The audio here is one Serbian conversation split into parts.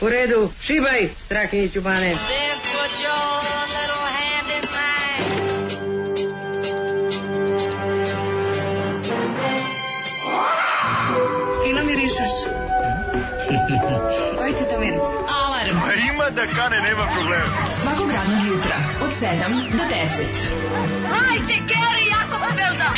U redu, šibaj, Strahinjiću Bane. Fino mirišeš. Koji ti to miris? Alarm. A ima da kane, nema problema. Svakog radnog jutra, od 7 do 10. Hajde, Geri, jako se velda.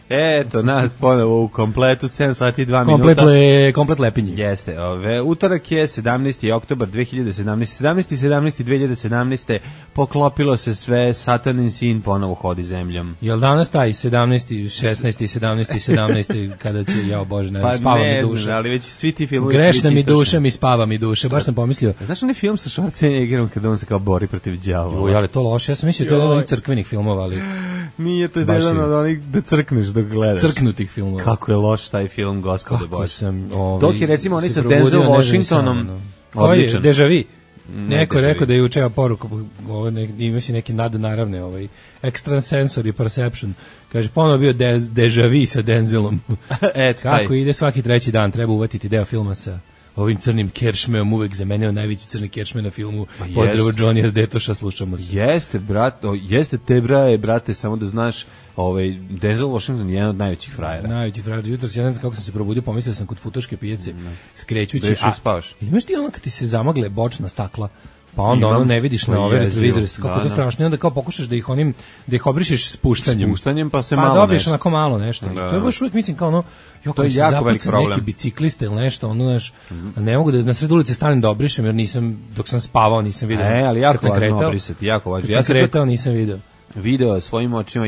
Eto, nas ponovo u kompletu, 7 sati i 2 minuta. Komplet lepinje. Jeste, utorak je 17. oktobar 2017. 2017. Poklopilo se sve, Satanin sin ponovo hodi zemljom. Jel danas taj 17. 16. 17. 17. kada će, jao Bože, ne, pa spava ne mi duša. Znam, ali već svi ti filmovi grešna mi duša, mi spava mi duša, baš sam pomislio. Znaš onaj film sa Schwarzeneggerom kada on se kao bori protiv đavola? Joj, ali to loše, ja sam mislio to je jedan od crkvenih filmova, ali... Nije to jedan od onih da crkneš dok gledaš. Crknutih filmova. Kako je loš taj film, gospode Bože. Sam... Dok je recimo oni sa Denzel Washingtonom... Koji je? Deja vu. Neko je rekao da je učeo poruku, ima si neki nadnaravne, extrasensory perception. Kaže, ponovno bio deja vu sa Denzelom. Kako ide svaki treći dan, treba uvatiti deo filma sa ovim crnim keršmeom, uvek za mene je najveći crni keršme na filmu. Pozdrav od Johnny Detoša, slušamo se. Jeste, jeste te brate, samo da znaš, Denzel Washington je jedan od najvećih frajera. Najveći frajer. Jutros ja ne znam kako sam se probudio, pomislio sam kod futoške pijace, skrećući. Da spavaš. Imaš ti ono kad ti se zamagle bočna stakla, pa onda ono ne vidiš na ove retrovizore, kako to strašno, i onda kao pokušaš da ih obrišeš spuštanjem. Spuštanjem pa se malo nešto. Pa dobiješ onako malo nešto. To je baš uvijek mislim kao ono, to je jako veliki problem. Neki bicikliste ili nešto, ono, znaš, ne mogu da na sred ulice stanem da obrišem, jer dok sam spavao nisam vidio. Ali jako važno obrisati, jako važno. Ja sam kretao, nisam vidio. Video svojim očima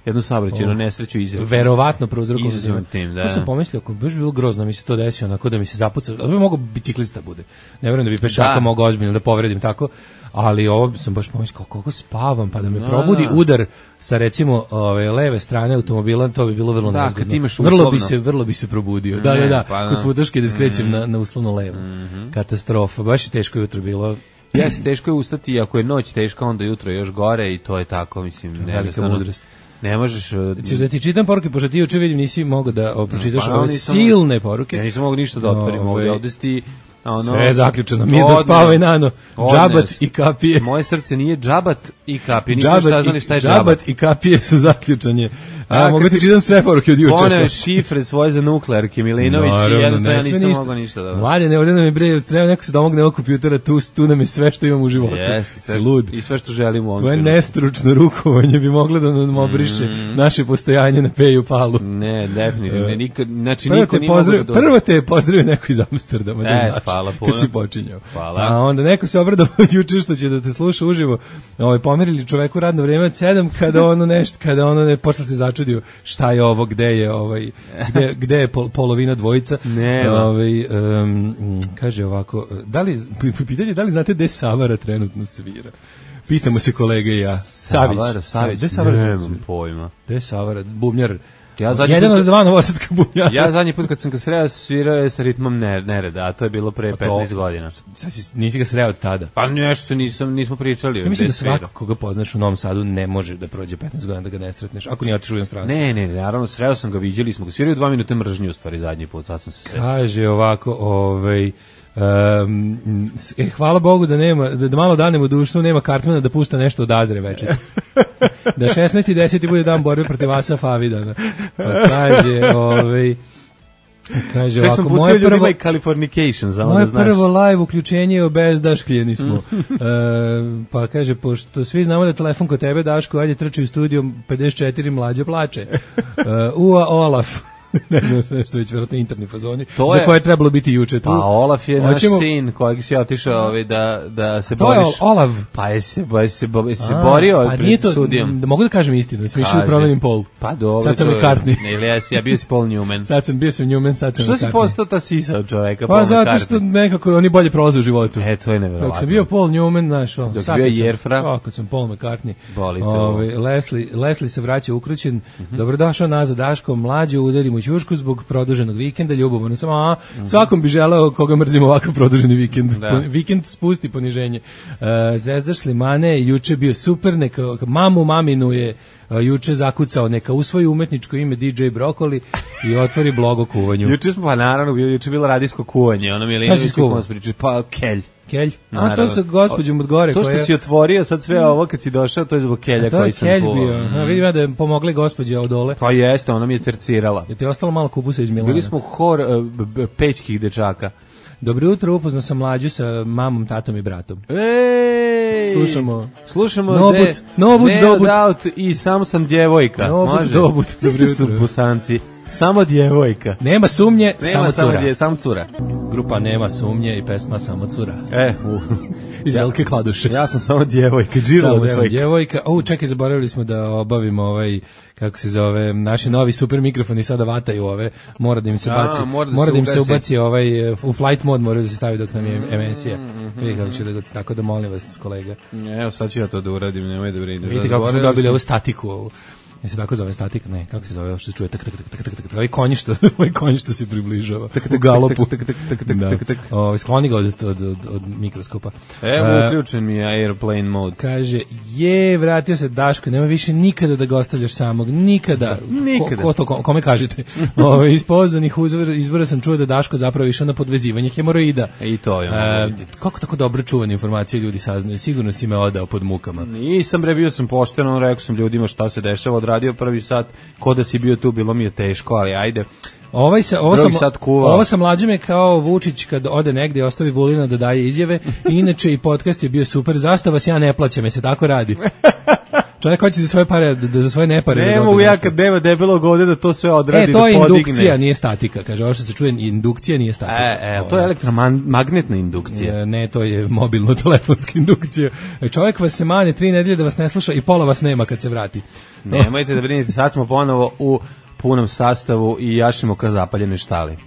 jednu saobraćajnu nesreću izrazio. Verovatno prouzrokovao tim, da. To sam pomislio, ako baš bilo grozno mi se to desilo, onako da mi se zapuca, da bi mogao biciklista bude. Ne verujem da bi pešaka mogao ozbiljno da povredim tako, ali ovo sam baš pomislio kako spavam, pa da me probudi udar sa recimo leve strane automobila, to bi bilo vrlo nezgodno. Vrlo bi se probudio. Da, kod futoške da skrećem na uslovno levo. Katastrofa, baš je teško jutro bilo. Jeste, teško je ustati, ako je noć teška, onda jutro još gore i to je tako, mislim, velika mudrost. Ne možeš... Ćeš da ti čitam poruke, pošto ti juče vidim nisi mogao da pročitaš ove silne poruke. Ja nisam mogao ništa da otvorim, ovdje si ti... Sve je zaključeno, mi da spavaj nano, džabat i kapije. Moje srce nije džabat i kapije, nisam saznali šta je džabat. Džabat i kapije su zaključanje. Mogu ti čitam sve poruke od juče. One šifre svoje za nuklearke, Milinović, i jednostavno ja nisam mogao ništa da... Mladine, ovdje nam je bre, treba neko se domogne ovog kompjutera, tu nam je sve što imam u životu. Jeste, i sve što želim u ovom. Tvoje nestručno rukovanje bi moglo da nam obriše naše postojanje na Peju Palu. Ne, definitivno, znači niko nije mogao da... Prvo te je pozdravio neko iz Amsterdama, da znaš, hvala puno. kad si počinjao. Hvala. A onda neko se obradao juče što će da te sluša uživo, pomerili čoveku radno vrijeme od 7, kada ono ne počeo se začudio šta je ovo, gde je polovina dvojica. Kaže ovako, pitanje da li znate gde Savara trenutno svira? Pitamo se kolege i ja. Savić. Gde Savara? Nemam pojma. Gde Savara? Bubnjar. Jedan od dva novosadska bubnjara. Ja zadnji put kad sam ga sreo svirao je sa ritmom nereda, a to je bilo pre 15 godina. Nisi ga sreo od tada? Pa nešto nismo pričali. Ja mislim da svako koga poznaš u Novom Sadu ne može da prođe 15 godina da ga ne sretneš, ako nije otišao u inostranstvo. Ne, naravno sreo sam ga, viđali smo ga, svirao 2 minute mržnje u stvari zadnji put, sad sam se sreo. Kaže ovako, hvala Bogu da nema, da malo danemo u dušu, nema Cartmana da pušta nešto od Azre večer. Da 16.10. bude dan borbe protiv Asa Favidana. Pa kaže čak sam pustio ljudima i Californication, za moje prvo live uključenje je obezdaškljeni smo. Pa kaže, pošto svi znamo da je telefon kod tebe, Daško, ajde trči u studio 54, mlađe plače. Olaf. Ne znam sve što već vjerojatno interni fazoni, za koje je trebalo biti juče tu. Pa Olaf je naš sin kojeg si otišao da se boriš. To je Olaf. Pa je se borio pred sudijom. Mogu da kažem istinu, sam išao promenim pol. Pa dobro. Sad sam McCartney. Ja bio si Paul Newman. Sad sam Newman, sad sam McCartney. Što si postao ta sisa od čoveka? Pa zato što nekako oni bolje prolaze u životu. To je nevjerovatno. Dok sam bio Paul Newman, znaš, dok sam bio Jerfra. Kad sam Paul McCartney. Leslie se vraća ukrućen. Dobrodošao nazad, Daško, mlađe, udarimo u ćušku zbog produženog vikenda, ljubomorno sam, svakom bi želeo koga mrzimo ovakav produženi vikend. Vikend spusti poniženje. Zvezda Šlimane juče bio super, neka maminu je juče zakucao, neka usvoji umetničko ime DJ Brokoli i otvori blog o kuvanju. Juče smo, pa naravno, juče bilo radijsko kuvanje, ono Milinović kako nas priča, pa kelj. Kelj? A to sa gospođom od gore. To što si otvorio sad sve ovo kad si došao, to je zbog kelja koji sam kuvao. To je kelj bio. Vidim ja da je pomogla gospođa od dole. Pa jeste, ona mi je tercirala. Je ti ostalo malo kupusa iz Milana? Bili smo hor pećkih dečaka. Dobro jutro, upoznao sam Mlađu sa mamom, tatom i bratom. Ej! Slušamo Nobut, Doubt i samo sam djevojka. Nobut, Dobut. Dobro jutro. Bosanci. Samo djevojka. Nema sumnje, samo cura. Grupa Nema sumnje i pesma Samo cura. Iz Velike Kladuše. Ja sam samo djevojka. Samo djevojka. Čekaj, zaboravili smo da obavimo kako se zove, naši novi super mikrofoni sada vataju ove, mora da im se baci, mora da im se ubaci u flight mod, mora da se stavi dok nam je emisija. Vidi kako će da tako da molim vas, kolega. Evo sad ću ja to da uradim, nemoj da brineš. Vidite kako smo dobili ovu statiku ovu. Se tako zove statika? Ne, kako se zove? Ovo što se čuje ovaj konj što se približava u galopu. Skloni ga od mikroskopa. Evo, uključen mi je airplane mode. Kaže, vratio se Daško, nema više nikada da ga ostavljaš samog. Nikada. Kome kažete? Iz pouzdanih izvora sam čuo da Daško zapravo išao na podvezivanje hemoroida. I to je. Kako tako dobro čuvane informacije ljudi saznaju? Sigurno si me odao pod mukama. Nisam, bio sam pošteno, rekao sam ljudima šta se dešava, odradio prvi sat, ko da si bio tu, bilo mi je teško, ali ajde. Ovo sa Mlađom je kao Vučić kad ode negdje, ostavi Vulina da daje izjave. Inače i podcast je bio super, zašto vas ja ne plaćam, se tako radi. Čovjek hoće za svoje pare, za svoje nepare. Ne mogu ja kad nema debelog ovde da to sve odradi, da podigne. To je indukcija, nije statika. Kaže, ovo što se čuje, indukcija nije statika. To je elektromagnetna indukcija. Ne, to je mobilno-telefonska indukcija. Čovjek vas se mane 3 nedelje da vas ne sluša i pola vas nema kad se vrati. Nemojte da brinite, sad smo ponovo u punom sastavu i jašimo ka zapaljenoj štali.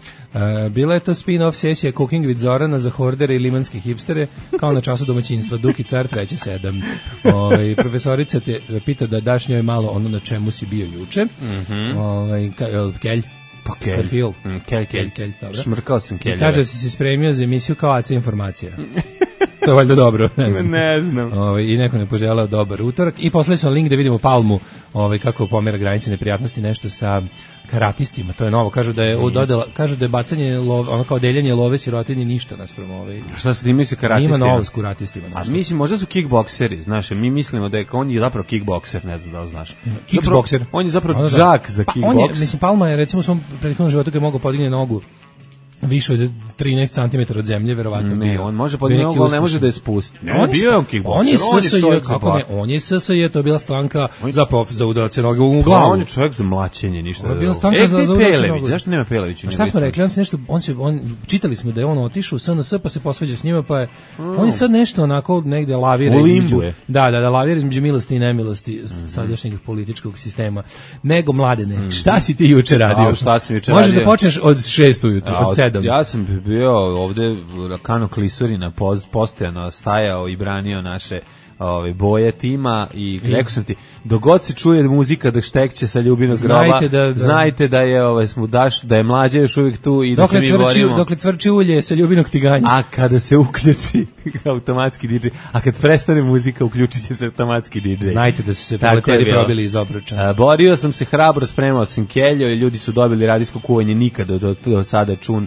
Bila je to spin-off sesija Cooking with Zorana za hordere i limanske hipstere, kao na času domaćinstva, Duki car 3.7. Profesorica te pita da daš njoj malo ono na čemu si bio juče. Kelj. Pa kelj. Šmrkao sam kelj. Kaže si se spremio za emisiju kao AC informacija. To je valjda dobro. Ne znam. I neko ne poželao dobar utorak. I poslali smo link da vidimo Palmu, kako pomera granice neprijatnosti, nešto sa karatistima. To je novo. Kažu da je bacanje ono kao deljenje love sirotinje ništa naspram Šta se ti misli karatistima? Ima novo s karatistima. Mislim, možda su kickbokseri, znaš, mi mislimo da je on je zapravo kickbokser, ne znam da li znaš. Kickbokser. On je zapravo džak za kickboks. Mislim, Palma je recimo u svom prethodnom životu kad je mogao podigne nogu više od 13 cm od zemlje, verovatno. Ne, on može podići nogu, ali ne može da je spusti. Bio je on kickbokser. On je SSJ, to je bila stanka za udarce noge u glavu. On je čovjek za mlaćenje, ništa. To je bila stanka za udarce noge. Zašto nema Pelević? Šta smo rekli? Čitali smo da je on otišao u SNS, pa se posvađa s njima, pa je on je sad nešto onako negde lavira između. Da, lavira između milosti i nemilosti sadašnjeg političkog sistema. Nego, Mladene, šta si ti juče radio? Možeš da počneš od 6 ujutru, od 7. Ja sam bio ovde Kano Klisurina postojano stajao i branio naše boje tima i rekao sam ti, dogod se čuje muzika da štekće sa Ljubinog groba, znajte da je da je Mlađa još uvijek tu i da se mi borimo. Dokle tvrči ulje sa Ljubinog tiganja. A kada se uključi automatski DJ, a kad prestane muzika uključit će se automatski DJ. Znajte da su se proletari probili iz obruča. Borio sam se hrabro, spremao sam keljo i ljudi su dobili radijsko kuvanje nikada do sada čut.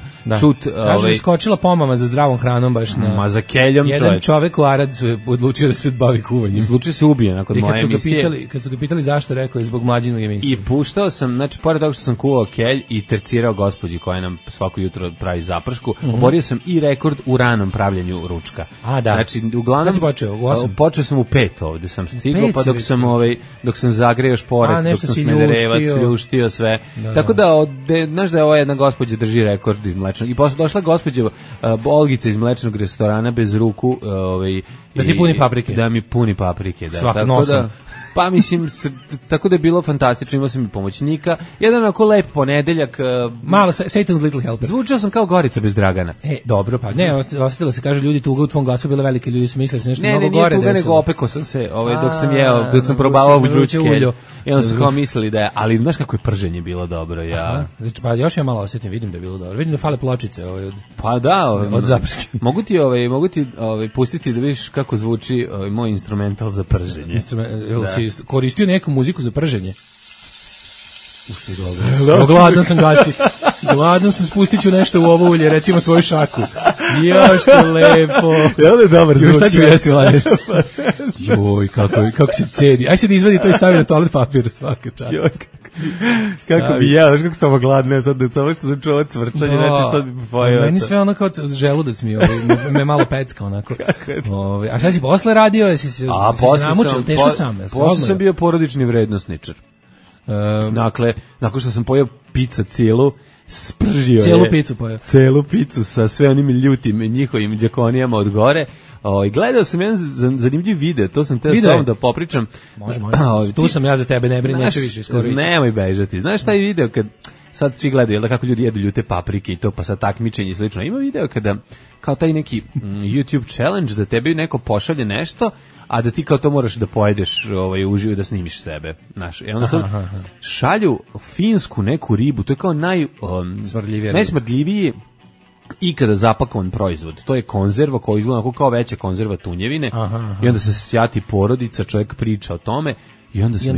Kaže, skočila pomama za zdravom hranom baš na... Ma za keljom jedan čovek u Arad odlučio da se bavi kuvanjem. Odlučio se ubije nakon moje emisije. Kad su ga pitali zašto, rekao je zbog Mlađinog emisije. I puštao sam, znači, pored toga što sam kuvao kelj i tercirao gospođi koja nam svako jutro pravi zapršku, oborio sam i rekord u ranom pravljenju ručka. A, da. Znači, uglavnom, počeo sam u 5 ovde, sam stigao, pa dok sam zagreo šporet, dok sam smederevac, ljuštio sve. Tako da, znaš da je ova jedna gospođa drži rekord iz mlečnog. I posle došla gospođa Olgica iz mlečnog restorana bez ruku, da ti puni paprike. Da mi puni paprike, da. Svak nosom. Pa mislim, tako da je bilo fantastično, imao sam i pomoćnika. Jedan onako lep ponedeljak. Malo Satan's Little Helper. Zvučao sam kao Gorica bez Dragana. Dobro, pa ne, osetilo se, kaže ljudi, tuga u tvom glasu bila velike, ljudi su mislili se nešto mnogo gore. Ne, nije tuga, nego opekao sam se, dok sam probavao vruće kelje. I onda su kao mislili da je, ali znaš kako je prženje bilo dobro, ja. Znači, pa još ja malo osjetim, vidim da je bilo dobro. Vidim da fale pločice pa da, od zaprske. Mogu ti pustiti da vidiš kako zvuči moj instrumental za prženje. Si koristio neku muziku za prženje? Gladan sam, gaći. Gladan sam, spustit ću nešto u ovo ulje, recimo svoju šaku. Ja, što lepo. Jel je dobar zvuk? Šta ću jesti, Vladeš? Joj, kako se cedi. Aj se da izvadi to i stavi na toalet papir svaka čast. Kako bi jeo, kako sam gladne, sad da to što sam čuo cvrčanje, znači sad bi pojeo. Meni sve ono kao želudac mi, me malo pecka onako. A šta si posle radio? Jesi se namučio, teško sam? Posle sam bio porodični vrednosničar. Dakle, nakon što sam pojeo pizza cijelu, spržio cijelu picu pojeo. Celu picu sa sve onim ljutim njihovim džakonijama od gore. Gledao sam jedan zanimljiv video, to sam te stavio da popričam. Može. Tu sam ja za tebe, ne brini, neće više iskorići. Nemoj bežati. Znaš taj video kad sad svi gledaju, da kako ljudi jedu ljute paprike i to, pa sad takmičenje i slično. Ima video kada, kao taj neki YouTube challenge, da tebi neko pošalje nešto, a da ti kao to moraš da pojedeš uživo da snimiš sebe. Znaš, i onda sad šalju finsku neku ribu, to je kao najsmrdljiviji ikada zapakovan proizvod. To je konzerva koja izgleda kao veća konzerva tunjevine. I onda se sjati porodica, čovjek priča o tome i onda se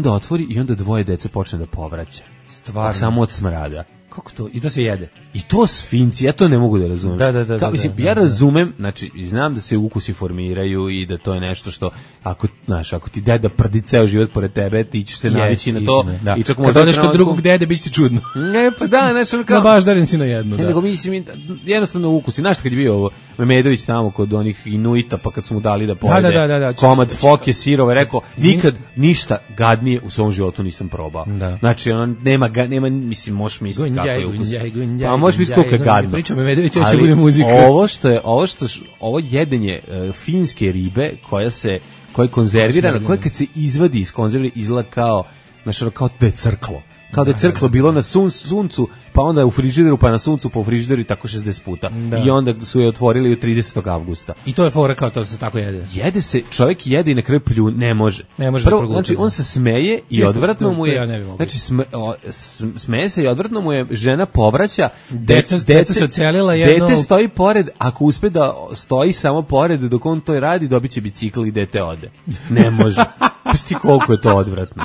otvori i onda dvoje dece počne da povraća. Stvarno. Samo od smrada. Kako to? I to se jede? I to s Finci, ja to ne mogu da razumem. Ja razumem, znači, znam da se ukusi formiraju i da to je nešto što, ako ti deda prdi ceo život pored tebe, ti ćeš se navići na to. Da. I čak kad odeš kod drugog dede, bit će ti čudno. Ne, pa da, znači, ono kao... baš darin si na jednu, nego mislim, jednostavno ukusi. Znaš kad je bio ovo, Memedović tamo kod onih Inuita, pa kad su mu dali da pojede komad foke, sirove, rekao, nikad ništa gadnije u svom životu nisam probao. Znači, ono, nema, mislim, možeš misliti kako je ukus. Pa možeš misliti koliko je gadno. Pričam Memedović, ja će bude muzika. Ovo jedenje finske ribe koja je konzervirana, koja kad se izvadi iz konzerve izgleda kao da je crklo. Kao da je crklo bilo na suncu, pa onda u frižideru, pa na suncu, pa u frižideru i tako 60 puta. I onda su je otvorili 30. avgusta. I to je fora kao to se tako jede. Jede se, čovjek jede i na kraju ne može. Prvo, znači on se smeje i odvratno mu je. Znači smeje se i odvratno mu je, žena povraća, deca se ocelila jedno. Dete stoji pored, ako uspe da stoji samo pored dok on to radi, dobiće bicikl i dete ode. Ne može. Pusti koliko je to odvratno.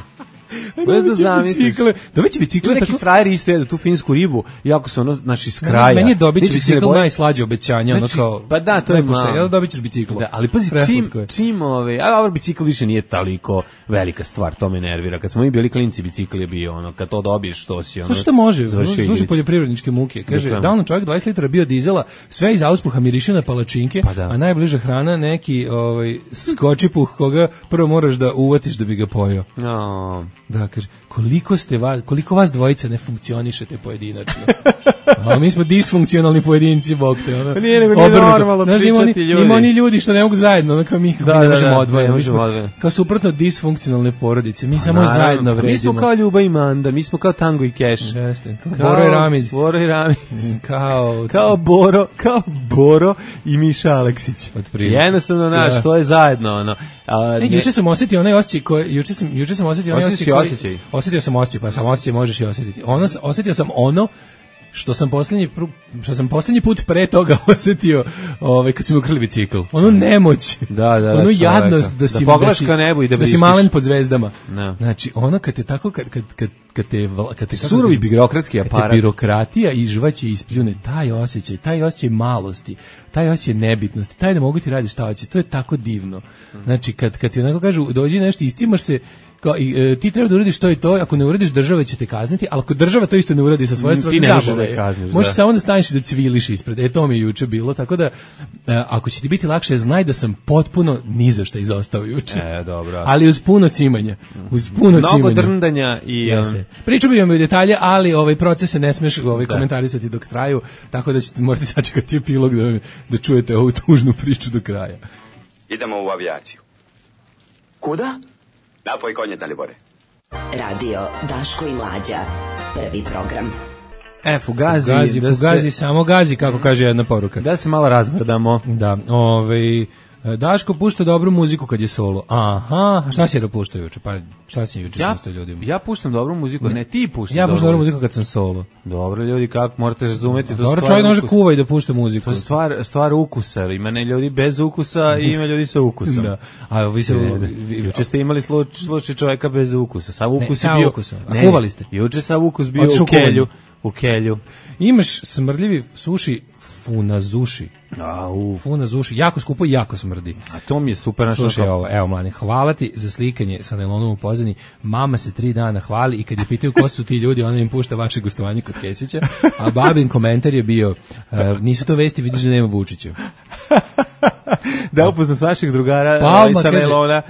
Dobiće bicikle. Neki frajeri isto jedu tu finsku ribu, jako su naši s kraja. Meni je dobiće bicikl najslađe obećanje, ono kao... Pa da, to je malo. Dobićeš bicikl. Ali pazi, čim bicikl više nije toliko velika stvar, to me nervira. Kad smo mi bili klinci, bicikl je bio ono, kad to dobiješ, to si ono... Što može, služi poljoprivredničke muke. Kaže, da ono čovjek 20 litara bio dizela, sve iz auspuha miriše na palačinke, a najbliža hrana neki skočipuh koga prvo moraš da uvatiš da bi ga pojeo. Da, kaže, koliko vas dvojica ne funkcionišete pojedinačno. A mi smo disfunkcionalni pojedinci, bog te. Nije normalno pričati ljudi. Ima oni ljudi što ne mogu zajedno, ono kao mi ne možemo odvojeno. Kao suprotno disfunkcionalne porodice, mi samo zajedno vredimo. Mi smo kao Ljuba i Manda, mi smo kao Tango i Keš. Boro i Ramiz. Kao Boro i Miša Aleksić. Jednostavno, naš, to je zajedno. Juče sam osjetio onaj osjećaj juče sam osjetio onaj osjećaj. Osjetio sam osjećaj, pa sam osjećaj možeš i osjetiti. Osjetio sam što sam posljednji put pre toga osjetio kad su mi ukrili bicikl. Ono nemoć. Ono jadnost da si pogledaš ka nebu i da si malen pod zvezdama. Znači, ono kad te tako kad te surovi birokratski aparat, birokratija izžvaće i ispljune, taj osjećaj malosti, taj osjećaj nebitnosti, taj da mogu ti raditi šta hoće, to je tako divno. Znači, kad ti onako kažu, dođi nešto, iscimaš se ti treba da uradiš to i to, ako ne uradiš država će te kazniti, ali ako država to isto ne uradi sa svoje strane, ti ne možeš da je kazniš. Možeš samo da staniš i da cviliš ispred. To mi je juče bilo, tako da ako će ti biti lakše, znaj da sam potpuno ni za šta izostao juče. Dobro. Ali uz puno cimanja. Mnogo drndanja i... Jeste. Priču bi vam i detalje, ali procese ne smeš komentarisati dok traju, tako da morate sačekati epilog da čujete ovu tužnu priču do kraja. Idemo u avijaciju. Kuda? Napoj konje, Dalibore. Radio Daško i Mlađa. Prvi program. Fugazi, samo gazi, kako kaže jedna poruka. Da se malo razbrdamo. Da, Daško pušta dobru muziku kad je solo. Aha, šta si puštao juče? Pa šta si juče puštao ljudima? Ja puštam dobru muziku, ne ti puštaš. Ja puštam dobru muziku kad sam solo. Dobro ljudi, kako morate razumeti to. Dobro, čovjek može kuva i da pušta muziku. To je stvar ukusa. Ima ljudi bez ukusa i ima ljudi sa ukusom. Da. A vi se juče ste imali slučaj čovjeka bez ukusa. Sav ukus je bio. A kuvali ste? Juče sav ukus bio u kelju. Imaš smrdljivi suši funazuši. Funazuši, jako skupo i jako smrdi. A to mi je super. Slušaj ovo, evo mlani, hvala ti za slikanje sa najlonom u pozadini. Mama se 3 dana hvali i kad je pitaju ko su ti ljudi, ona im pušta vaše gostovanje kod Kesića, a babin komentar je bio, nisu to vesti, vidiš da nema Vučića. Da, upoznam s naših drugara sa najlona,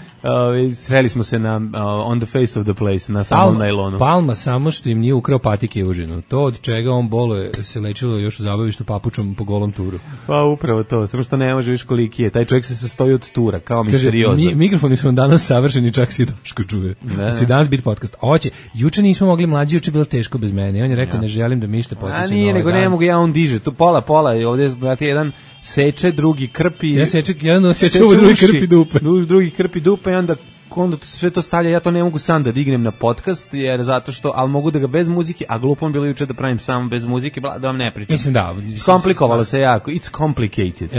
sreli smo se na on the face of the place, na samom najlonu. Palma samo što im nije ukrao patike i užinu. To od čega on boluje se lečilo još u zabavištu papučom po golom turu. Pa upravo to, samo što ne može više koliki je. Taj čovjek se sastoji od tura, kao misteriozo. Mikrofoni su vam danas savršeni, čak si Daško čuje. Znači danas biti podcast. Juče nismo mogli mlađi, juče je bilo teško bez mene. On je rekao ne želim da mi ništa podsjeća. A nije, nego ne mogu ja, on diže. Tu pola, ovdje znate jedan seče, drugi krpi. Jedan seče, drugi krpi dupe. Drugi krpi dupe i onda sve to stavlja, ja to ne mogu sam da dignem na podcast, jer zato što, ali mogu da ga bez muzike, a glupo mi bilo juče da pravim sam bez muzike, da vam ne pričam. Mislim da. Skomplikovalo se jako, it's complicated.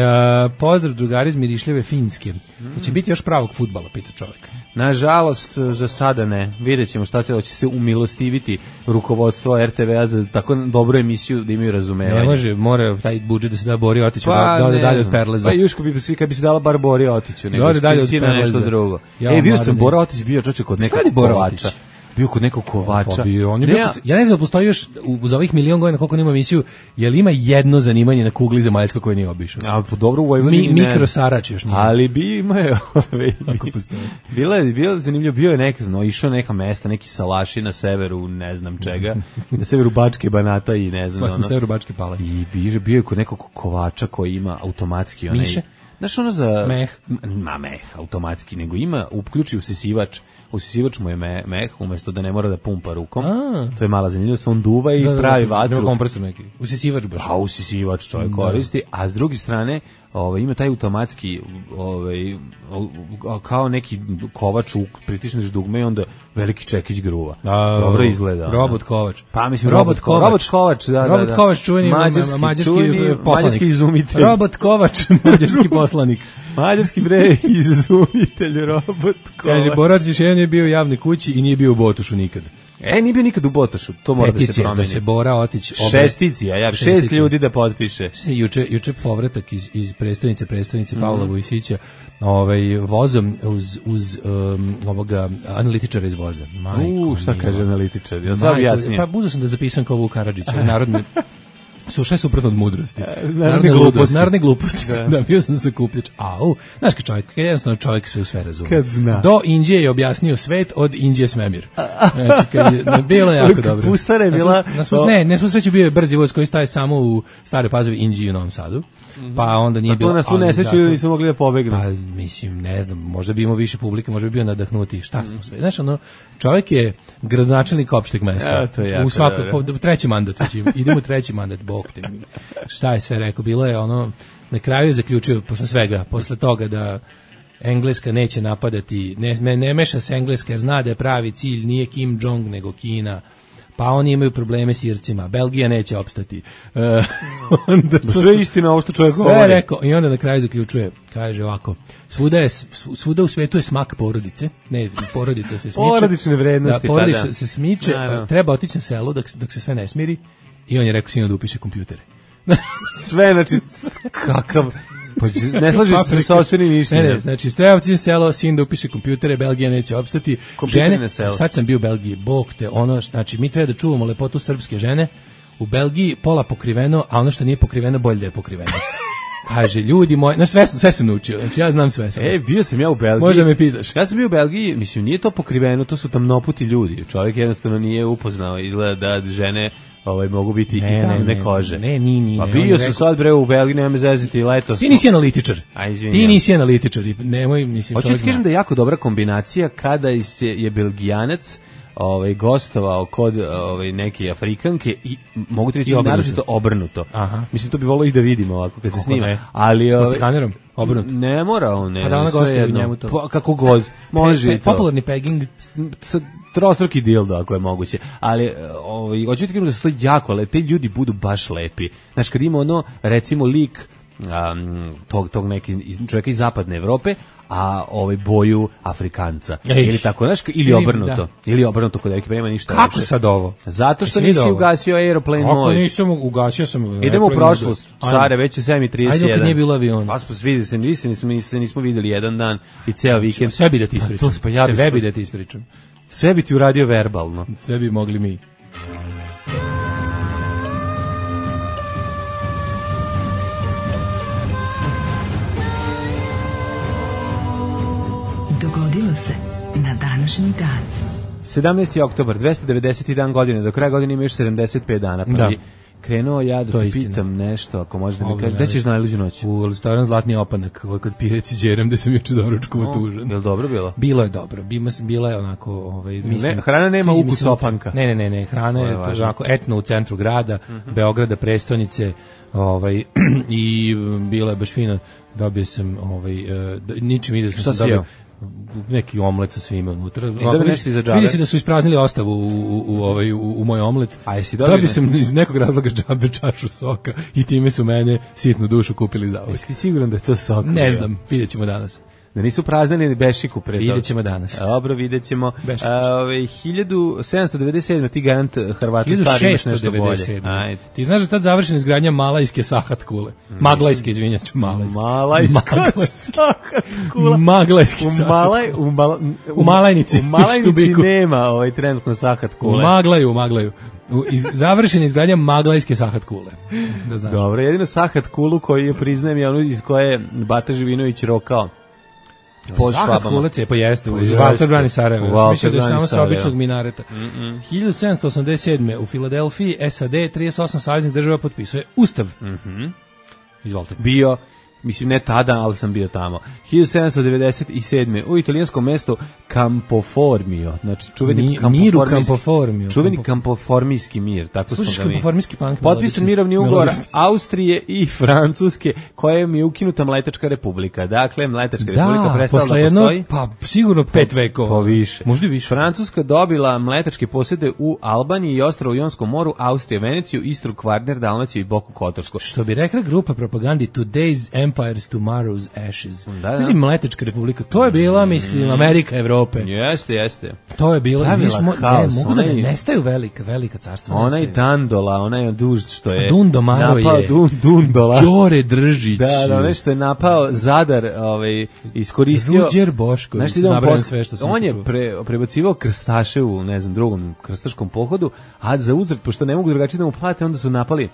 Pozdrav drugari iz Mirišljeve Finske. Će biti još pravog fudbala, pita čovjek. Nažalost, za sada ne. Vidjet ćemo šta se hoće se umilostiviti rukovodstvo RTV-a za tako dobru emisiju da imaju razumevanje. Ne može, mora taj budžet da se da Bori Otiću, da ode dalje od Perleza. Pa Juško bi svi kad bi se dala bar Bori Otiću, nego da dalje od Perleza. Nešto drugo. Vidio sam Bora Otić bio čoče kod nekog kovača. Bio kod nekog kovača. Ja ne znam, postoji još uz ovih milion godina koliko nema emisiju, je li ima jedno zanimanje na kugli zemaljskoj koje nije obišao? A dobro u Vojvodini ne. Mikrosarač još nije. Ali bi imao. Bilo zanimljivo, bio je išao neka mesta, neki salaši na severu, ne znam čega, na severu Bačke Banata i ne znam. Na severu Bačke Pale. I bio je kod nekog kovača koji ima automatski onaj... Miše? Znaš ono za... Meh. Meh, automatski, nego ima, uključi usisivač. Usisivač mu je meh, umjesto da ne mora da pumpa rukom. To je mala zanimljivost, on duva i pravi vatru. Nema kompresor neki. Usisivač baš. Pa usisivač čovjek koristi, a s druge strane ima taj automatski kao neki kovač, pritisneš dugme i onda veliki čekić gruva. Dobro izgleda. Robot kovač. Pa mislim robot kovač, da. Robot kovač, čuveni mađarski izumitelj. Robot kovač, mađarski poslanik. Mađarski izumitelj, robot kovač. Kaže, Borac još jedan je bio u javnoj kući i nije bio u Botošu nikad. Nije bio nikad u Botošu, to mora da se promeni. Da se Bora Otić... Šesticija, 6 ljudi da potpiše. Juče povratak iz predstavnice Pavla Vojsića vozom uz ovoga analitičara iz voza. Šta kaže analitičar? Ja sam jasnije. Pa buzo sam da zapisam kao Vuk Karadžića, narodne... Sve suprotno od mudrosti. Narodne gluposti. Da, bio sam sakupljač. Znaš kad čovjek se u sve razume. Kad zna. Do Indije je objasnio svet, od Indije svemir. Znači, bilo je jako dobro. Pustara je bila... Ne, smo sreću bio je brzi voz koji staje samo u Staroj Pazovi, Inđiji i u Novom Sadu. Pa onda nije bilo... To na svu nesreću ili nisu mogli da pobegnu? Pa, mislim, ne znam, možda bi imao više publike, možda bi bio nadahnuti. Šta smo sve? Znaš, čovjek je gradonačelnik opšteg mesta. To je jako treći mandat. Idemo treći mandat, bog te mi. Šta je sve rekao? Bilo je na kraju je zaključio posle toga da Engleska neće napadati, ne meša se Engleska jer zna da je pravi cilj nije Kim Jong nego Kina. Pa oni imaju probleme s Ircima, Belgija neće opstati. Sve istina ovo što čovjek govori. Sve rekao i onda na kraju zaključuje, kaže ovako, svuda u svetu je smak porodice, ne, porodica se smiče. Porodične vrednosti. Da, porodica se smiče, treba otići na selo dok se sve ne smiri i on je rekao sinu da upiše kompjutere. Sve, znači, kakav Pa ne slaže se sa sopstvenim mišljenjem. Ne, znači Stojavci selo, sin da upiše kompjutere, Belgija neće opstati. Žene, sad sam bio u Belgiji, bog te, ono, znači mi treba da čuvamo lepotu srpske žene. U Belgiji pola pokriveno, a ono što nije pokriveno bolje da je pokriveno. Kaže, ljudi moji, znači sve sam naučio, znači ja znam sve sam. Bio sam ja u Belgiji. Možda me pitaš. Ja sam bio u Belgiji, mislim, nije to pokriveno, to su tamnoputi ljudi. Čovjek jednostavno nije upoznao, izgleda da žene mogu biti i tamne kože. Ne. Pa bio su sad bre u Belgiji, nema me zeziti, letos. Ti nisi analitičar. Ti nisi analitičar, nemoj, mislim. Hoću ti kažem da je jako dobra kombinacija kada je Belgijanac gostovao kod neke Afrikanke i mogu ti reći naročito obrnuto. Aha. Mislim, to bi volio i da vidimo ovako kad se snima. Ne. Ali s kamerom obrnuto. ne mora on, ne. A da ona gostuje u njemu to. Pa, kako god, može i to. Popularni pegging. Trostruki dildo ako je moguće. Ali hoću ti kažem da su to jako lepi, te ljudi budu baš lepi. Znaš, kad ima recimo lik tog neki čovjeka iz zapadne Evrope, a boju Afrikanca. Ili tako, znaš, ili obrnuto kod neki nema ništa. Kako sad ovo? Zato što nisi ugasio aeroplane mode. Kako nisam ugasio sam. Idemo u prošlost. Care, već je 7:31. Ajde, kad nije bilo avion. Pa nismo videli jedan dan i ceo vikend. Sve bi da ti ispričam. Sve bi da ti ispričam. Sve bi ti uradio verbalno. Sve bi mogli mi. Dogodilo se na današnji dan. 17. oktobar, 290. dan godine, do kraja godine ima još 75 dana. Pa bi krenuo ja da ti pitam nešto, ako možeš da mi kažeš, gde ćeš na najluđu noć? U restoran Zlatni opanak, kod Pijeci Đeram, gde sam juče doručkovo tužan. Je li dobro bilo? Bilo je dobro, bila je onako... mislim, hrana nema ukus opanka. Ne, hrana je onako etno u centru grada, Beograda, prestonice, i bilo je baš fino, dobio sam, ničim izasno sam dobio neki omlet sa svime unutra. Vidi se da su ispraznili ostavu u moj omlet. A jesi dobio? Dobio sam iz nekog razloga džabe čašu soka i time su mene sitnu dušu kupili za ovo. Jesi ti siguran da je to sok? Ne znam, vidjet ćemo danas. Da nisu praznili bešiku pred. Vidjet ćemo danas. Dobro, vidjet ćemo. 1797. ti garant Hrvata stari imaš nešto bolje. Ajde. Ti znaš da tad završena izgradnja Malajske Sahat kule. Maglajske, izvinjam se, Malajska Sahat kula. Maglajski Sahat. U Malajnici. U Malajnici nema trenutno Sahat kule. U Maglaju. Završena izgradnja Maglajske Sahat kule. Dobro, jedino Sahat kulu koji je, priznajem, je ono iz koje je Bata Živinović rokao. Sahat kule cepa jeste, Valter brani Sarajevo. Mislio da je samo sa običnog minareta. 1787. u Filadelfiji, SAD, 38 saveznih država potpisuje Ustav. Izvolite. Bio, mislim ne tada, ali sam bio tamo. 1797. u italijanskom mestu Campoformio, znači čuveni kampoformijski mir, tako smo ga mi. Kampoformijski punk. Potpisan mirovni ugovor Austrije i Francuske, kojem je ukinuta Mletačka republika. Dakle, Mletačka republika prestala da postoji. Pa sigurno 5 vekova. Po više. Možda i više. Francuska dobila mletačke posjede u Albaniji i ostrvo u Jonskom moru, Austrija, Veneciju, Istru, Kvarner, Dalmaciju i Boku Kotorsku. Što bi rekla grupa propagandi Today's Empire's Tomorrow's Ashes. Mislim, Mletačka republika, to je bila, mislim, Amerika, Evrope. Jeste. To je bilo, mogu da ne nestaju velika carstva. Onaj Dandola, onaj duž što je Dundomaro napao Dundola. Đore Držić. Da, nešto je napao Zadar, iskoristio. Ruđer Bošković, nabrajam sve što sam on je prebacivao krstaše u, ne znam, drugom krstaškom pohodu, a za uzvrat, pošto ne mogu drugačije da mu plate, onda su napali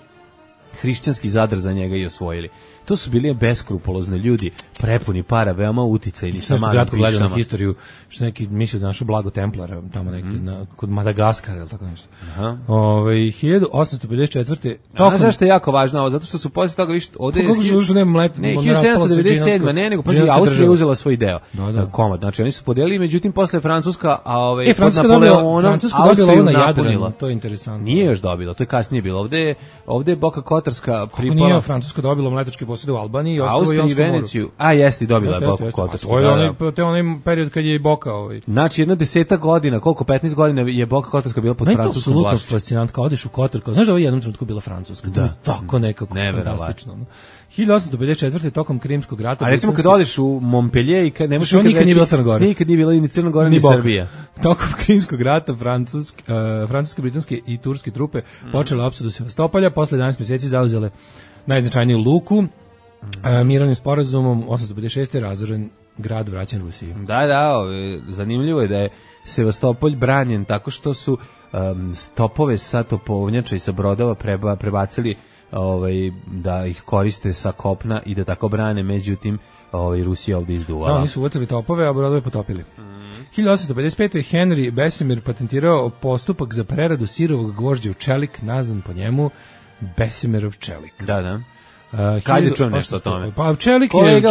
hrišćanski Zadar za njega i osvojili. To su bili beskrupulozne ljudi, prepuni para, veoma uticajni sa malim kratko gledam na historiju, što neki misle da našo Blago Templara tamo neki kod Madagaskara ili tako nešto. 1854. Znaš zašto je jako važno ovo? Zato što su posle toga više ovde je 1797, ne, nego pa Austrija je uzela svoj deo. Komad, znači oni su podelili, međutim posle Francuska, a pod Napoleonom Austriju napunila. To je interesantno. Nije još dobila, to je kasnije bilo. Ovde je Boka Kotorska pripala. Nije Francuska dobila mletačke posjede u Albaniji i ostrvo u Jonskom moru. A jeste, dobila je Boku Kotorsku. To je onaj period kad je i Boka. Znači, jedno 10 godina, koliko, 15 godina je Boka Kotorska bila pod francuskom vlašću. To je apsolutno fascinantno, kao odeš u Kotor, znaš da ovo je jednom trenutku bila Francuska, to je tako nekako fantastično. 1854. tokom Krimskog rata. A recimo kad odeš u Montpellier i kad ne možeš nikad nije bila Crna Gora. Nikad nije bila ni Crna Gora ni Srbija. Tokom Krimskog rata francuske, britanske i turske trupe počele opsadu Sevastopolja, posle 11 mjeseci zauzele najznačajniju luku Mirovnim sporazumom 856. razoren grad vraćen Rusiji. Da, zanimljivo je da je Sevastopolj branjen tako što su stopove sa topovnjača i sa brodova prebacili da ih koriste sa kopna i da tako brane, međutim Rusija ovdje izduvala. Da, oni su uvatili topove, a brodove potopili. 1855. Henry Bessemer patentirao postupak za preradu sirovog gvožđa u čelik, nazvan po njemu Bessemerov čelik. Da. Kad je čuo nešto o tome? Pa čelik je,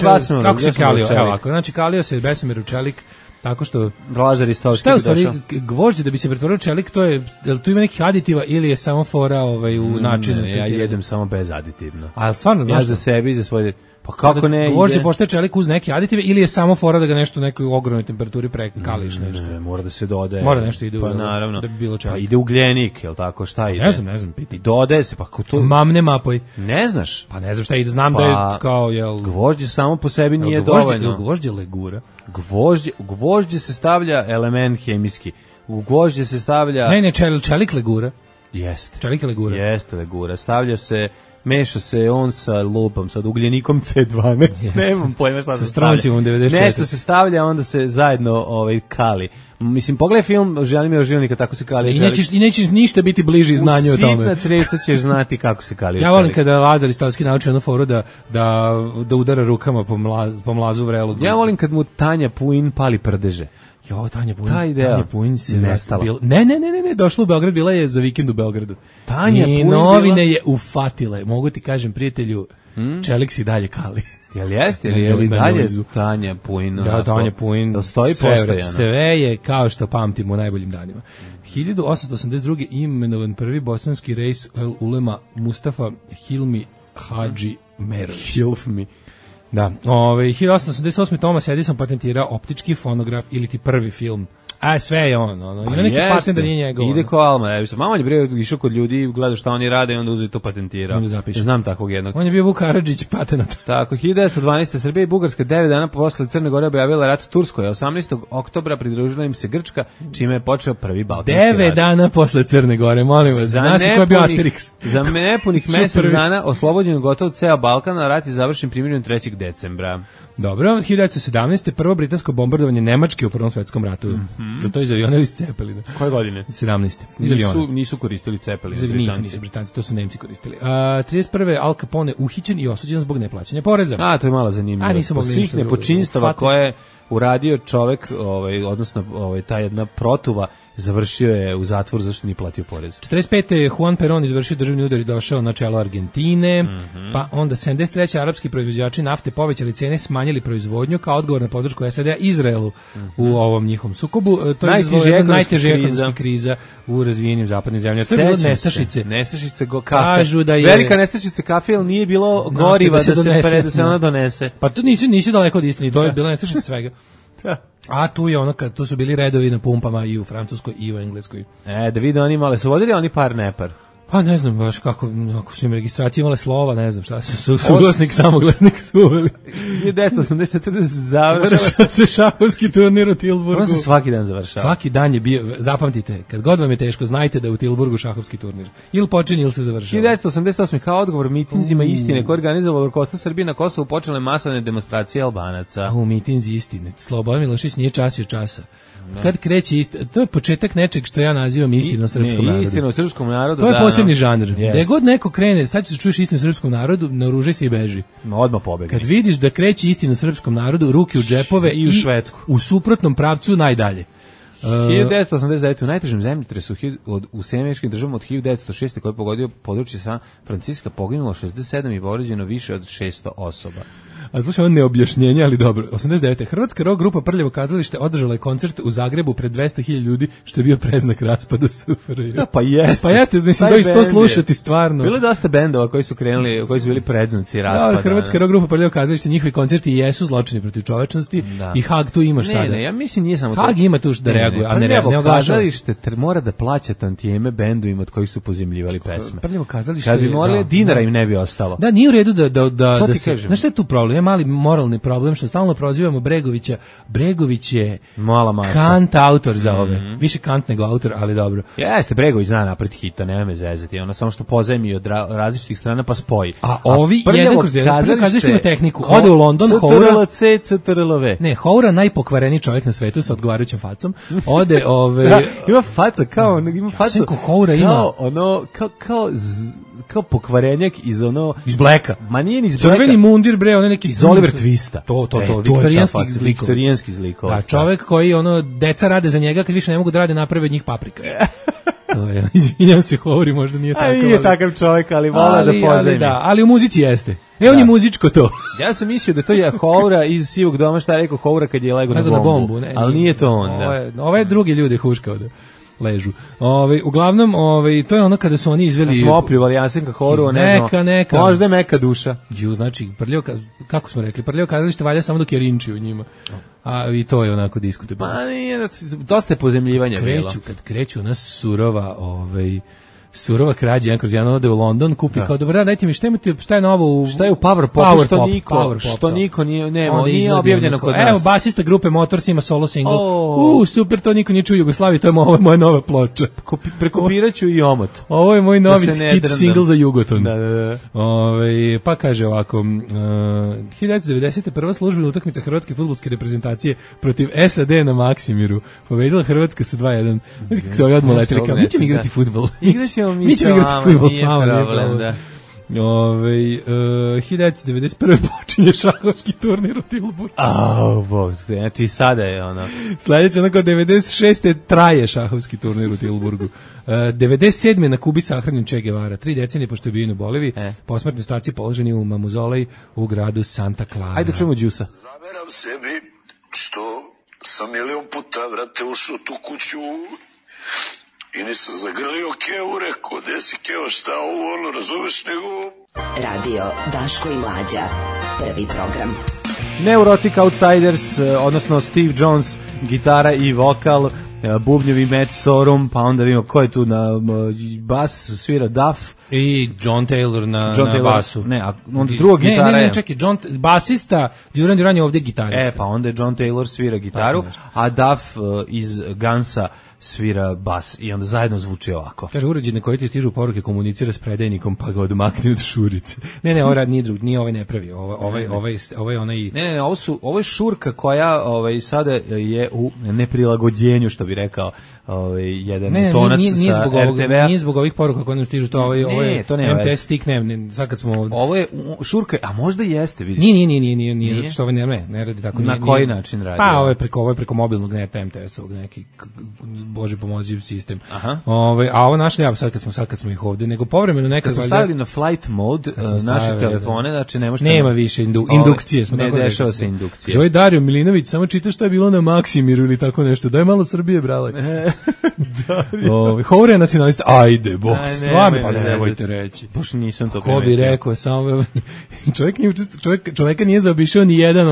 kako se kalio? Evo ovako, znači kalio se Bessemerov čelik tako što Lazar Istovski. Šta je u stvari gvožđe da bi se pretvorio čelik, to je, jel tu ima nekih aditiva ili je samo fora u načinu? Ne, ja jedem samo bez aditivno. A stvarno, znaš? Ja za sebi i za svoje... Pa kako ne? Gvožđe postaje čelik uz neke aditive ili je samo fora da ga nešto u nekoj ogromnoj temperaturi prekališ nešto? Ne, mora da se dodaje. Mora nešto ide pa naravno. Da bi bilo čelik. Pa ide ugljenik, jel tako? Šta ide? Ne znam, piti. I dodaje se, pa to... Mamne mapoj. Ne znaš? Pa ne znam šta ide, znam da je kao, jel... Gvožđe samo po sebi nije dovoljno. Gvožđe legura. Gvožđe se stavlja element hemijski. U gvožđe se stavlja... Ne, čelik legura. Jeste. Čelik legura. Jeste legura. Stavlja se... Meša se on sa lupom, sa ugljenikom C12, nemam pojma šta se stavlja. Sa 94. Nešto se stavlja, onda se zajedno kali. Mislim, pogledaj film Želimira Žilnika, tako se kali. I nećeš ništa biti bliži znanju o tome. U sitna creca ćeš znati kako se kali. Ja volim kada Lazar Istovski nauči jednu foru da udara rukama po mlazu vrelu. Ja volim kad mu Tanja Puin pali prdeže. Jo, Tanja Puin se nestala. Ne, došla u Beograd, bila je za vikend u Beogradu. Tanja Puin novine je ufatile. Mogu ti kažem, prijatelju, čelik si dalje kali. Jel jeste? Je li dalje Tanja Puin? Ja, Tanja Puin. Da stoji postojano. Sve je kao što pamtimo u najboljim danima. 1882. imenovan prvi bosanski rejs ulema Mustafa Hilmi Hadži Merović. Hilmi. Da, 1888. Thomas Edison patentirao optički fonograf ili ti prvi film. Sve je on, ima neki patent da nije njegov. Ide ko Alma, malo je bre išao kod ljudi, gleda šta oni rade i onda uzeo to patentirao. Znam takvog jednog. On je bio Vuk Karadžić patenat. Tako, 1912. Srbija i Bugarska 9 dana posle Crne Gore objavila rat Turskoj, a 18. oktobra pridružila im se Grčka, čime je počeo prvi balkanski rat. 9 dana posle Crne Gore, molim vas, zna se ko je bio Asterix. Za nepunih mesec dana oslobođen gotov ceo Balkan, a rat je završen primjerom 3. decembra. Dobro, 1917. prvo britansko bombardovanje Nemačke u Prvom svetskom ratu. To je iz aviona ili iz Cepelina? Koje godine? 17. Nisu koristili Cepelin. Nisu Britanci, to su Nemci koristili. 31. Al Capone uhićen i osuđen zbog neplaćanja poreza. To je malo zanimljivo. Svih nepočinstava koje uradio čovek, odnosno ta jedna protuva, završio je u zatvor zašto nije platio porez. 45. Juan Perón izvršio državni udar i došao na čelo Argentine, pa onda 73. arapski proizvođači nafte povećali cene, smanjili proizvodnju kao odgovor na podršku SAD-a Izraelu u ovom njihovom sukobu. To je najteža ekonomska kriza u razvijenim zapadnim zemljama. To je bilo nestašice. Nestašice kafe. Velika nestašica kafe, ali nije bilo goriva da se ona donese. Pa to nisi daleko od istine, to je bila nestašica svega. A tu je tu su bili redovi na pumpama i u Francuskoj i u Engleskoj. Da vide oni male, su vodili oni par nepar? Pa ne znam baš kako su im registracije imale slova, ne znam šta su suglasnik, samoglasnik su uveli. 1984 završava se šahovski turnir u Tilburgu. On se svaki dan završava. Svaki dan je bio, zapamtite, kad god vam je teško, znajte da je u Tilburgu šahovski turnir. Ili počinje ili se završava. 1988. kao odgovor mitinzima istine koje organizovalo rukovodstvo Srbije na Kosovu počele masovne demonstracije Albanaca. Mitinzi istine. Slobodan Milošević nije časio časa. Kad kreće to je početak nečeg što ja nazivam istinom srpskom narodu. Istinom srpskom narodu, to je posebni žanr. Da god neko krene, sad ćeš čuješ istinu srpskom narodu, naoružaj se i beži. Odmah pobegni. Kad vidiš da kreće istinu srpskom narodu, ruke u džepove i u Švedsku. U suprotnom pravcu najdalje. 1989. u najtežem zemljotresu u Sjemeničkim državama od 1906. koji je pogodio područje San Francisca poginulo 67 i povređeno više od 600 osoba. A slušaj, ovo neobjašnjenje, ali dobro. 89. Hrvatska rock grupa Prljavo kazalište održala je koncert u Zagrebu pred 200.000 ljudi, što je bio predznak raspada SFRJ. Pa jeste. Pa jeste, mislim, to slušati stvarno. Bilo je dosta bendova koji su krenuli, koji su bili predznaci raspada. Hrvatska rock grupa Prljavo kazalište, njihovi koncerti jesu zločini protiv čovečnosti i Hag tu ima šta Ne, ja mislim nije samo to. Hag ima tu da reaguje, a ne oglašava. Kazalište mora da plaća tantijeme bendovima od kojih su pozemljivali pesme. Prljavo kazalište. Kad bi morali dinara im ne bi ostalo. Da, nije u redu da znaš šta je tu problem? je mali moralni problem što stalno prozivamo Bregovića. Bregović je mala maca. Kant autor za ove. Više Kant nego autor, ali dobro. Jeste, Bregović zna napred hita, nema me zezati. Ono samo što pozajmi od različitih strana pa spoji. A ovi jedan kroz jedan kazalište ima tehniku. Ode u London, Houra. CTRL-C. Ne, Houra najpokvareniji čovjek na svetu sa odgovarajućom facom. Ode ima faca kao ima facu. Houra ima ono kao pokvarenjak iz Blacka. Ma nije ni iz Blacka. Crveni mundir bre, on neki iz Oliver Twista. To, viktorijanski zlikovac. Da, čovjek koji deca rade za njega, kad više ne mogu da rade, naprave od njih paprikaš. To je, izvinjam se, Houri, možda nije tako. Nije takav čovjek, ali vola da pozajmi. Ali u muzici jeste. On je muzičko to. Ja sam mislio da to je Houra iz Sivog doma, šta je rekao Houra kad je lego na bombu. Ali nije to on. Ove drugi ljudi huškao da ležu. Uglavnom, to je ono kada su oni izveli... Smo opljuvali Jasenka Horu, ne znam, možda je meka duša. Znači, kako smo rekli, prljavo kazalište valja samo dok je rinči u njima. A i to je onako diskutabilno. Pa nije, dosta je pozemljivanja bilo. Kad kreću ona surova krađa, jedan kroz jedan ode u London, kupi kao, dobro, dajte mi, šta je novo u... Šta je u Powerpopu, što niko nije objavljeno kod nas. Evo, basista grupe Motors ima solo single. Super, to niko nije čuo u Jugoslaviji, to je moja nova ploča. Prekopirat ću i omot. Ovo je moj novi hit single za Jugoton. Da. Pa kaže ovako, 1990. prva službena utakmica hrvatske fudbalske reprezentacije protiv SAD na Maksimiru. Pobedila Hrvatska sa 2:1. Mislim kako se ovi odmah letili, kao, mi ćemo igrati fudbal. Mi ćemo igrati fudbal s vama. 1991. počinje šahovski turnir u Tilburgu. Znači sada je ono. Sljedeće onako 96. traje šahovski turnir u Tilburgu. 97. na Kubi sahranjen Che Guevara. 3 decenije pošto je bio u Boliviji. Posmrtni ostaci položeni u mamuzolej u gradu Santa Clara. Ajde čujemo Đusa. Zameram sebi što sam milion puta vrate ušao tu kuću i nisam zagrlio Keo, rekao, gde si Keo, šta ovo, razumeš, nego... Radio Daško i Mlađa, prvi program. Neurotic Outsiders, odnosno Steve Jones, gitara i vokal, bubnjevi Matt Sorum, pa onda vidimo ko je tu na bas, svira Duff. I John Taylor na basu. Ne, a onda druga gitara je... Ne, čekaj, basista, Duran je ovdje gitarista. Pa onda je John Taylor svira gitaru, a Duff iz Gunsa svira bas i onda zajedno zvuči ovako. Kaže, uređaj na koji ti stižu poruke komunicira s predajnikom pa ga odmakne od šurice. Ne, ovo rad nije drug, nije ovaj ne pravi. Ovo je onaj... Ne, ovo je šurka koja sada je u neprilagođenju, što bi rekao jedan tonac sa RTV-a. Nije zbog ovih poruka koje nam stižu, to MTS stick, sad kad smo... Ovo je šurka, a možda jeste, vidiš. Nije, što ovo ne radi tako. Na koji način radi? Pa ovo je preko mobilnog neta MTS-ovog neki, Bože pomozi sistem. A ovo naš ne, sad kad smo ih ovdje, nego povremeno nekad... Kad smo stavili na flight mode naše telefone, znači ne možete... Nema više indukcije. Ne dešava se indukcija. Ovo je Dario Milinović, samo čita što je bilo na Maksimiru ili tako nešto. Daj malo Srbije, brale. Houra je nacionalista. Ajde, Bog, stvarno, pa nemojte reći. Bož nisam to primetio. Ko bi rekao, samo... Čovjeka nije zaobišao ni jedan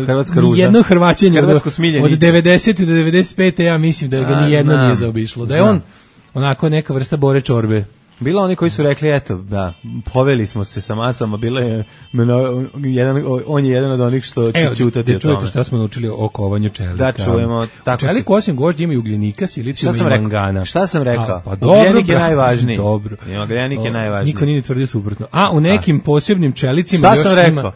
Hrvatska ruža. Jedno hrvaćenje od 90. do 95. ja mislim da ga ni jedno nije zaobišlo. Da je on onako neka vrsta Bore Čorbe. Bilo oni koji su rekli, eto, da, poveli smo se sa masama, bilo je, on je jedan od onih što će čutati o tome. Čujete šta smo naučili o kovanju čelika. Da, čujemo. Čelik osim gvožđa ima i ugljenika, silicijum i mangana. Šta sam rekao? Pa dobro, ugljenik je najvažniji. Dobro. Ugljenik je najvažniji. Niko nije tvrdio suprotno. A u nekim posebnim čelicima još ima...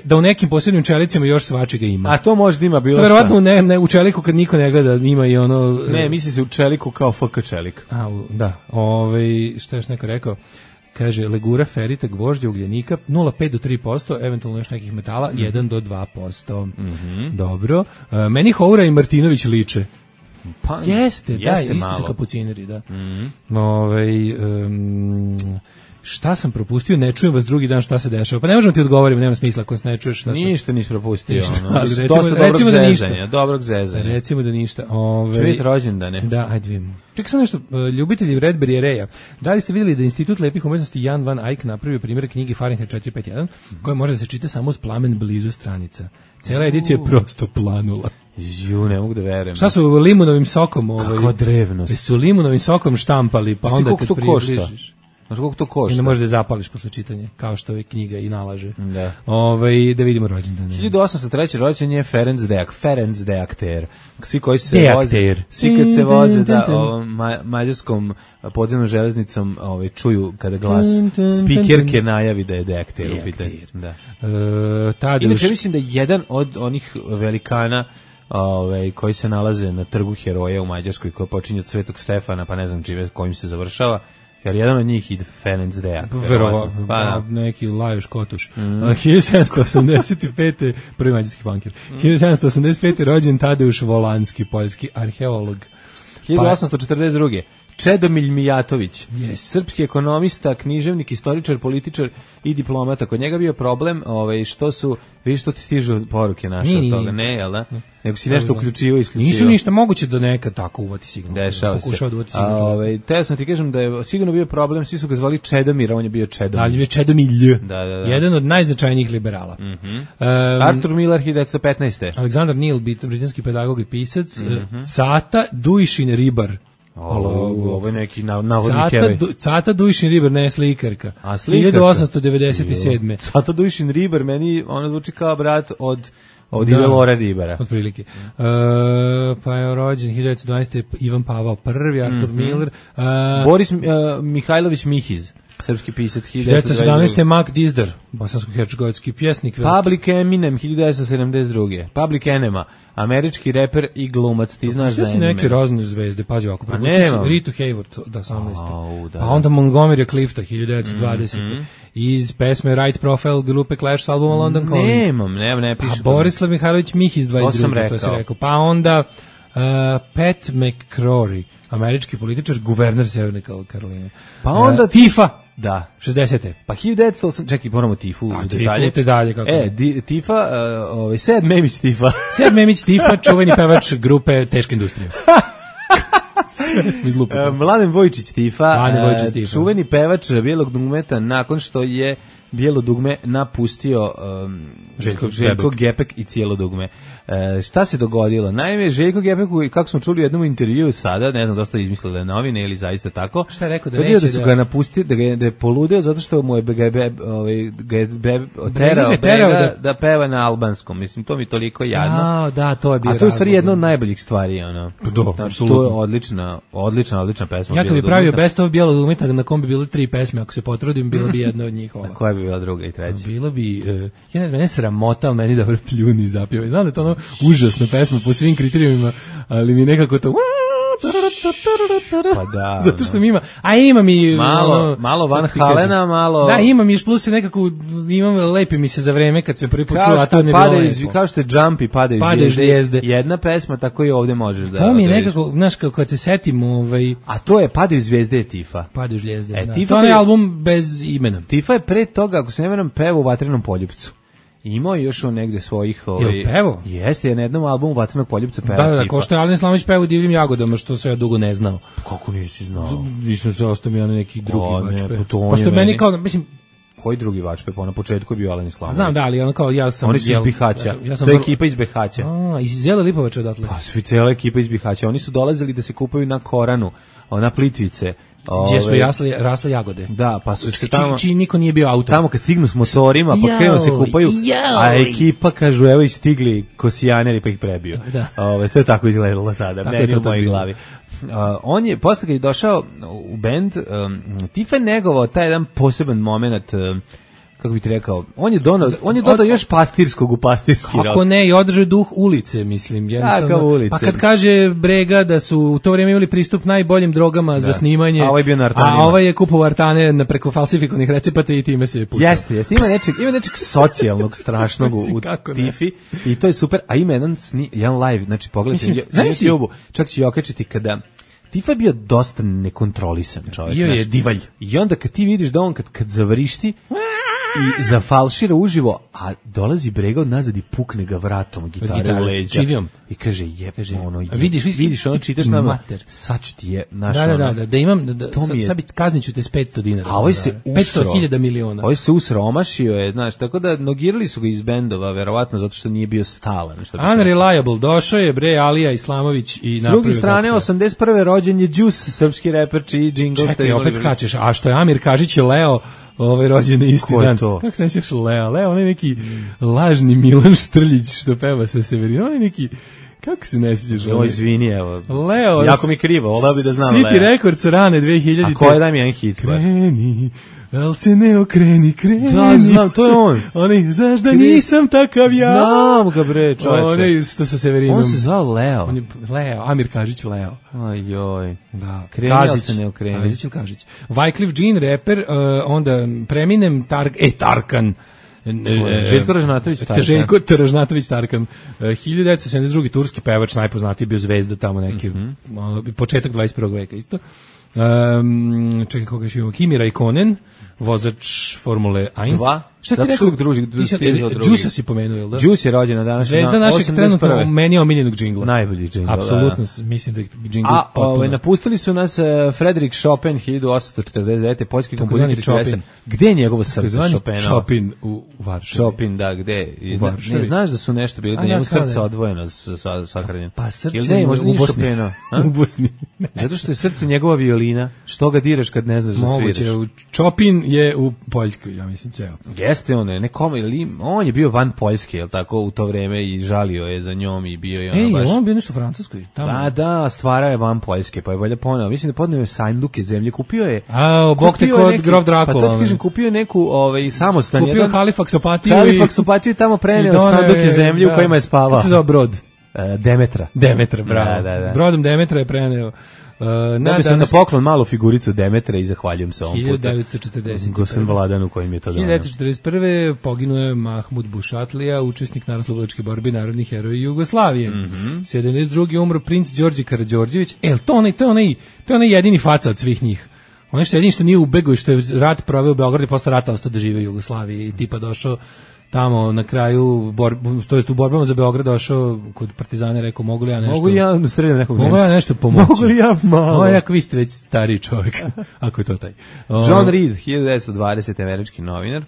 Da u nekim posebnim čelicima još svačega ima. A to možda ima bilo šta. To verovatno u čeliku kad niko ne gleda ima i ono... Ne, misli se u čeliku kao FK čelik. Da. Šta još neko rekao? Kaže, legura, ferita, gvožđa, ugljenika, 0,5 do 3%, eventualno još nekih metala, 1 do 2%. Dobro. Meni Houra i Martinović liče. Pa, jeste isti su kapucineri, da. Šta sam propustio, ne čujem vas drugi dan šta se dešava. Pa ne možemo ti odgovoriti, nema smisla ako se ne čuješ šta se... Ništa nisi propustio. Recimo da ništa. Dobrog zezanja. Recimo da ništa. Će vidjeti rođendane. Da, ajde vidimo. Čekaj samo nešto, ljubitelji Redberry Reja. Da li ste vidjeli da Institut lepih umetnosti Jan van Eyck napravio primjer knjige Fahrenheit 451, koja može da se čita samo uz plamen blizu stranica. Cela edicija je prosto planula. Ne mogu da verujem. Šta su limunovim sokom? Kako drevnost. Su limunovim sokom štampali, pa onda kad približiš. Znaš koliko to košta? I ne možeš da zapališ posle čitanja, kao što je knjiga i nalaže. Da. Da vidimo rođendan. 1803. rođen je Ferenc Deakter. Svi koji se voze, svi kad se voze mađarskom podzemnom železnicom, čuju kada glas spikerke najavi da je Deakter u pitanju. Da. Inače mislim da jedan od onih velikana koji se nalaze na trgu heroja u Mađarskoj, koji počinje od Svetog Stefana, pa ne znam čime kojim se završava, jer jedan od njih ide Ferenc Deakter. Verovatno, neki Lajoš Kotuš. 1785. prvi mađarski bankir. 1785. rođen Tadeuš Volanski, poljski arheolog. 1842. Čedomilj Mijatović, srpski ekonomista, književnik, istoričar, političar i diplomata. Kod njega bio problem što su, vidiš što ti stižu poruke naše od toga, ne, jel da? Nego si nešto uključivo, isključivo. Nisu ništa, moguće da nekad tako uvati signal. Dešava se. Teo sam ti kažem da je sigurno bio problem, svi su ga zvali Čedomir, a on je bio Čedomilj. Da, je bio Čedomilj. Jedan od najznačajnijih liberala. Arthur Miller, 1915. Aleksandar Neil, britanski pedagog i pisac. Cata Dujšin Ribar. Ovo je neki navodni heroj. Cata Dujšin Ribar, ne slikarka. 1897. Cata Dujšin Ribar, meni ono zvuči kao brat od Ivelora Ribara. Otprilike. Pa je rođen 1912. Ivan Pavao I, Artur Miller. Boris Mihajlović Mihiz, srpski pisac, 1917. Mark Dizdar, bosansko-hercegovački pjesnik. Public Eminem, 1972. Public Enema, američki reper i glumac, ti znaš za Eminem. Sve neke razne zvezde, pazi ovako. Ritu Hayward, 18. Da. Pa onda Montgomery Clifta, 1920. Iz pesme Right Profile grupe Clash s albuma London Calling. Ne piše. Borislav Mihajlović Mihiz, 22. To si rekao. Pa onda Pat McCrory, američki političar, guverner Severne Karoline. Pa onda Tifa. Da. 60. Pa 1908, čekaj, moramo Tifu. Tifu dalje. Kako Tifa, Sead Memić Tifa. Sead Memić Tifa, čuveni pevač grupe Teška industrija. Sve smo izlupili. Mladen Vojčić Tifa, čuveni pevač bijelog dugmeta, nakon što je bijelo dugme napustio Željko Gepek i cijelo dugme. Šta se dogodilo? Naime, Željko Gepek, kako smo čuli u jednom intervjuu sada, ne znam, dosta izmislio da je novine ili zaista tako. Šta je rekao da neće? Da su ga napustili, da je poludeo zato što mu je terao da peva na albanskom. Mislim, to mi toliko jadno. Da, to je bio. A to je u stvari jedna od najboljih stvari. To je odlična pesma. Ja kad bi pravio best of bijelog dugmeta na kom bi bile 3 pesme, ako se potrudim, bilo bi jedna od njih ova. Koja bi bila druga i treća? Bilo bi, ja ne znam, mene sramota, ali meni dobro pljuni zapjeva. Znam da je to ono užasna pesma po svim kriterijima, ali mi nekako to... Pa da. Zato što mi ima mi malo Van Halena, malo. Da, ima mi još plus nekako lepi mi se za vreme kad se prvi put čuo, a to ne bilo lepo. Kao što je Jumpy padaju zvijezde. Jedna pesma tako i ovdje možeš da. To mi je nekako, znaš, kad se setim, a to je Padaju zvijezde je Tifa. Padaju zvijezde. To je album bez imena. Tifa je pre toga, ako se ne varam, peva u Vatrenom poljupcu. Imao još on negde svojih... pevo? Jeste, je na jednom albumu Vatrenog poljupca peva. Da, ko što je Alen Slamović peva u Divljim jagodama, što se ja dugo ne znao. Kako nisi znao? Nisam se ostao mi neki drugi vačpe. Pošto meni kao, mislim... Koji drugi vačpe? Pa na početku je bio Alen Slamović. Znam, da, ali ono kao ja sam... Oni su iz Bihaća. To je ekipa iz Bihaća. Iz Zela Lipovača odatle. Pa svi cijela ekipa iz Bihaća. Oni su dolazili da se kupaju na Koranu, na Plitvice. Gdje su rasle jagode. Da, pa su se tamo... Čiji niko nije bio autor. Tamo kad stignu s motorima, pa krenu se kupaju, a ekipa kažu, evo i stigli kosijaneri, pa ih prebio. To je tako izgledalo tada, meni u mojoj glavi. On je, posle kad je došao u bend, Tifa je negovao taj jedan poseban moment, kako bih ti rekao, on je dodao još pastirskog u pastirski rock. Ako ne, i održao duh ulice, mislim. Ulice. Pa kad kaže Brega da su u to vrijeme imali pristup najboljim drogama za snimanje, a ovaj bio na artanima. A ovaj je kupovao artane preko falsifikovanih recepata i time se je pucao. Jeste, ima nečeg socijalnog strašnog u Tifi i to je super, a ima jedan live, znači pogledajte na YouTube-u, čak ću i okačiti kada... Tifa je bio dosta nekontrolisan čovjek. Bio je divalj. I onda kad ti vidiš da on kad zavrišti, i zafalšira uživo, a dolazi Brega od nazad i pukne ga vratom gitare u leđa. Čivijom. I kaže, ono, vidiš, ono čitaš nama, mater. sad ću ti je, naš Da imam, sad kazniću te s 500 dinara. A ovaj se usro. 500.000 miliona. Ovaj se usromašio je, znaš, tako da nogirali su ga iz bendova, verovatno, zato što nije bio stalan. Unreliable, došao je bre Alija Islamović i napravio. S druge strane, 81. rođen je Juice, srpski reper, čiji džingl. Čekaj, opet skačeš, a što je Amir Kažić je Leo, rođen je isti dan. To? Kako se nećeš Leo? Leo, on je neki lažni Milan Štrljić što peva sa Severina. On je neki, kako se ne sjećaš? Izvini, evo. Leo. Jako mi krivo, voleo bi da znam Leo. City Records rane 2000. A koje daj mi jedan hit? Kreni, al se ne okreni, kreni. Da, znam, to je on. Oni, znaš da nisam takav ja. Znam ga bre, čovječe. Oni, što sa Severinom. On se zvao Leo. On je Leo, Amir Kažić Leo. Ajoj. Da. Kreni, al se ne okreni. Kažić ili Kažić. Wyclef Jean, reper, onda Preminem, Tarkan. Željko Ražnatović Tarkan. Željko Ražnatović Tarkan. 1972. turski pevač, najpoznatiji, bio zvezda tamo neki, početak 21. veka isto. Čekaj, koga još imamo? Kimi Raikkonen, vozač Formule 1. 2? Šta ti rekao? Đusa si pomenuo, jel da? Đus je rođen na danas. Zvezda našeg trenutno meni omiljenog džingla. Najbolji džingl. Apsolutno, mislim da je džingl potpuno. Napustili su nas Frederik Chopin 1849. Poljski kompozitor i plesar. Gde je njegovo srce Chopina? Chopin u Varšavi. Chopin, da, gde? Ne znaš da su nešto bili, da njemu srce odvojeno sahranjeno. Pa srce u Bosni. U Bosni. Zato što je srce njegova violina. Što ga diraš kad ne znaš da sviraš? Moguće, Chopin je u Poljskoj, ja mislim, ceo. Jeste on je bio van Poljske, jel tako, u to vreme i žalio je za njom i bio je ono baš... on bio nešto u Francuskoj? Tamo. Da, stvarao je van Poljske, pa je valjda poneo. Mislim da podneo je Sajnduke zemlje, kupio je... Bog te kod Grof Drakula. Pa to ti kažem, kupio je neku samostan. Kupio Halifaksopatiju i tamo preneo Sanduke zemlje u kojima je spavao. Kako se zove brod? Demetra. Bravo. Da. Brodom Demetra je preneo. Da bi sam na poklon malu figuricu Demetra i zahvaljujem se ovom puta. 1940. Gosen Vladanu kojim je to donio. 1941. poginuo je Mahmud Bušatlija, učesnik narodnooslobodilačke borbe, narodni heroj Jugoslavije. 72. umro princ Đorđe Karađorđević. To je onaj jedini faca od svih njih. On je jedini što nije ubegao i što je rat proveo u Beogradu i posle rata ostao da živi u Jugoslaviji i tipa došao tamo na kraju, to jest u borbama za Beograd došao kod partizana, rekao, mogu li ja nešto pomoći? Mogu li ja malo? Ako vi ste već stariji čovjek, ako je to taj. John Reed, 1920. američki novinar.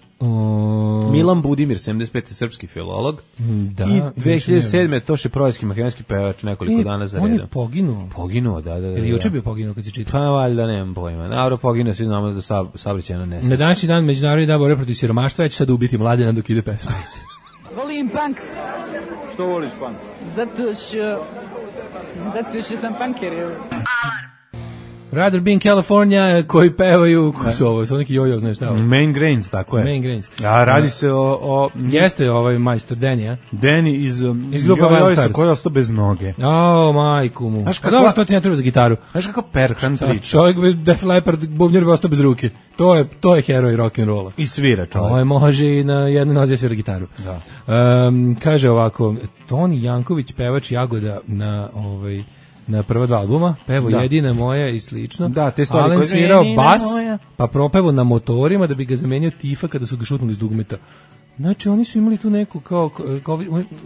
Milan Budimir, 75. srpski filolog. Da, i 2007. Toše Projevski, makedonski pevač, nekoliko dana za redom. On je poginuo. Poginuo, da. Ili juče bio poginuo kad se čita? Pa valjda, nemam pojma. Naravno, poginuo, svi znamo da saobraćajna nesreća. Na današnji dan Međunarodni dan borbe protiv siromaštva, ja ću sad ubiti Mladena dok ide pesma. Volim punk. Što voliš punk? Zato što sam punker. Rather Be in California, koji pevaju, ko su ovo, su neki jojo, znaš šta ovo? Main Grains, tako je. Main Grains. A radi se o... Jeste ovaj majstor Danny, a? Danny iz grupa Wild Stars. Koji je ostao bez noge. Majku mu. Dobro, to ti ne treba za gitaru. Znaš kako Perhan priča? Čovjek bi Def Leppard, bubnjer bi ostao bez ruke. To je heroj rock'n'rolla. I svira čovjek. Ovo može i na jednoj nozi svira gitaru. Da. Kaže ovako, Toni Janković, pevač Jagoda na prva dva albuma, pevo Jedina moja i slično. Da, te stvari Alen svirao bas, pa propevo na motorima da bi ga zamenio Tifa kada su ga šutnuli iz dugmeta. Znači, oni su imali tu neku kao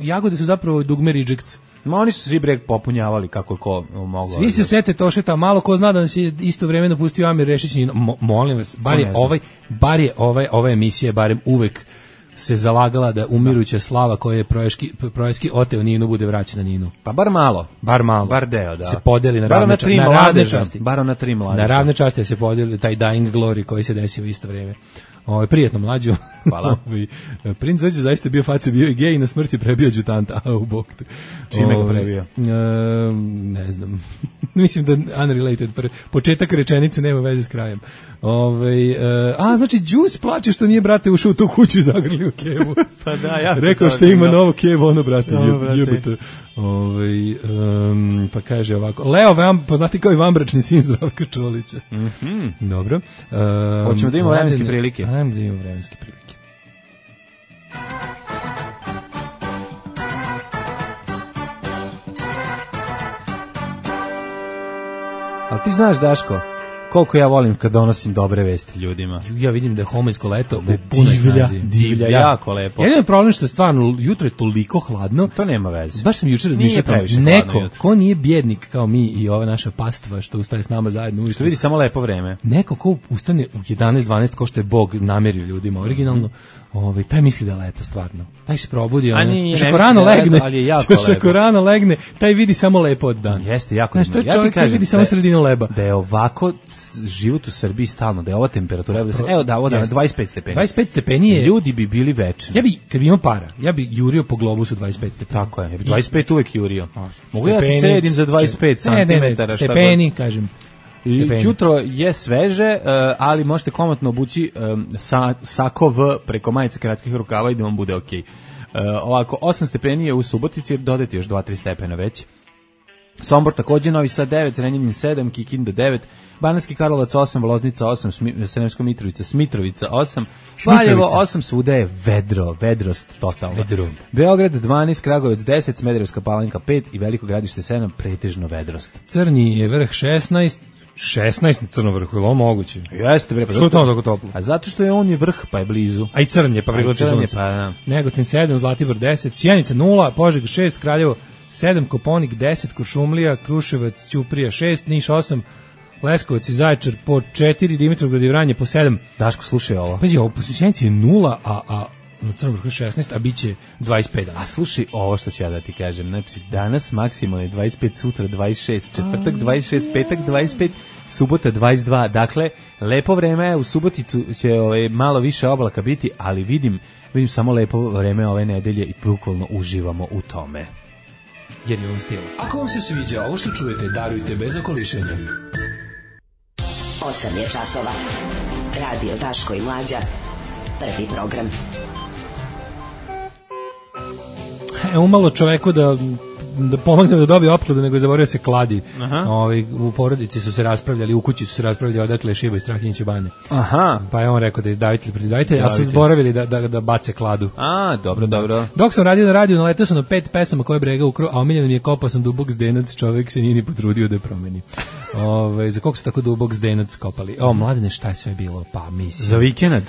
Jagode su zapravo dugme rejects. Ma oni su svi breg popunjavali kako ko mogao. Svi se sete Tošeta, malo ko zna da nas je isto vremeno pustio Amir Rešić. Molim vas, bar je ova emisija barem uvek se zalagala da umiruća slava koja je proješki oteo Ninu bude vraćena Ninu. Pa bar malo. Bar deo, da. Se podeli na ravne časti. Bar na 3 mladeža. Na ravne časti se podeli taj dying glory koji se desio u isto vrijeme. Prijetno mlađu. Hvala. Princ Zođe zaista bio faca, bio i gej i na smrti prebio adjutanta. U bok. Čime ga prebio? Ne znam. Mislim da unrelated. Početak rečenice nema veze s krajem. Znači Đus plače što nije, brate, ušao u tu kuću i zagrlio kevu. Pa da, ja. Rekao što ima novo kevu, ono, brate, jebate. Pa kaže ovako. Leo poznati kao i vanbračni sin Zdravka Čolića. Dobro. Hoćemo da imamo vremenske prilike. Ajmo da imamo vremenske prilike. Ali ti znaš, Daško, koliko ja volim kad donosim dobre vesti ljudima. Ja vidim da je homojsko leto u punoj snazi. Divlja, jako lepo. Jedan je problem što je stvarno, jutro je toliko hladno. To nema veze. Baš sam jučer razmišljao, neko ko nije bjednik kao mi i ova naša pastva što ustaje s nama zajedno ujutro. Što vidi samo lepo vreme. Neko ko ustane u 11-12 ko što je Bog namerio ljudima originalno, taj misli da je leto stvarno. Taj se probudi, još ako rano legne, taj vidi samo lepo od dana. Jeste, jako lepo. Ja čovjek vidi samo sredinu leba. Da je ovako život u Srbiji stalno, da je ova temperatura, evo da, ovo da 25 stepeni. 25 stepeni je... Ljudi bi bili večni. Ja bi, kad bi imao para, ja bi jurio po globusu 25 stepeni. Tako je, ja bi 25 uvek jurio. Mogu ja ti sedim za 25 cm. Stepeni, kažem. Jutro je sveže, ali možete komotno obući sako V preko majice kratkih rukava i da vam bude okej. Ovako, 8 stepeni je u Subotici, dodati još 2-3 stepena već. Sombor takođe, Novi Sad 9, Zrenjanin 7, Kikinda 9, Banatski Karlovac 8, Loznica 8, Sremska Mitrovica, Smitrovica 8, Valjevo 8, svuda je vedrost totalno. Beograd 12, Kragujevac 10, Smederevska Palanka 5 i Veliko Gradište 7, pretežno vedrost. Crni je vrh 16 na Crnom vrhu, je li ovo moguće? Jeste, bre, pa što je tamo tako toplo? A zato što je on je vrh, pa je blizu. A i Crn je, pa privlači sunce. Negotin 7, Zlatibor 10, Sjenica 0, Požega 6, Kraljevo 7, Koponik 10, Kuršumlija, Kruševac, Ćuprija 6, Niš 8, Leskovac i Zaječar po 4, Dimitrovgrad i Vranje po 7. Daško, slušaj ovo. Pazi, ovo po Sjenici je 0, a na Crnom vrhu 16, a bit će 25 dana. A slušaj ovo što ću ja da ti kažem. Znači, danas maksimalno je 25, sutra 26, četvrtak 26, petak 25, subota 22. Dakle, lepo vreme, u Suboticu će malo više oblaka biti, ali vidim samo lepo vreme ove nedelje i bukvalno uživamo u tome. Jer je on stil. Ako vam se sviđa ovo što čujete, darujte bez okolišenja. 8 je časova. Radio Daško i Mlađa. Prvi program. Umalo čoveku da pomogne da dobije opkladu, nego je zaboravio se kladi. U porodici su se raspravljali, u kući su se raspravljali odakle Šiba i Strahinjić i Bane. Pa je on rekao da je izdavitelj protiv davitelja, ali su zboravili da bace kladu. Dobro. Dok sam radio na radiju, naletao sam na 5 pesama koje brega ukro, a omiljeno mi je Kopao sam dubok zdenac, čovek se nije ni potrudio da je promeni. Za koliko su tako dubok zdenac kopali? Mladene, šta je sve bilo? Pa mislim. Za vikend?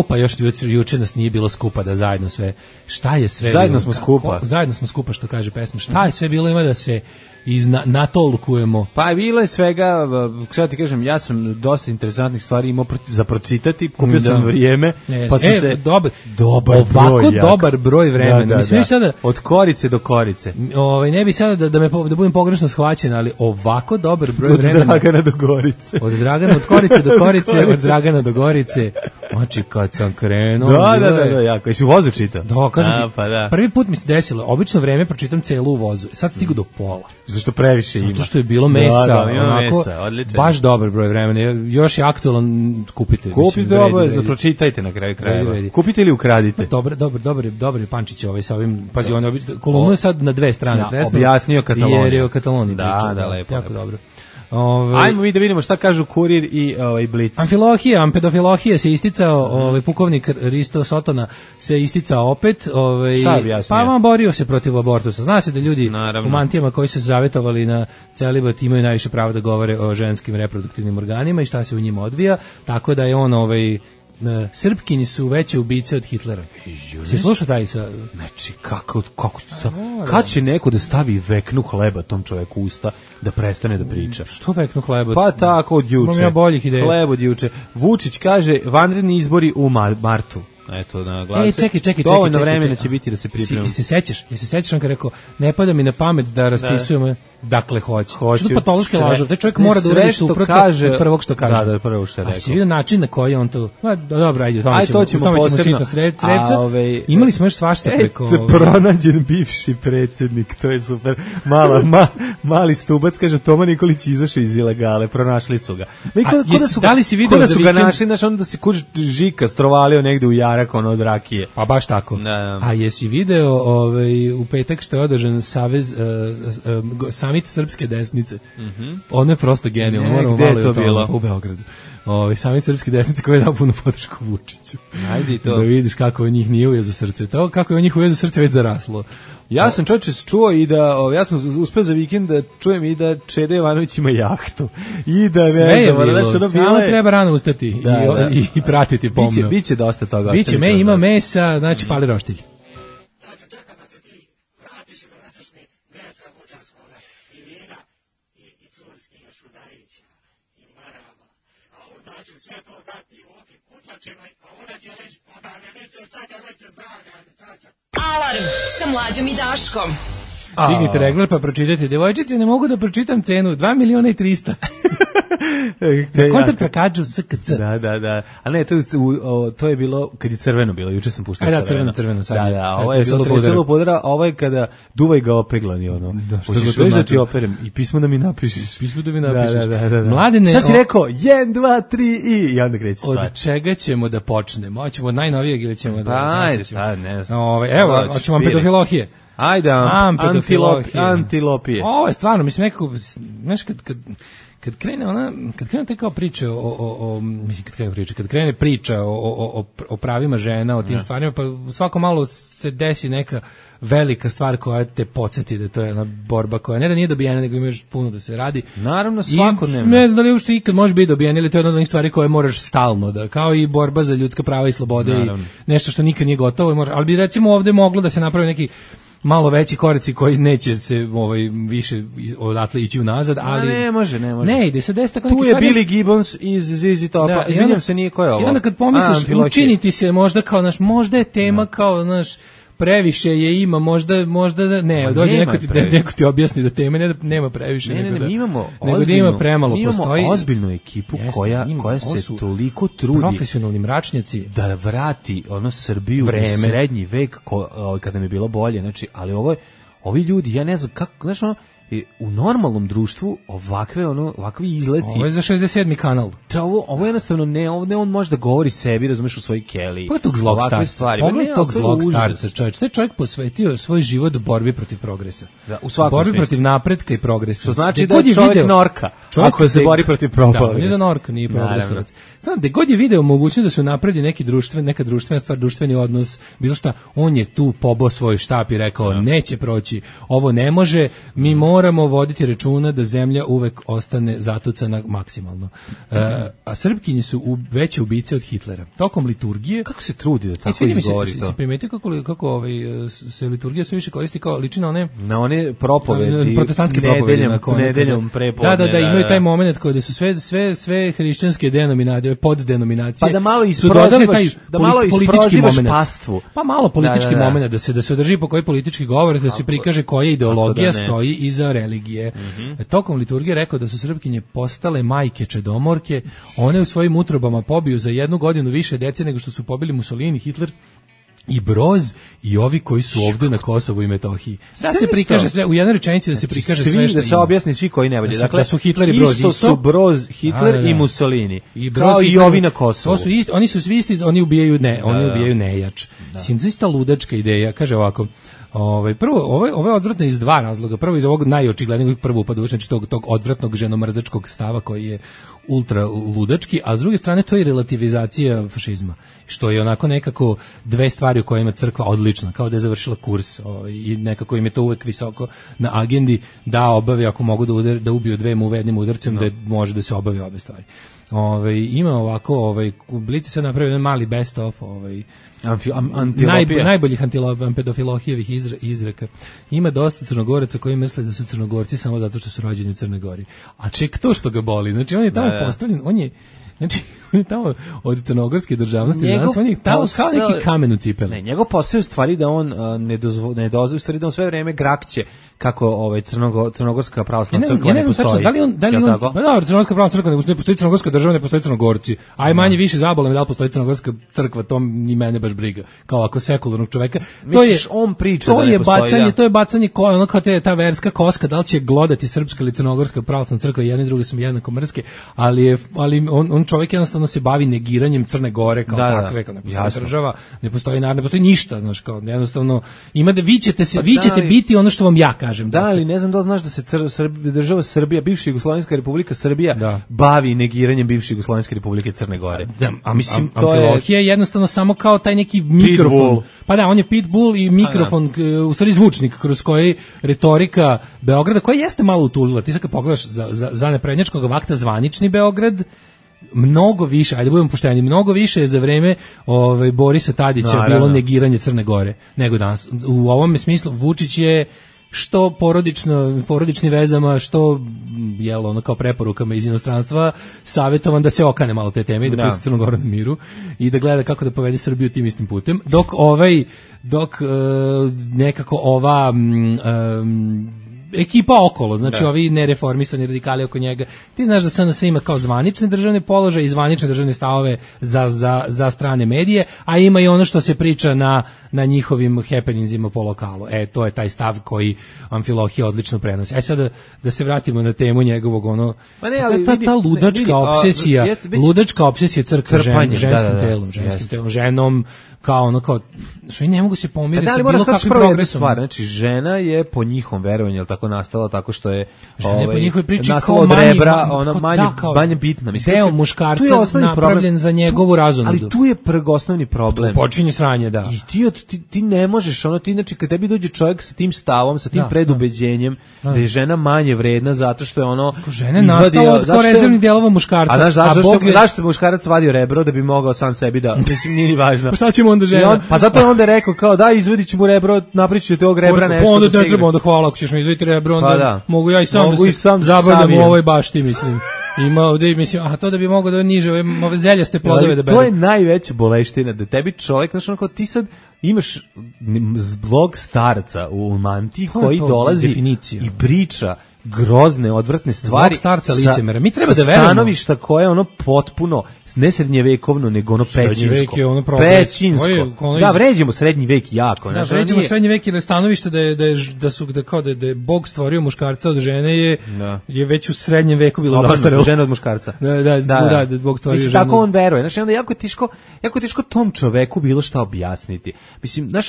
Pa još juče nas nije bilo skupa da zajedno sve. Šta je sve? Zajedno smo skupa. Zajedno smo skupa, što kaže pesma. Šta je sve bilo, ima da se natolkujemo? Pa bilo je svega, sada ti kažem, ja sam dosta interesantnih stvari imao za pročitati, kupio sam vrijeme, pa sam se... Dobar broj vremena. Mislim, sada, od korice do korice. Ne bi sada da budem pogrešno shvaćen, ali ovako dobar broj vremena. Od Dragana do Gorice. Od Korice do Korice, od Dragana do Gorice. Znači, kad sam krenuo... Da, jako. Jesi u vozu čitao? Da, kažem ti, prvi put mi se desilo, obično vreme pročitam celu u vozu. Sad stigu do pola. Zašto previše ima? Zato što je bilo mesa, onako, odlično. Baš dobar broj vremena. Još je aktualan, kupite. Kupite obavezno, pročitajte na kraju krajeva. Kupite ili ukradite. Dobar je Pančić sa ovim, pazi, on kolumnu je sad na 2 strane. Objasnio Kataloniju. Jer je o Kataloniji pričao. Da, lepo. Jako dobro. Ajmo mi da vidimo šta kažu Kurir i Blic. Ampedofilohija se isticao, pukovnik Risto Sotona se isticao opet. Šta je objasnio? Pa on borio se protiv abortusa. Zna se da ljudi u mantijama koji su se zavetovali na celibat imaju najviše prava da govore o ženskim reproduktivnim organima i šta se u njima odvija, tako da je on Srpkinji su veće ubice od Hitlera. Se sluša taj sa... Znači, kad će neko da stavi veknu hleba tom čoveku usta da prestane da priča? Što veknu hleba? Pa tako od juče. Imam ja boljih ideja. Hleb od juče. Vučić kaže vanredni izbori u martu. Eto, na glase. Čekaj. Dovoljno vremena će biti da se pripremimo. Jesi se sećaš on kad rekao, ne pada mi na pamet da raspisujemo, dakle hoće. Što patološki lažov, taj čovjek mora da uradi suprotno od prvog što kaže. Da, prvo što je rekao. A si vidio način na koji on to, dobro, ajde, to ćemo posebno. Imali smo još svašta preko... Pronađen bivši predsjednik, to je super. Mali stubac, kaže, Toma Nikolić izašao iz ilegale, pronašli su ga. Da li si vidio da su ga našli, znaš, onda se kuć Žika strovalio negde u jarak, ono od rakije. Pa baš tako. A jesi video u petak što je održan samit srpske desnice? Ono je prosto genijalno. Moramo malo je to u Beogradu. Samit srpske desnice koji je dao punu podršku Vučiću. Ajde i to. Da vidiš kako je njih nije ujeo za srce. To kako je njih ujeo za srce već zaraslo. Ja sam čovječe čuo i da, ja sam uspeo za vikend da čujem i da Čeda Jovanović ima jahtu. I da sve je bilo, samo treba rano ustati i pratiti pomno. Biće dosta toga. Biće, ima mesa, znači pali roštilj. Alarm sa Mlađom i Daškom. Dignite regler pa pročitajte. Devojčice, ne mogu da pročitam cenu. 2.300.000. Na kontrakt kažu SKC. Da. A ne, to je bilo kad je crveno bilo. Juče sam puštao crveno. Sad da, ovo je treselo podara, a ovo je kada duvaj ga opeglani, ono. Hoćeš već da ti operem i pismo da mi napišeš. Da. Mladene, šta si rekao? 1, 2, 3 i onda kreće stvar. Od čega ćemo da počnemo? Hoćemo od najnovijeg ili ćemo da... Ajde, sad ne znam. Evo, hoćemo pedofilohije. Ajde, antilopije. Ovo je stvarno, mislim, nekako, znaš, kad krene te kao priče kad krene priča o pravima žena, o tim stvarima, pa svako malo se desi neka velika stvar koja te podsjeti da to je ona borba koja ne da nije dobijena, nego imaš puno da se radi. Naravno, svakodnevno. Ne znam da li uopšte ikad može biti dobijena ili to je jedna od onih stvari koje moraš stalno da, kao i borba za ljudska prava i slobode. Naravno. I nešto što nikad nije gotovo. Ali bi recimo ovde moglo da se napravi neki malo veći koraci koji neće se više odatle ići unazad, ali ne može. Ne, ide se deseta tu je Billy Gibbons iz ZZ Topa. Izvinjam se, nije ko je ovo. I onda kad pomisliš, učiniti se možda kao možda je tema kao previše je ima, možda ne, dođe neko ti objasni da tema nema previše, ne, imamo nego da ima premalo, postoji ozbiljnu ekipu koja se toliko trudi profesionalni mračnjaci da vrati Srbiju u srednji vek kada nam je bilo bolje, znači, ali ovi ljudi, ja ne znam kako, znaš, u normalnom društvu ovakvi izleti. Ovo je za 67. kanal. Ovo jednostavno ne on može da govori sebi, razumeš, u svojoj keliji. Pogledaj tog zlog starca. Pogledaj tog zlog starca, čovječ. Taj čovjek posvetio svoj život borbi protiv progresa. Da, u svakom borbi protiv napretka i progresa. Što znači da je čovjek norka, ako se bori protiv progresa. Da, on je za norka, nije progresovac. Znam, da god je video mogućnost da se napredi neka društvena stvar, društveni odnos, bilo šta, on je tu pobao svoj štap i rekao, neće proći, ovo ne može, mi moramo voditi računa da zemlja uvek ostane zatucana maksimalno. A Srpkinje su veće ubice od Hitlera. Tokom liturgije... Kako se trudi da tako izgovori to? Si primetio kako se liturgija sve više koristi kao liči na one propovedi, protestantske propovedi. Nedeljom prepodne. Da, imaju taj moment kada su sve hrišćanske denominacije, poddenominacije. Pa da malo isprozivaš pastvu. Pa malo politički moment da se održi po koji politički govor, da se prikaže koja ideologija stoji iza religije. Tokom liturgije rekao da su Srpkinje postale majke čedomorke, one u svojim utrobama pobiju za 1 godinu više dece nego što su pobili Mussolini, Hitler i Broz i ovi koji su ovdje na Kosovu i Metohiji. Da se prikaže sve u jednoj rečenici, da se prikaže sve što da se objasni svi koji ne vode. Dakle, da su Hitler i Broz isto su Broz, Hitler i Mussolini. Kao i ovi na Kosovu. To su isti, oni su svi isti, oni ubijaju nejač. Mislim, zaista ludačka ideja. Kaže ovako, prvo, ovo je odvratno iz 2 razloga. Prvo iz ovog najočiglednijeg prvo upada, znači tog odvratnog ženomrzačkog stava koji je ultra ludački, a s druge strane to je relativizacija fašizma, što je onako nekako 2 stvari u kojima crkva odlična, kao da je završila kurs i nekako im je to uvek visoko na agendi da obavi, ako mogu da ubiju 2 muve jednim udarcem, da može da se obavi obe stvari. Ima ovako, Blici se napravio jedan mali best of, najboljih pedofilohijevih izreka. Ima dosta Crnogoraca koji misle da su Crnogorci samo zato što su rođeni u Crnoj Gori. A ček to što ga boli. Znači on je tamo postavljen, on je tamo od crnogorske državnosti, danas on je tamo kao neki kamen u cipeli. Ne, njegov posao je u stvari da on ne dozvoli, u stvari da on sve vreme grakće kako crnogorska pravoslavna crkva ne postoji. Da li on crnogorska pravoslavna crkva ne postoji, crnogorska država ne postoji, Crnogorci. Aj manje više zabole me da li postoji crnogorska crkva, to ni mene baš briga. Kao ako sekularnog čoveka. Misliš, on priča da ne postoji. To je bacanje ono kao ta verska koska, da li će glodati srpska ili crnogorska pravoslavna crkva, jedne i druge su jednako mrske, ali on čovjek jednostavno se bavi negiranjem Crne Gore kao takve, kao ne postoji država, ne postoji narod, ne postoji ništa, znači kao jednostavno ima da vi ćete biti ono što vam ja kažem. Da, ali ne znam da znaš da se država Srbija, bivša Jugoslovenska Republika Srbija bavi negiranjem bivše Jugoslovenske Republike Crne Gore. A mislim Amfilohije je jednostavno samo kao taj neki mikrofon. Pa da, on je pitbull i mikrofon, u stvari zvučnik kroz koji retorika Beograda, koja jeste malo utulila. Ti sad kad pogledaš za neprednjačkog vakta zvanični Beograd, mnogo više, ajde budemo pošteni, mnogo više je za vreme Borisa Tadića bilo negiranje Crne Gore nego danas. U ovom smislu Vučić je što porodičnim vezama, što ono kao preporukama iz inostranstva savjetovan da se okane malo te teme i da pusti Crnu Goru na miru i da gleda kako da povede Srbiju tim istim putem, dok nekako ova ekipa okolo, znači ovi nereformisani radikali oko njega. Ti znaš da SNS ima kao zvanične državne položaje i zvanične državne stavove za strane medije, a ima i ono što se priča na njihovim happeningsima po lokalu. To je taj stav koji Amfilohije odlično prenosi. Sad da se vratimo na temu njegovog ta ludačka obsesija crkve ženskim telom, ženom, kao što i ne mogu se pomiriti sa bilo kakvim progresom. Znači, žena je po njihovom verovanju tako nastala, tako što je po njihovoj priči nastala od rebra, manje bitna. Mislim, deo muškarca napravljen za njegovu razonodu. Ali tu je osnovni problem. Počinje sranje, da. I ti ne možeš, ti znači kad tebi dođe čovjek sa tim stavom, sa tim predubeđenjem, da je žena manje vredna zato što je žena je nastala od rezervnih delova muškarca. A znaš zašto muškarac vadio rebro da bi mogao sam sebi da, mislim, nije ni važno. Pa šta ćemo onda žena? Pa zato je onda rekao kao da izvadit ću mu rebro, napričit ću te ovog rebra nešto. Pa onda ne treba, onda hvala, ako ćeš mi izvaditi rebro, onda mogu ja i sam da se zabavljam u ovoj bašti, mislim. Ima ovdje, mislim, to da bi mogao da niže ove zeljaste plodove da bere. To je najveća boleština, da tebi čovjek, znači kao ti sad imaš blog starca u mantiji koji dolazi i priča grozne, odvratne stvari starca licemera. Mi treba da verujemo. Stanovišta koje je srednjevekovno, ne srednjevekovno, nego pećinsko. Pećinsko. Da, vređemo srednji vek jako. Da, vređemo srednji vek, jer stanovište da je Bog stvorio muškarca od žene je već u srednjem veku bilo zastarelo. Žena od muškarca. Da, Bog stvorio ženu. Tako on veruje. Znači, onda jako je teško tom čoveku bilo šta objasniti. Mislim, znaš,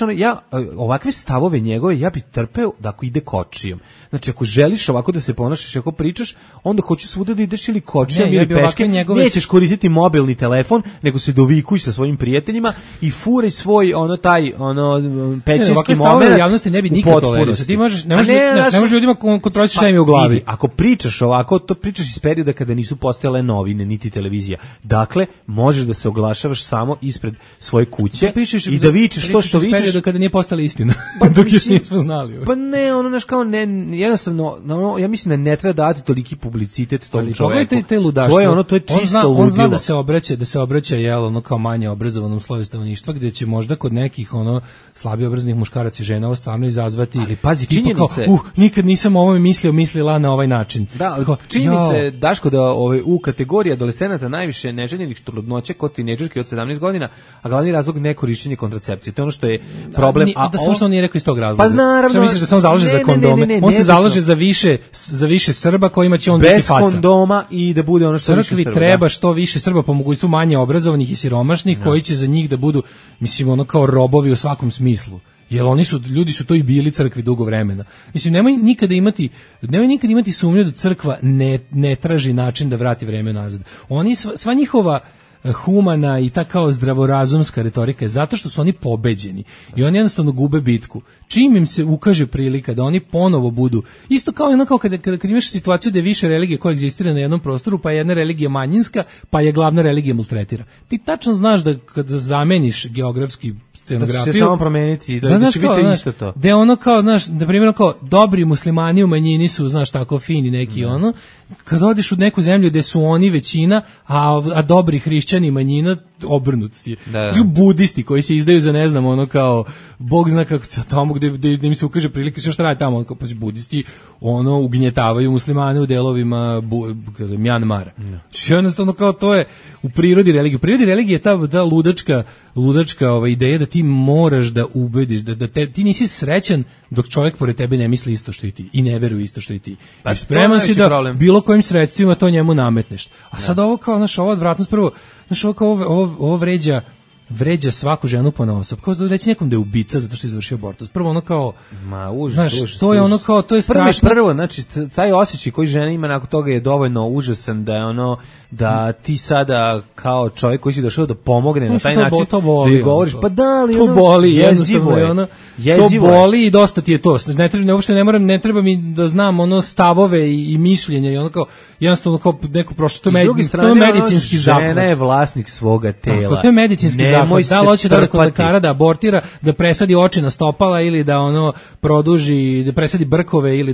ovakve stavove njegove ja bih trpeo da ako ide kočijom. Znači, ako želiš ovako da se ponašaš, ako pričaš, onda hoću svuda da ideš ili kočijom ili peške, nećeš koristiti mobilni telefon, nego se dovikuj sa svojim prijateljima i furaj svoj pećinski moment. Javnosti ne bi nikad tolerisao. Ti ne možeš ljudima kontrolisati šta im je u glavi. Ako pričaš ovako, to pričaš iz perioda kada nisu postojale novine niti televizija. Dakle, možeš da se oglašavaš samo ispred svoje kuće i da vičeš to što vičeš. Perioda kada nije postala istina. Dok još nismo znali. Pa ne, jednostavno, ja mislim da ne treba dati toliki publicitet tom čoveku. Pogledajte te ludaštvo. To je čisto ludilo. On zna da se obraća kao manje obrazovanom sloju stanovništva, gdje će možda kod nekih slabije obrazovanih muškaraca i žena ovo stvarno izazvati. Ali pazi, činjenice. Nikad nisam o ovome mislila na ovaj način. Da, činjenice, Daško, da u kategoriji adolescenata najviše neželjenih trudnoća kod tinejdžerke od 17 godina, a glavni razlog nekorišćenje kontracepcije. To je ono što je problem. Da samo što on nije rekao iz tog razloga. Pa naravno. Što misliš da se on zalaže za kondome? On se zalaže za više Srba kojima će on biti faca. Bez kondoma i da bude ono što više Srba. Crkvi treba što više Srba, po mogućstvu manje obrazovanih i siromašnih, koji će za njih da budu, mislim, kao robovi u svakom smislu. Jer ljudi su to i bili crkvi dugo vremena. Mislim, nemoj nikada imati sumnju da crkva ne traži način da vrati vreme nazad. Sva njihova humana i ta kao zdravorazumska retorika je zato što su oni pobeđeni i oni jednostavno gube bitku. Čim im se ukaže prilika da oni ponovo budu, isto kao kad imaš situaciju da je više religije koje egzistira na jednom prostoru, pa je jedna religija manjinska, pa je glavna religija maltretira. Ti tačno znaš da kada zameniš geografski scenografiju, da će se samo promeniti, da će biti isto to. Da je na primjer, dobri muslimani u manjini su, znaš, tako fini neki kad odeš u neku zemlju gde su oni većina, a dobri hrišćani hrišćani, manjina, obrnuti. Da. Budisti koji se izdaju za, ne znam, ono kao, Bog zna kako tamo gde im se ukaže prilike, što radi tamo, kao, pa budisti, ono, ugnjetavaju muslimane u delovima Mjanmara. Jednostavno, kao, to je u prirodi religije. U prirodi religije je ta ludačka ideja da ti moraš da ubediš, da ti nisi srećan dok čovjek pored tebe ne misli isto što i ti i ne veruje isto što i ti. Pa I spreman si da problem. Bilo kojim sredstvima to njemu nametneš. A sad ovo kao, znaš, ova odvratnost prvo, znaš, ovo vređa svaku ženu ponaosob. Kao da reći nekom da je ubica zato što je izvršio abortus. Prvo ono kao, užas, to je ono kao, to je strašno. Prvo, znači, taj osjećaj koji žena ima nakon toga je dovoljno užasan da je ono, da ti sada kao čovjek koji si došao da pomogne na taj način, da joj govoriš, pa da, ali to ono, boli, jezivo je. To boli i dosta ti je to. Ne treba mi da znam ono stavove i mišljenja i ono kao, jednostavno kao neko prošlo, to je medicinski zahvat. Žena je vlasnik svoga tela. To je medicinski zahvat. Da li hoće da kod lekara da abortira, da presadi oči na stopala ili da ono produži, da presadi brkove ili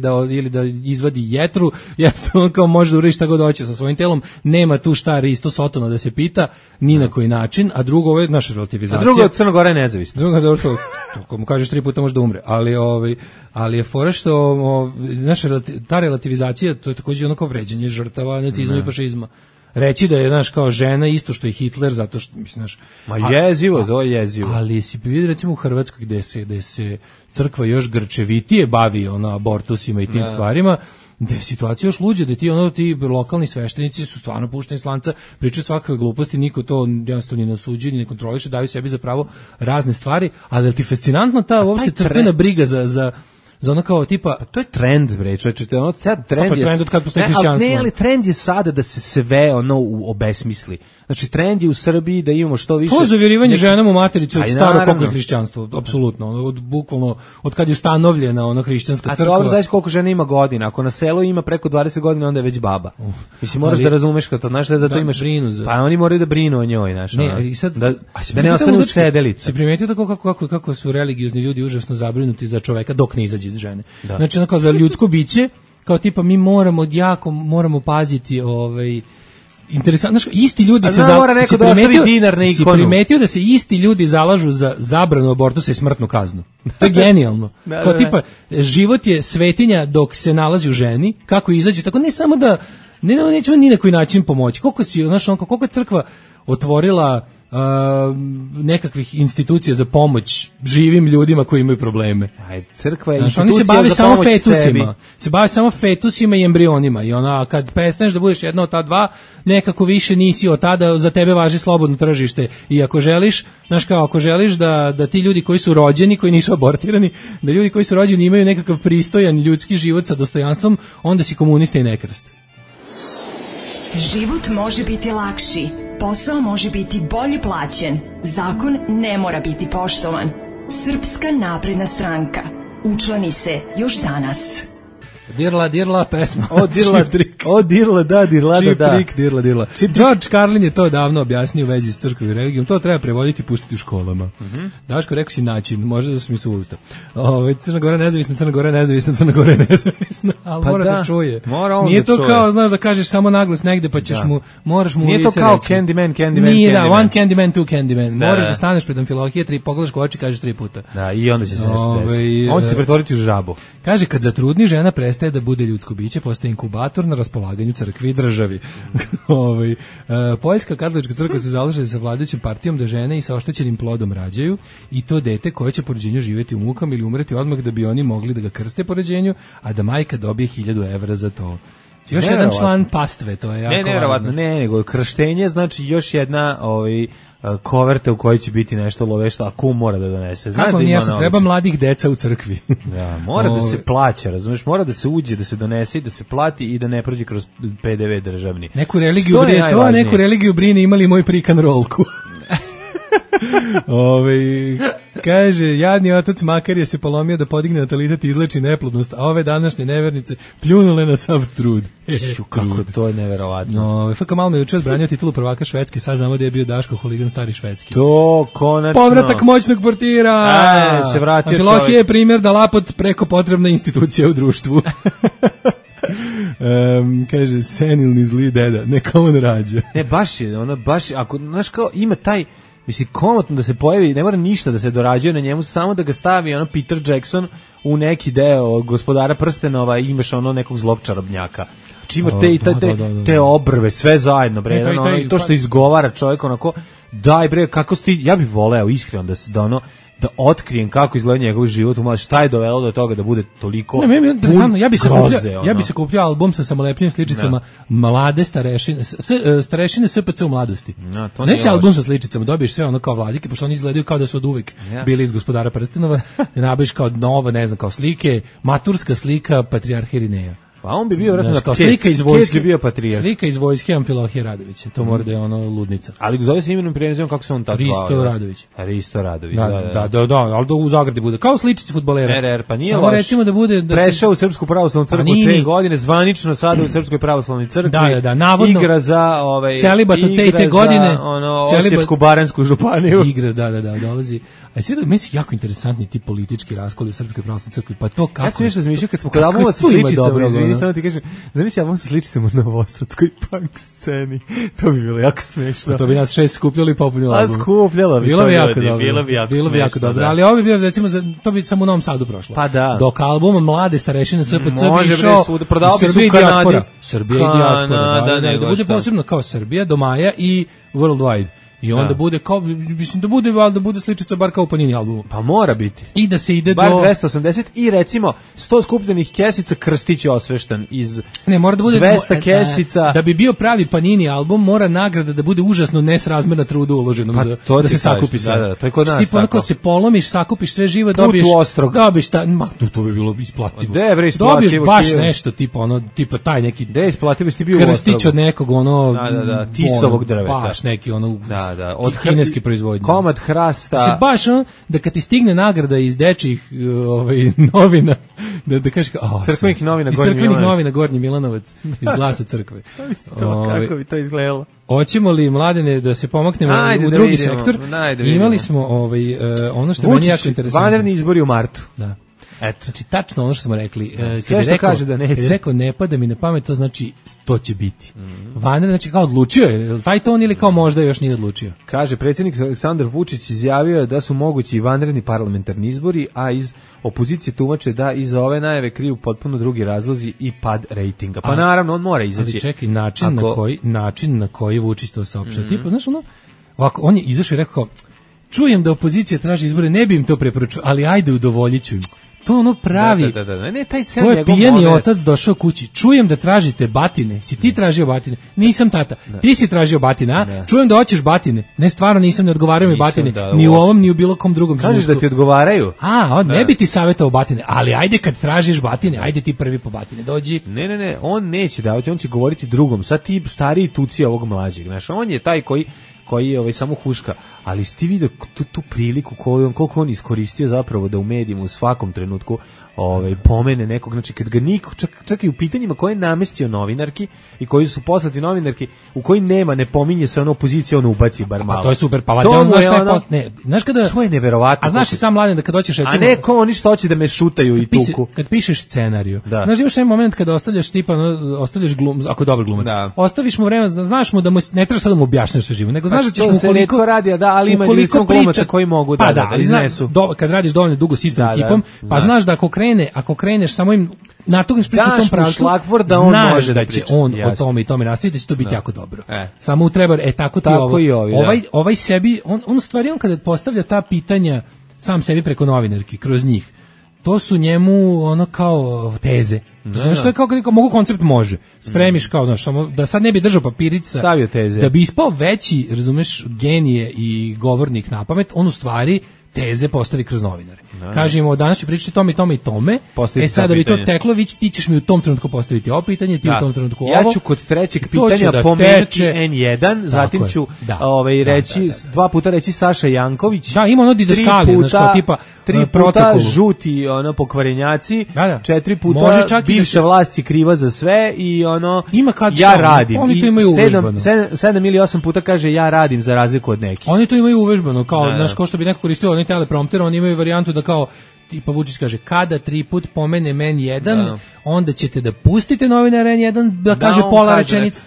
da izvadi jetru, jednostavno kao može da uradi šta god hoće sa svojim telom. Nema tu šta Risto Sotono da se pita ni na koji način, a drugo ovo je naša relativizacija. A drugo, Crna Gora je nezavisna. Drugo, ako mu kažeš 3 puta može da umre, ali je fora što naša ta relativizacija, to je takođe ono kao vređanje žrtava nacizma i fašizma. Reći da je, znaš, kao žena isto što i Hitler, zato što, mislim, znaš... To je jezivo. Ali si vidi, recimo, u Hrvatskoj gde se crkva još grčevitije bavi abortusima i tim stvarima, da je situacija još luđa, da ti lokalni sveštenici su stvarno pušteni s lanca, pričaju svakakve gluposti, niko to jednostavno ni ne osuđuje, ni ne kontroliše, daju sebi za pravo razne stvari, ali je ti fascinantno ta uopšte crkvena briga za ono kao tipa... Pa to je trend, bre, čovječe, ono sad trend je... trend od kad postoji hrišćanstvo. Ne, ali trend je sada da se sve obesmisli. Znači, trend je u Srbiji da imamo što više... To je zavirivanje ženama u matericu od staro koliko je hrišćanstvo, apsolutno, bukvalno, od kad je ustanovljena ona hrišćanska crkva. A dobro, znaš koliko žena ima godina, ako na selu ima preko 20 godina, onda je već baba. Mislim, moraš da razumeš kad to, znaš da to imaš... Pa oni moraju da brinu o njoj, znaš. Ne, i sad... Da ne ostanu sedelice. Si primetio tako kako su religiozni ljudi užasno zabrinuti za čoveka dok ne izađe iz žene. Da. Znači, ono kao za ljudsko biće, kao tipa mi moramo paziti interesantno, isti ljudi se primetio da se isti ljudi zalažu za zabranu abortusa i smrtnu kaznu. To je genijalno. Kao tipa, život je svetinja dok se nalazi u ženi, kako izađe, tako ne samo da nećemo ni na koji način pomoći. Koliko je crkva otvorila nekakvih institucija za pomoć živim ljudima koji imaju probleme. Crkva je institucija za pomoć sebi. Se bave samo fetusima i embrionima i kad prestaneš da budeš jedna od ta dva, nekako više nisi od tada, za tebe važi slobodno tržište i ako želiš, ako želiš da ti ljudi koji su rođeni, koji nisu abortirani, da ljudi koji su rođeni imaju nekakav pristojan ljudski život sa dostojanstvom, onda si komunista i nekrst. Život može biti lakši, posao može biti bolje plaćen, zakon ne mora biti poštovan. Srpska napredna stranka. Učlani se još danas. Dirla pesma. Dirla. George Carlin je to davno objasnio u vezi s crkvom i religijom. To treba prevoditi i pustiti u školama. Daško, rekao si način, možda da su mi suvusta. Crna Gora nezavisna, ali mora da čuje. Nije to kao, znaš, da kažeš samo naglas negde, pa ćeš moraš mu nije to kao Candyman. Nije, da, one Candyman, two Candyman. Moraš da staneš pred Amfilohije, pogledaš u oči, kažeš 3 puta. Da, i onda će se nešto desiti. On će se pretvoriti u žabu. Kaže, kad zatrudni žena prestaje da bude ljudsko biće, postaje inkubator na raspolaganju crkvi i državi. Poljska katolička crkva se zalaže sa vladajućom partijom da žene i sa oštećenim plodom rađaju i to dete koje će po rođenju živjeti u mukama ili umreti odmah da bi oni mogli da ga krste po rođenju, a da majka dobije 1000 evra za to. Još jedan član pastve, to je jako važno. Nego krštenje znači još jedna koverte u kojoj će biti nešto lovešto, a kum mora da donese. Znaš kako nije, treba mladih deca u crkvi. Da, mora da se plaća, razumiješ, mora da se uđe, da se donese i da se plati i da ne prođe kroz PDV državni. Neku religiju brine imali moj prikan rolku. Kaže, jadni otac Makarije se polomio da podigne natalitet i izleči neplodnost, a ove današnje nevernice pljunule na sav trud. Kako to je neverovatno. FK Malmö je juče odbranio titulu prvaka Švedske, sad znamo da je bio Daško Huligan stari švedski. To konačno. Povratak moćnog portira. Se vratio Amfilohije je primjer da lapot preko potrebna institucija u društvu. Kaže, senilni zli deda, neka on rađa. Ne, baš je, ono, baš, ako, znaš kao, ima taj, mislim, komotno da se pojavi, ne mora ništa da se dorađuje na njemu, samo da ga stavi, ono, Peter Jackson u neki deo Gospodara prstenova i imaš ono nekog zlog čarobnjaka. Znači imaš te obrve, sve zajedno, bre, ono, to što izgovara čovjek, onako, daj, bre, kako sti, ja bih voleo, iskreno, da otkrijem kako izgleda njegov život, šta je dovelo do toga da bude toliko ja bi se kupio album sa samolepnim sličicama mlade starešine SPC u mladosti. Znaš se album sa sličicama, dobiješ sve ono kao vladike, pošto oni izgledaju kao da su od uvek bili iz Gospodara prstenova, nabaviš kao nova, ne znam, kao slike, maturska slika Patrijarha Irineja. Pa on bi bio vjerojatno kao slika iz vojske, bio patrijarh. Slika iz vojske Amfilohije Radovića. To mora da je ono ludnica. Ali zove se imenom i prezimenom, kako se on tako zvao? Risto Radović. Risto Radović. Da, ali u zagradi bude kao sličice fudbalera. Pa nije samo recimo da bude da prešao u Srpsku pravoslavnu crkvu 3 godine, zvanično sada u Srpskoj pravoslavnoj crkvi. Da, navodno. Igra za celibat od te godine, Osječko-baranjsku županiju. Igra, da, dolazi. A sve da misli jako interesantni ti politički raskoli u Srpskoj pravoslavnoj crkvi, pa to kako. Ja sam nešto razmišljao kad smo kod albuma sa sličicama, izvini, samo ti kažem, zamisli album sa sličicama u novosadskoj punk sceni. To bi bilo jako smešno. A to bi nas 6 skupljali i popunili album. A skupljalo bi. Bilo bi jako dobro. Ali ovo bi bilo, recimo, to bi samo u Novom Sadu prošlo. Pa da. Dok album Mlade starešine SPC bi išao Srbija i dijaspora. Srbija i dijaspora. Da bude posebno kao Srbija, do maja i Worldwide. I onda bude kao, mislim da bude sličica bar kao u Panini albumu. Pa mora biti. I da se ide bar 280 i recimo 100 skupljenih kesica Krstić je osveštan iz mora da bude 200 kesica. Da bi bio pravi Panini album mora nagrada da bude užasno nesrazmerna trudu uloženom da se sakupi sve. Da, to je kod nas tako. Onako se polomiš, sakupiš sve živo, dobiješ to bi bilo isplativo. Dobiješ baš nešto tipa taj neki Krstić od nekog tisovog drveta. Baš neki od kineske proizvodnje. Komad hrasta. Se baš da kad ti stigne nagrada iz dečjih novina, da kažeš crkvenih novina Gornji Milanovac iz Glasa crkve. Kako bi to izgledalo? Hoćemo li, Mladene, da se pomaknemo u drugi sektor? Imali smo ono što meni jako interesantno. Vanredni izbori u martu. Da. Eto. Znači, tačno ono što smo rekli. Sve što kaže da neće. Kad je rekao ne pada mi na pamet, to znači to će biti. Vanredni, znači kao odlučio je, taj ton ili kao možda još nije odlučio? Kaže, predsjednik Aleksandar Vučić izjavio da su mogući vanredni parlamentarni izbori, a iz opozicije tumače da iza ove najave kriju potpuno drugi razlozi i pad rejtinga. Pa naravno, on mora izaći. Ali čekaj, način na koji Vučić to saopštava. Tipa, znaš ono, ovako, on je izašao i rekao, čujem da opozicija traži izbore, ne bi im to preporučio, ali ajde udovoljit ću im. To ono pravi. Da. Ne, taj to je pijeni otac došao kući. Čujem da tražite batine. Si ti tražio batine? Nisam tata. Ti si tražio batine, a? Čujem da hoćeš batine. Ne, stvarno nisam, ne odgovaraju mi batine. Ni u ovom, ni u bilo kom drugom. Kažeš da ti odgovaraju? Ne bi ti savjetovao batine, ali ajde kad tražiš batine, ajde ti prvi po batine, dođi. Ne, on neće davati, on će govoriti drugom. Sad ti stariji tuci ovog mlađeg. Znaš, on je taj koji je samo huška, ali ste vidio tu priliku koliko on iskoristio zapravo da u medijima u svakom trenutku pomene nekog, znači kad ga niko, čak i u pitanjima koje je namestio novinarki i koji su poslati novinarki, u koji ne pominje se ono opozicija, on ubaci bar malo. A to je super, pa on zna šta je post... Ne, znaš kada... To je neverovatno. A znaš i sam Mladen da kad hoćeš recimo... A neko oni što hoće da me šutaju i tuku. Kad pišeš scenariju, znaš imaš jedan moment kada ostavljaš ako je dobar glumac, ostaviš mu vreme, znaš mu da mu ne treba sad da mu objašnjaš sve živo, nego znaš da ćeš mu koliko radi, ali ima ljudi glumaca koji mogu da iznesu. Kad radiš dovoljno dugo s istom ekipom, pa znaš da ako kreneš samo im natugniš priču u tom pravcu, znaš da će on o tome i tome nastaviti, da će to biti jako dobro. Samo treba, tako ti ovo. Ovaj sebi, on u stvari, on kada postavlja ta pitanja sam sebi preko novinarki, kroz njih, to su njemu ono kao teze. Znaš, to je kao kad mogu koncept može. Spremiš kao, znaš, samo da sad ne bi držao papirica, stavio teze. Da bi ispao veći, razumeš, genije i govornik na pamet, on u stvari teze postavi kroz novinare. Kažemo, danas ću pričati tome i tome i tome. Sad da bi to teklo, ti ćeš mi u tom trenutku postaviti ovo pitanje, ti u tom trenutku ovo. Ja ću kod trećeg pitanja pomenuti N1, zatim ću reći, 2 puta reći Saša Janković. Da, ima ono didaskalije, znaš, kao tipa 3 puta žuti pokvarenjaci, 4 puta bivša vlast je kriva za sve i ja radim. Oni to imaju uvežbano. 7 ili 8 puta kaže ja radim za razliku od nekih. Oni to imaju uvežbano, kao, znaš, ko što bi neko koristio onaj teleprompter, oni imaju varijantu da kao tipa Vučić kaže, kada 3 put pomene N1, onda ćete da pustite novinara N1 da kaže pola rečenice.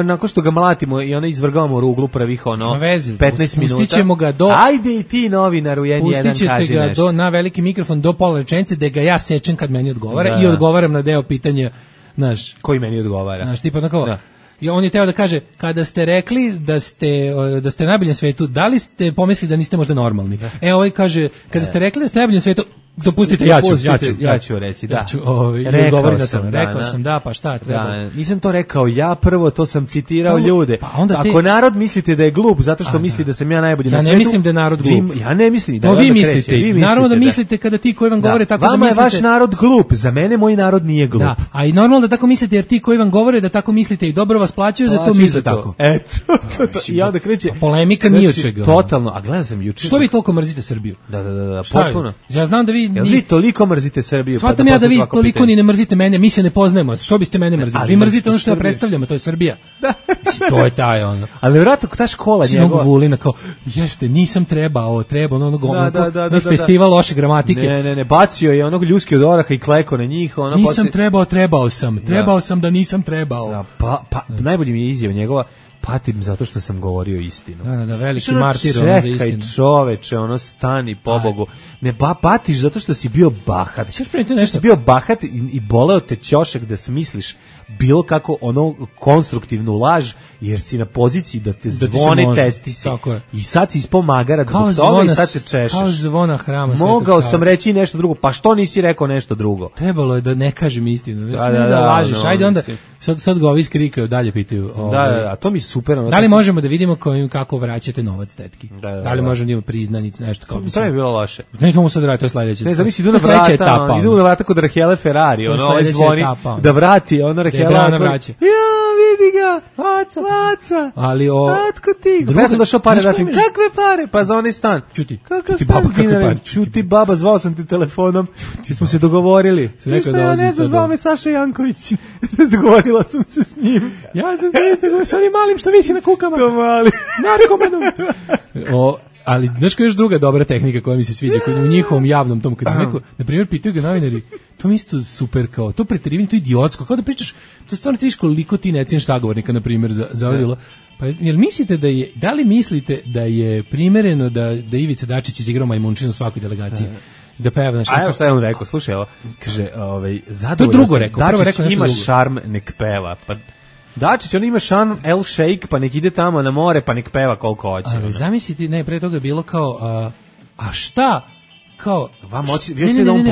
Nakon što ga mlatimo i onda izvrgavamo ruglu prvih 15 minuta. Pustit ga do... Ajde i ti novinaru N1 kaži nešto. Pustit ćete ga na veliki mikrofon do pola rečenice, da ga ja sečem kad meni odgovara i odgovaram na deo pitanja, znaš. Koji meni odgovara. Znaš, tipa onako... I on je teo da kaže, kada ste rekli da ste najbolji na svetu, da li ste pomislili da niste možda normalni? Ovaj kaže, kada ste rekli da ste najbolji na svetu, dopustite, ja ću reći, da. Rekao sam, da, pa šta treba? Da, nisam to rekao ja prvo, to sam citirao ljude. Pa ako narod mislite da je glup zato što misli da sam ja najbolji na svetu. Ja ne mislim da je narod glup. Ja ne mislim da vi mislite. Naravno da mislite kada ti koji vam govore tako da mislite. Vama je vaš narod glup, za mene moj narod nije glup. Da, a i normalno da tako mislite jer ti koji vam govore da tako mislite i dobro vas plaćaju, za to misle tako. Eto. I onda kreće polemika ni od čega. Totalno, a gledam sam juče. Što vi toliko mrzite Srbiju? Da, potpuno. Ja znam da vi toliko mrzite Srbiju. Shvatam ja da vi toliko ni ne mrzite mene, mi se ne poznajemo. Što biste mene mrzili? Vi mrzite ono što ja predstavljam, to je Srbija. Mislim, to je taj ono. Ali vjerojatno ta škola njegova. Vulina kao, jeste, nisam trebao ono festival loše gramatike. Ne, bacio je onog ljuski od oraha i kleko na njih. Nisam trebao sam da nisam trebao. Pa najbolji mi je izjava njegova. Patim zato što sam govorio istinu. Da, veliki martir za istinu. Čekaj čoveče, stani pobogu. Ne patiš zato što si bio bahat. Što si bio bahat i boleo te ćošak da smisliš bilo kako konstruktivnu laž, jer si na poziciji da te zvone testisi. I sad si ispao magara zbog toga i sad se češeš. Kao zvona hrama. Mogao sam reći i nešto drugo, pa što nisi rekao nešto drugo? Trebalo je da ne kažem istinu. Da lažiš, ajde onda, sad ga ovi skrikaju, dalje pitaju. A to mi super. Da li možemo da vidimo kako vraćate novac tetki? Da li možemo da imamo priznanic, nešto kao to je bilo loše. Nekamo sad raditi, to je sledeće. Ne, zamisli, idu na vrata kod Rahele Ferrari, ovaj zvoni da vrati, Rahela vraća. Ja, vidi ga. Vaca. Ali Otko ti? Ja sam došao pare dati. Kakve pare? Pa za onaj stan. Čuti. Čuti baba, zvao sam ti telefonom. Ti smo se dogovorili. Ništa, ja ne znam, zvao me Saša Janković. Dogovorila sam se s njim. Ja sam se isto govorio s onim malim što visi na kukama. To mali. Narkomanom. Ali znaš koja je još druga dobra tehnika koja mi se sviđa, koja u njihovom javnom tom, kad neko, na primjer, pitaju ga novinari, to mi isto super, kao, to preterivanje, to idiotsko, kao da pričaš, to stvarno ti viš koliko ti ne cijeniš sagovornika, na primjer, za ovdje. Pa, da li mislite da je primereno da Ivica Dačić izigrao majmunčinu u svakoj delegaciji? Da peva na a evo šta je on rekao, slušaj, evo, kaže, zadovoljno to je drugo rekao, prvo rekao ima šarm, nek peva, pa Dačić, on ima šan El Sheikh, pa nek ide tamo na more, pa nek peva koliko hoće. Ali zamisliti, ne, pre toga je bilo kao, a šta, kao...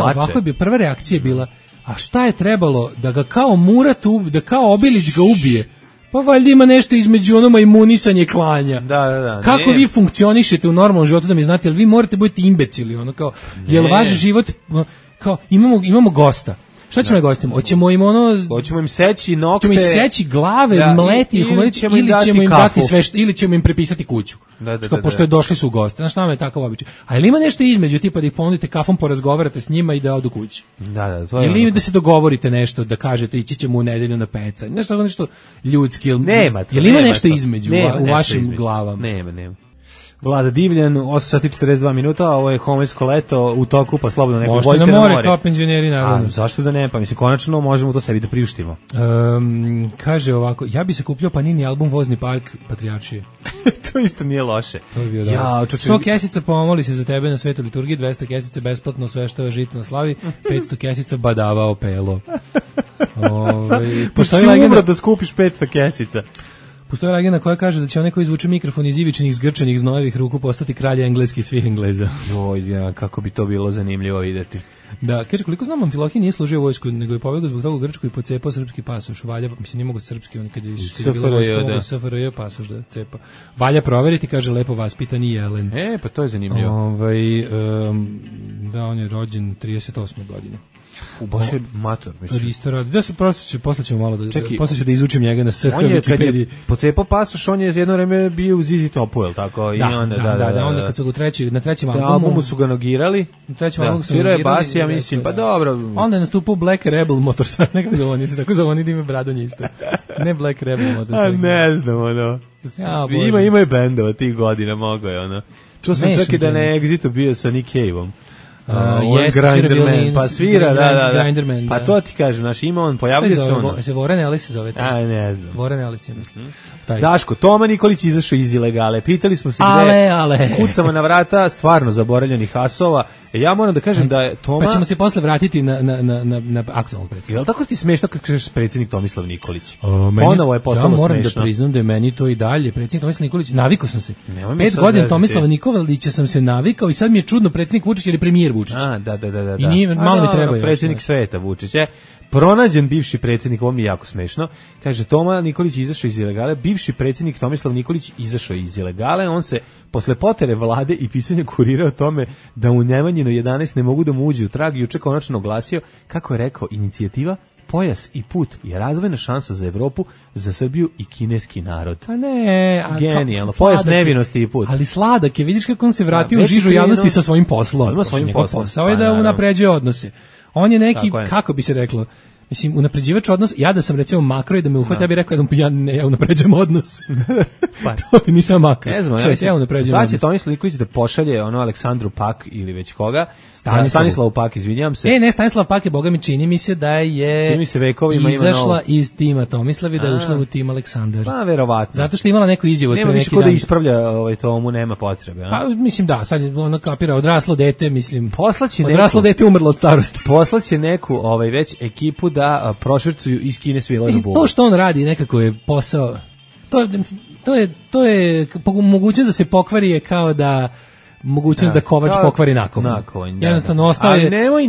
ovako je bio, prva reakcija je bila, a šta je trebalo da ga kao Murat, da kao Obilić ga ubije? Pa valjda ima nešto između onoma imunisanje klanja. Da. Kako vi funkcionišete u normalnom životu da mi znate, jel vi morate biti imbecili, ono kao, jel vaš život, kao, imamo gosta. Šta ćemo da gostimo? Hoćemo im seći nokte. Hoćemo im seći glave, mleti ih, ili ćemo im dati sve ili ćemo im prepisati kuću. Pošto je došli su u goste. Znaš, nama je takav običaj. A ili ima nešto između, tipa da ih ponudite kafom, porazgovarate s njima i da odu kući? To je ili da se dogovorite nešto, da kažete ići ćemo u nedelju na peca. Nešto ljudski. Jel ima nešto između u vašim glavama? Nema. Vlada Divljan, 8 sati 42 minuta, ovo je homoljsko leto u toku, pa slobodno neko vojte na more. Kao penzioneri, naravno. Zašto da ne? Pa mislim, konačno možemo to sebi da priuštimo. Kaže ovako, ja bi se kupio Panini album Vozni park Patrijaršije. To isto nije loše. To bi bio dobro. 100 kesica pomoli se za tebe na Svetoj liturgiji, 200 kesica besplatno sveštava žito na slavi, 500 kesica badavao pelo. Postoji legenda da skupiš 500 kesica. Postoji legenda koja kaže da će onaj ko izvuče mikrofon iz ivičnih, zgrčanih, znojevih ruku postati kralja engleskih svih Engleza. Kako bi to bilo zanimljivo videti. Da, kaže, koliko znam, Amfilohije nije služio u vojsku, nego je pobegao zbog toga u Grčku i pocepao srpski pasoš. Valja, mislim, nije mogo srpski, on kad je bilo vojsko, SFRJ pasoš da cepa. Valja proveriti, kaže, lepo vaspitan i Jelen. Pa to je zanimljivo. Da, on je rođen 38. godine. Baš je mator, mislim. Da se posle ćemo malo posle ću da izučim njega na SH Wikipediji. Pocepao pasoš, on je jedno vreme bio u Zizi Topu, je tako? Da, onda kad su ga na trećem albumu su ga nogirali. Na trećem albumu su ga nogirali. Bas, ja mislim, pa dobro. Onda je nastupao Black Rebel Motorcycle, nekako zove oni, tako zove oni da ime Bradonje isto. Ne Black Rebel Motorcycle. A ne znam, ono. Ima je bendova tih godina, mogo je, ono. Čuo sam čak i da na Exitu bio sa Nick Cave-om. Grinderman, pa svira, da. Grinderman, pa to ti kažem, znaš, ima on, pojavljuje se on. Se Voren Ellis se zove. Aj, ne znam. Voren Ellis, ja mislim. Daško, Toma Nikolić izašao iz ilegale. Pitali smo se gde kucamo na vrata stvarno zaboravljenih asova. Ja moram da kažem da je Toma... Pa ćemo se posle vratiti na aktualnog predsjednika. Je li tako ti smešno kad kažeš predsjednik Tomislav Nikolić? Ponovo je postalo smešno. Ja moram da priznam da je meni to i dalje. Predsjednik Tomislav Nikolić, navikao sam se. 5 godina Tomislava Nikolića sam se navikao i sad mi je čudno predsjednik Vučić jer je premijer Vučić. Da. I nije, malo mi treba još. Predsjednik sveta Vučić je. Pronađen bivši predsjednik, ovo mi je jako smešno, kaže Toma Nikolić izašao iz ilegale, bivši predsjednik Tomislav Nikolić izašao iz ilegale, on se posle potere vlade i pisanja kurira o tome da u Nemanjino 11 ne mogu da mu uđe u trag, juče konačno oglasio, kako je rekao, inicijativa Pojas i put je razvojna šansa za Evropu, za Srbiju i kineski narod. Pa ne, genijalno. Pojas nevinosti i put. Ali sladak je, vidiš kako on se vratio u žižu javnosti sa svojim poslom. Ima svojim poslom. Posao je da unapređuje odnose. On je neki, kako bi se reklo, mislim, unapređivač odnos, ja da sam recimo makro i da me uhvati, ja bih rekao da ja unapređujem odnos. Pa. To bi nisam makro. Ne znam, ja unapređujem odnos. Znači, Tomislav Nikolić da pošalje Aleksandru Pak ili već koga, Stanislavu Pak, izvinjam se. Ne, Stanislav Pak je, boga mi čini mi se da je izašla iz tima Tomislav i da je ušla u tim Aleksandar. Pa, verovatno. Zato što je imala neku izjavu. Nema više ko da ispravlja Tomu, nema potrebe. Pa, mislim da, sad je ono kapira, odraslo dete, mislim, odraslo dete umrlo od starosti. Poslaće neku već ekipu da prošvercuju iz Kine svila na buvu. To što on radi nekako je posao, to je mogućnost da se pokvari je kao da mogućnost da Kovač pokvari nakovanj. Jednostavno ostaje. Ali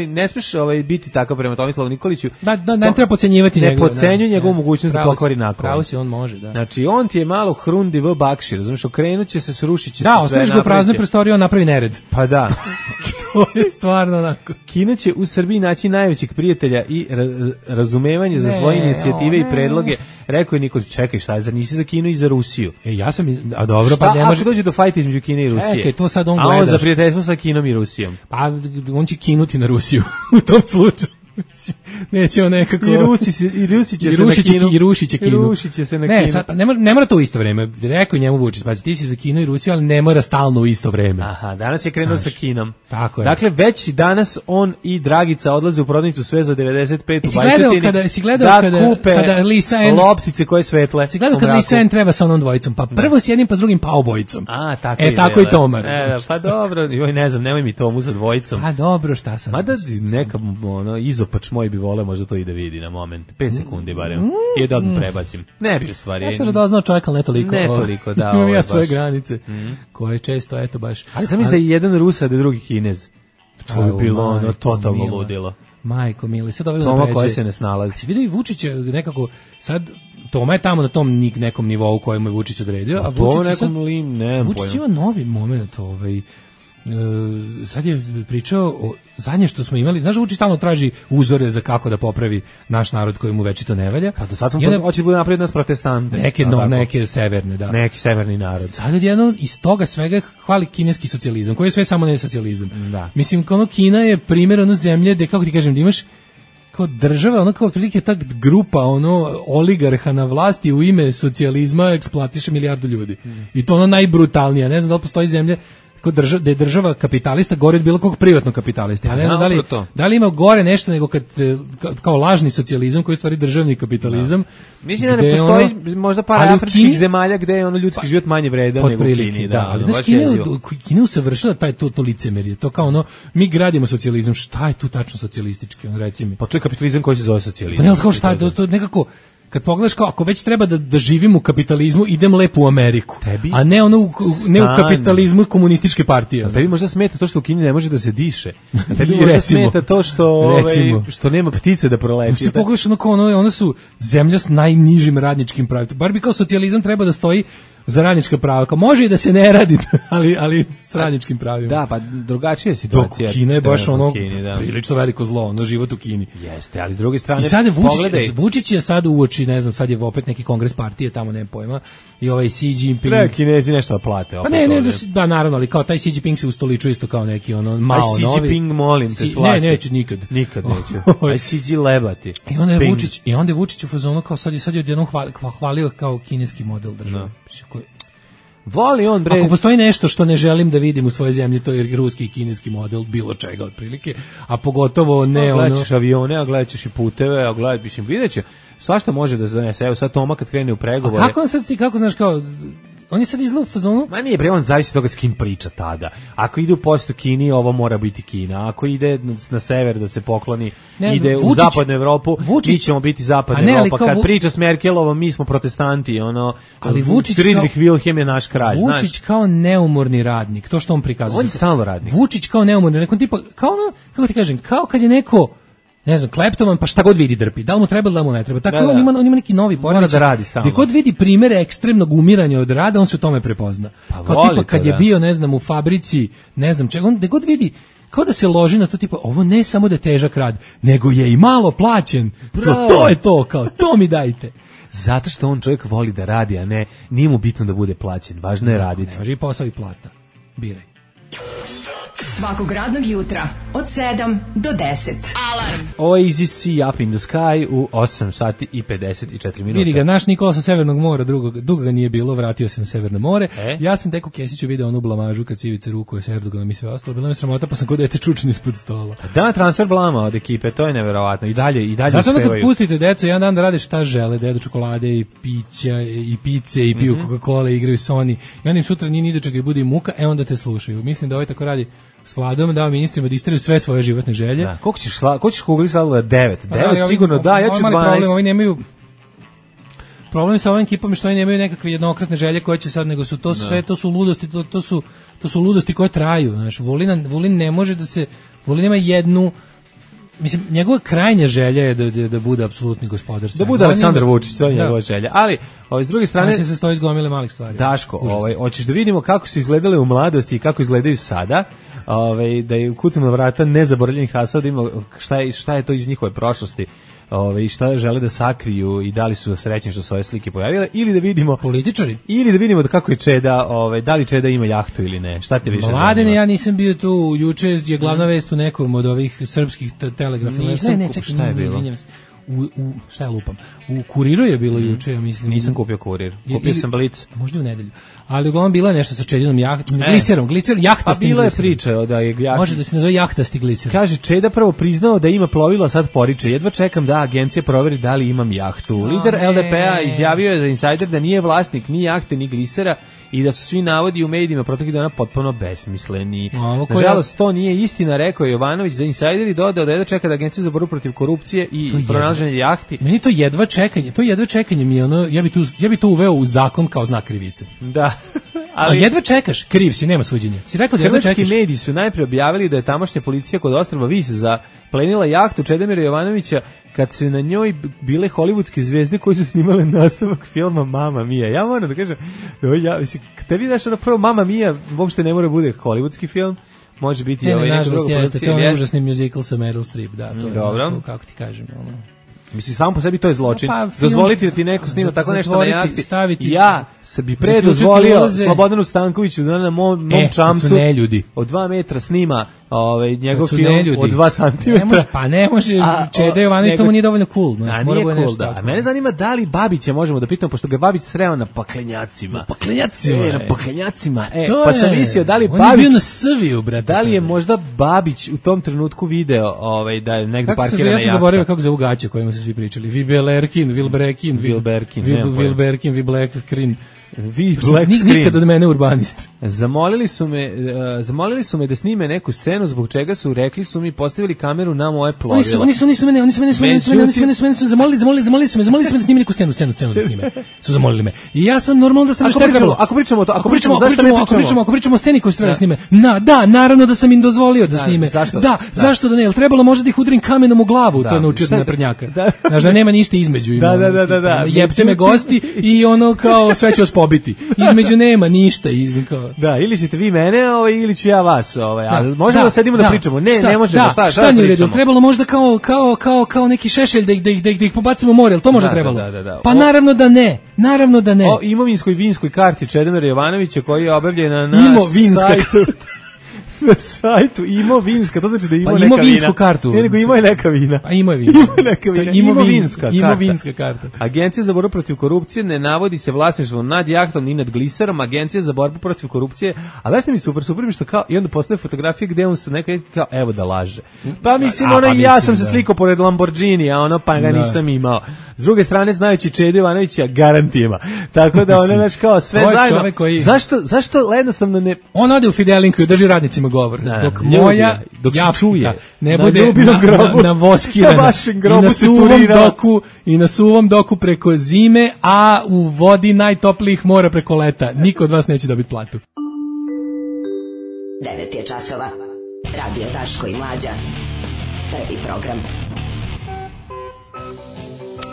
ne smiješ biti tako prema Tomislavu Nikoliću. Ne treba podcenjivati njegov. Ne podcenjuj njegovu mogućnost da pokvari nakovanj. Pravo si, on može, da. Znači, on ti je malo hrundi v bakšir, znaš, okrenut će se, srušit će se sve. Da, ostaviš ga u praznoj prostoriji, on napravi nered. Pa da. To je stvarno onako. Kina će u Srbiji naći najvećeg prijatelja i razumevanje za svoje inicijative i predloge. Rekao je Nikolić, čekaj, šta je, zar nisi za Kinu i za Rusiju? Ja sam, a dobro, pa ne može. Ako dođe do fajta između Kine i Rusije? Čekaj, to sad on gleda. A on za prijateljstvo sa Kinom i Rusijom? Pa, on će kinuti na Rusiju u tom slučaju. Nećemo nekako. I rušit će se na Kinu. Ne, sad, ne mora to u isto vreme. Rekao njemu Vučić, pa ti si za Kinu i Rusiju, ali ne mora stalno u isto vreme. Aha, danas je krenuo sa Kinom. Tako je. Dakle, već danas on i Dragica odlaze u prodavnicu sve za 95 u Bajčetini. Si gledao kada kupe loptice koje svetle. Si gledao kada Lisa N treba sa onom dvojicom, pa prvo s jednim pa s drugim pa obojicom. A, tako tako i Tomar. Pa dobro, ne znam, nemoj mi Tomu sa dvojicom. A dobro, šta sam. Mada neka izopač moj bi voleo možda to i da vidi na moment. 5 sekundi barem. I da odmah prebacim. Ne bi u stvari. Ja sam radoznao čovjek, ali ne toliko. Ne toliko, da. Imam ja svoje granice, koje često, eto baš. Ali sam mislim da je jedan Rus, a da je drugi Kinez. To bi bilo totalno ludilo. Majko mili, sad ovdje Toma koja se ne snalazi. Vidio i Vučić nekako, sad Toma je tamo na tom nekom nivou kojemu je Vučić odredio, a Vučić ima novi moment, sad je pričao o zadnje što smo imali, znaš, Vučić stalno traži uzore za kako da popravi naš narod koji mu večito ne valja. Pa do sad smo hoće da bude napred nas protestante. Neke severne, da. Neki severni narod. Sad odjednom iz toga svega hvali kineski socijalizam, koji je sve samo ne socijalizam. Da. Mislim, Kina je primjer zemlje gde, kako ti kažem, da imaš kao država, kao otprilike ta grupa oligarha na vlasti u ime socijalizma eksploatiše milijardu ljudi. I to najbrutalnije. Ne znam da li postoji zemlje da je država kapitalista gore od bilo kog privatnog kapitalista. Ja ne znam da li ima gore nešto nego kao lažni socijalizam koji je stvari državni kapitalizam. Mislim da ne postoji možda par afričkih zemalja gde je ljudski život manje vredan nego u Kini. Da, ali Kina usavršila to licemerje. To kao mi gradimo socijalizam. Šta je tu tačno socijalistički? Reci mi. Pa to je kapitalizam koji se zove socijalizam. Pa ne znam šta je, to nekako kad pogledaš kao ako već treba da živim u kapitalizmu, idem lepo u Ameriku. A ne u kapitalizmu komunističke partije. Tebi možda smeta to što u Kini ne može da se diše. Tebi možda smeta to što nema ptice da proleće. Što pogledaš ono su zemlja s najnižim radničkim pravima. Bar bi kao socijalizam treba da stoji za radnička prava. Kao može i da se ne radi, ali s radničkim pravima. Da, pa drugačija je situacija. Dok Kina je baš prilično veliko zlo, život u Kini. Jeste, ali s druge strane, i sad Vučić je sad uoči, ne znam, sad je opet neki kongres partije, tamo nema pojma, i ovaj Xi Jinping. Treba Kinezi nešto da plate. Pa ne, naravno, ali kao taj Xi Jinping se ustoličuje isto kao neki Mao novi. Xi Jinping, molim te, ne, neću nikad. Nikad neću. Aj Xi lebati. I onda je Vučić u fazonu kao sad je odjednom hvalio kao kineski model države. Voli on, bre. Ako postoji nešto što ne želim da vidim u svojoj zemlji, to je ruski i kineski model bilo čega otprilike, a pogotovo ne ono... Gledaćeš avione, a gledaćeš i puteve, a gledaćeš, vidjet će, svašta može da se donese. Evo sad Toma kad krene u pregovore... A kako on sad ti, kako znaš kao... On je sad izgleda u fazonu? Ma nije, bre, on zavisi od toga s kim priča tada. Ako ide u postu Kini, ovo mora biti Kina. Ako ide na sever da se pokloni, ide u zapadnu Evropu, mi ćemo biti zapadna Evropa. Kad priča s Merkelovom, mi smo protestanti, ono, ali Vučić Friedrich Wilhelm je naš kralj. Vučić kao neumorni radnik, to što on prikazuje. On je stalno radnik. Vučić kao neumorni radnik, tipa, kao ono, kako ti kažem, kao kad je neko, ne znam, kleptoman, pa šta god vidi drpi. Da li mu treba, da li mu ne treba. Tako da, on ima neki novi poremećaj. Da radi stalno. Gdje god vidi primere ekstremnog umiranja od rada, on se u tome prepozna. Pa kao tipa kad je bio, ne znam, u fabrici, ne znam čega, on gdje god vidi, kao da se loži na to, tipa, ovo ne samo da je težak rad, nego je i malo plaćen. To je to, kao, to mi dajte. Zato što on čovjek voli da radi, a ne, nije mu bitno da bude plaćen. Važno je raditi. Ne, važi i posao i plata. Biraj. Svakog radnog jutra od 7 do 10. Alarm. Oasis Sea Up in the Sky u 8 sati i 54 minuta. Vidi ga, naš Nikola sa Severnog mora, dugo ga nije bilo, vratio se na Severno more. Ja sam tek u Kesiću video onu blamažu kad Civica rukuje s Erdoganom i sve ostalo. Bila mi sramota, pa sam kod dete čučni ispod stola. Da, transfer blama od ekipe, to je neverovatno. I dalje zato uspevaju. Kad pustite decu jedan dan da rade šta žele, da jedu čokolade i pića i pice i piju Coca-Cola i igraju Sony. I onda im sutra nije ni do čega i bude im muka, onda te slušaju. Mislim da ovaj tako radi s Vladom, dao ministrima da isteraju sve svoje životne želje. Da, koliko ćeš kugli sladila? 9 sigurno da, ja ću 12. Problem, ovi nemaju problem sa ovim ekipom što oni nemaju nekakve jednokratne želje koje će sad, nego su to sve, to su ludosti, to su ludosti koje traju, znaš. Vulin ne može da se, Vulin nema jednu, mislim, njegova krajnja želja je da bude apsolutni gospodar. Da bude Aleksandar Vučić, to je njegova želja. Ali, s druge strane... On se sastoji iz gomile malih stvari. Daško, hoćeš da vidimo kako su izgledale u mladosti i kako izgledaju sada, da je kucam na vrata nezaboravljenih hasada, da ima šta je to iz njihove prošlosti, i šta žele da sakriju i da li su srećni što su ove slike pojavile, ili da vidimo političari, ili da vidimo kako je Čeda, da li Čeda ima jahtu ili ne. Šta te više zanima? Mladene, ja nisam bio tu, juče je glavna vest u nekom od ovih srpskih telegrafa. Ne, čekaj, šta je bilo? Šta je lupam? U Kuriru je bilo juče, ja mislim. Nisam kupio Kurir, kupio sam Blic. Možda u nedelju. Ali uglavnom bilo je nešto sa Čedinom gliserom, jahtastim. Pa bila je priča da je može da se nazove jahtasti gliser. Kaže, Čeda prvo priznao da ima plovilo, sad poriče. Jedva čekam da agencija proveri da li imam jahtu. Lider LDP-a izjavio je za Insider da nije vlasnik ni jahte ni glisera i da su svi navodi u medijima proteklih dana potpuno besmisleni. Nažalost, to nije istina, rekao je Jovanović za Insider i dodao da jedva čeka da agencija za borbu protiv korupcije i pronalaženje jahti. Meni to jedva čekanje mi je ono, ja bi to uveo u zakon kao znak krivice. Da. Ali jedva čekaš, kriv si, nema suđenja. Si rekao da jedva čekaš. Hrvatski mediji su najprije objavili da je tamošnja policija kod ostrva Vis zaplenila jahtu Čedomira Jovanovića kad se na njoj bile hollywoodske zvezde koji su snimale nastavak filma Mamma Mia. Ja moram da kažem, tebi daš ono prvo Mamma Mia, uopšte ne mora bude hollywoodski film, može biti neki drugo produkcija. To je užasni musical sa Meryl Streep, da, to je dobro. Kako ti kažem, ono. Mislim, samo po sebi to je zločin. Dozvoliti da ti neko snima tako nešto na jahti. Ja se bi pre dozvolio Slobodanu Stankoviću da na mom čamcu od 2 metra snima njegov film od 2 santimetra. Pa ne može, Čeda Jovanović, to mu nije dovoljno cool. A nije cool, da. Mene zanima da li Babića možemo da pitamo, pošto ga Babić sreo na paklenjacima. Na paklenjacima. Pa sam mislio da li Babić... On je bio na Srbiju, brate. Da li je možda Babić u tom trenutku video da je negdje parkirana jahta. Ja sam zaboravio kako zove gaće kojima su svi pričali. Vilberkin, nikad od mene urbanist. Zamolili su me da snime neku scenu, zbog čega su rekli su mi postavili kameru na moje plovilo. Oni su mene zamolili su me da snime neku scenu da snime. Su zamolili me. I ja sam normalno da sam nešto trebalo. Ako pričamo o sceni koju treba da snime. Da, naravno da sam im dozvolio da snime. Zašto da ne? Jel trebalo možda da ih udrim kamenom u glavu, to je naučio na naprednjaka. Znaš da nema ništa između. Jebte me gosti i ono kao sve ću vas pobiti. Između nema ništa. Da, ili ćete vi mene, ili ću ja vas. Ali možemo da sedimo da pričamo. Ne možemo. Šta nije u redu? Trebalo možda kao neki šešelj da ih pobacimo u more, ali to možda trebalo? Pa naravno da ne. O imovinskoj vinskoj karti Čedomira Jovanovića koji je objavljena na sajtu Na sajtu imovinska, to znači da ima neka imovinsku vina. kartu. Ne, nego ima i neka vina. A ima je vina. Ima neka vina. Imovinska karta. Agencija za borbu protiv korupcije ne navodi se vlasništvo nad jahtom ni nad gliserom. Agencija za borbu protiv korupcije. A znaš što mi super mi što kao, i onda postaje fotografije gde on se neka kao, evo da laže. Pa mislim, ja sam se slikao pored Lamborghini, a ono pa ga nisam imao. S druge strane, znajući Čede Ivanovića, garant ima. Tako da ono, znaš, kao sve zajedno. Koji... Zašto jednostavno ne... On ode u Fidelinku i drži radnicima govor. Dok moja čuje ne bude na voskirana i na suvom doku preko zime, a u vodi najtoplijih mora preko leta. Niko od vas neće dobiti platu. 9 je časova. Radio Daško i Mlađa. Prvi program.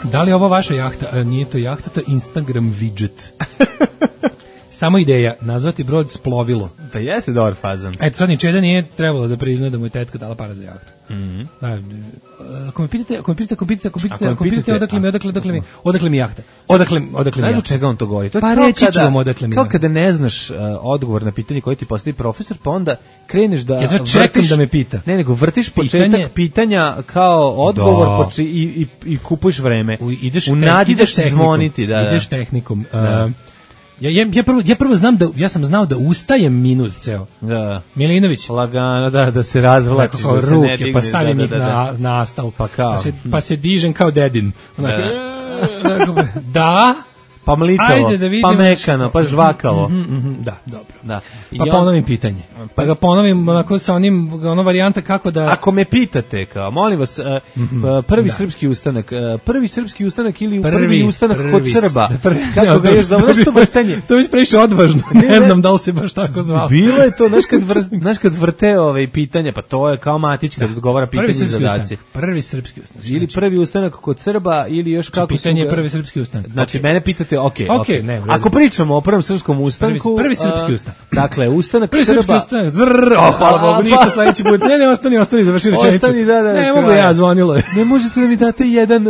Da li je ovo vaša jahta? Nije to jahta, to je Instagram widget. Samo ideja, nazvati brod Splovilo. Pa jeste dobar fazan. Eto, sad ni Čeda nije trebalo da prizna da mu je tetka dala para za jahtu. Ako me pitate odakle mi jahta? Odakle mi jahta? Ne znam čega on to govori. Pa reći ću vam odakle mi jahta. Kao kada ne znaš odgovor na pitanje koje ti postavi profesor, pa onda kreneš da... Ja čekam da me pita. Ne, nego vrtiš početak pitanja kao odgovor i kupuješ vreme. U nadi da će zvoniti. Ideš tehnikom. Ja prvo ja sam znao da ustajem minut ceo. Da. Milinović. Lagano, da se razvlačiš, da se ruke, ne digne. Pa stavim ih na astal. Pa se dižem kao dedin. Da. Pa mlitavo, pa mekano, pa žvakavo. Da, dobro. Da. Pa ponovim pitanje. Pa ga ponovim onako sa ono varijanta kako da... Ako me pitate, kao, molim vas, prvi srpski ustanak ili prvi ustanak kod Srba. Kako ga još zove, što vrtanje? To je previše odvažno, ne znam da li se baš tako zvao. Bilo je to, znaš kad vrte pitanja, pa to je kao Matić kad odgovara pitanje i zadaci. Prvi srpski ustanak. Ili prvi ustanak kod Srba, ili još kako su... Pitanje je prvi srpski ustanak. Znači, mene pitate, okej. Ako pričamo o prvom srpskom ustanku... Prvi srpski ustanak. Dakle, ustanak prvi Srba... Prvi srpski ustanak, hvala Bogu, ništa sledeći put. Ne, ostani, završi rečenicu. Ne mogu ja, zvonilo je. Ne možete da mi date jedan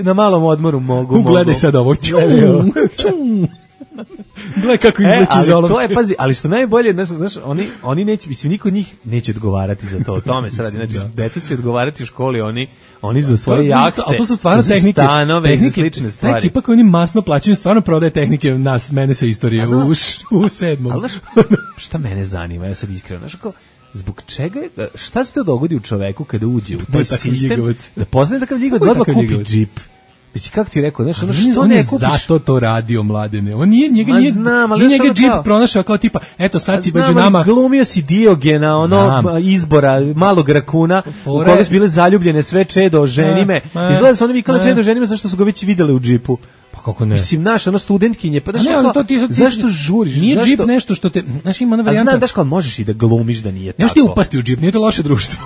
na malom odmoru, mogu. Gledaj sad ovo. Gledaj kako izleći iz olovke. To je, pazi, ali što najbolje, znaš, oni neće, mislim, niko od njih neće odgovarati za to, o tome se radi, znači, deca će odgovarati u školi, oni za svoje jahte, ali to su stvarno za stanove, za slične stvari. Neki ipak oni masno plaćaju, stvarno prodaje tehnike mene sa istorije u 7. Ali znaš, šta mene zanima, ja sad iskreno, znaš, kao, zbog čega, šta se to dogodi u čoveku kada uđe u taj sistem, da poznaje takav ljigovac, da odmah kupi džip. Mislim, kako ti rekao, znaš, što ne kupiš? Zato to radio, Mladene. On nije njega džip pronašao kao tipa, eto sad si među nama. Glumio si Diogena, izbora malog rakuna, u koga su bile zaljubljene sve Čedo, ženi me. Izgleda su oni vikali Čedo, ženi me, zašto su ga već videle u džipu. Pa kako ne? Mislim, naš, studentkinje, pa daš, zašto žuriš? Nije džip nešto što te, znaš, ima ona varijanta. A znam, daš kao možeš i da glumiš da nije tako. Nemaš ti upasti u džip, nije to loše društvo.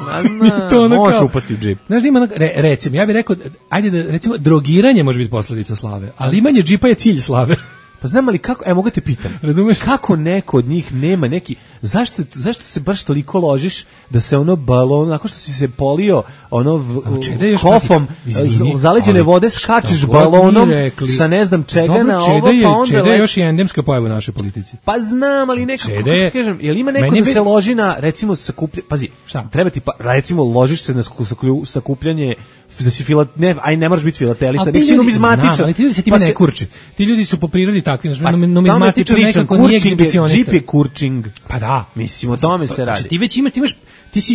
Možeš upasti u džip. Znaš da ima, recimo, ja bih rekao, ajde da, recimo, drogiranje može biti posledica slave, ali imanje džipa je cilj slave. Pa znam ali kako, mogu te pitam, razumeš, kako neko od njih nema neki, zašto se baš toliko ložiš da se balon, nakon što si se polio kofom zaleđene vode, skačeš balonom sa ne znam čega na ovo, pa onda... Čeda je još i endemska pojava u našoj politici. Pa znam, ali nekako, kako kažem, jel ima neko da se loži na, recimo, sakupljanje, pazi, treba ti, recimo, ložiš se na sakupljanje, da si ne moraš biti filatelista, nek si numizmatičan. Ali ti ljudi se time ne kurči. Ti ljudi su po prirodi takvi, numizmatičan nekako nije egzibicionista. Džip je kurčing. Pa da. Mislim, o tome se radi. Ti već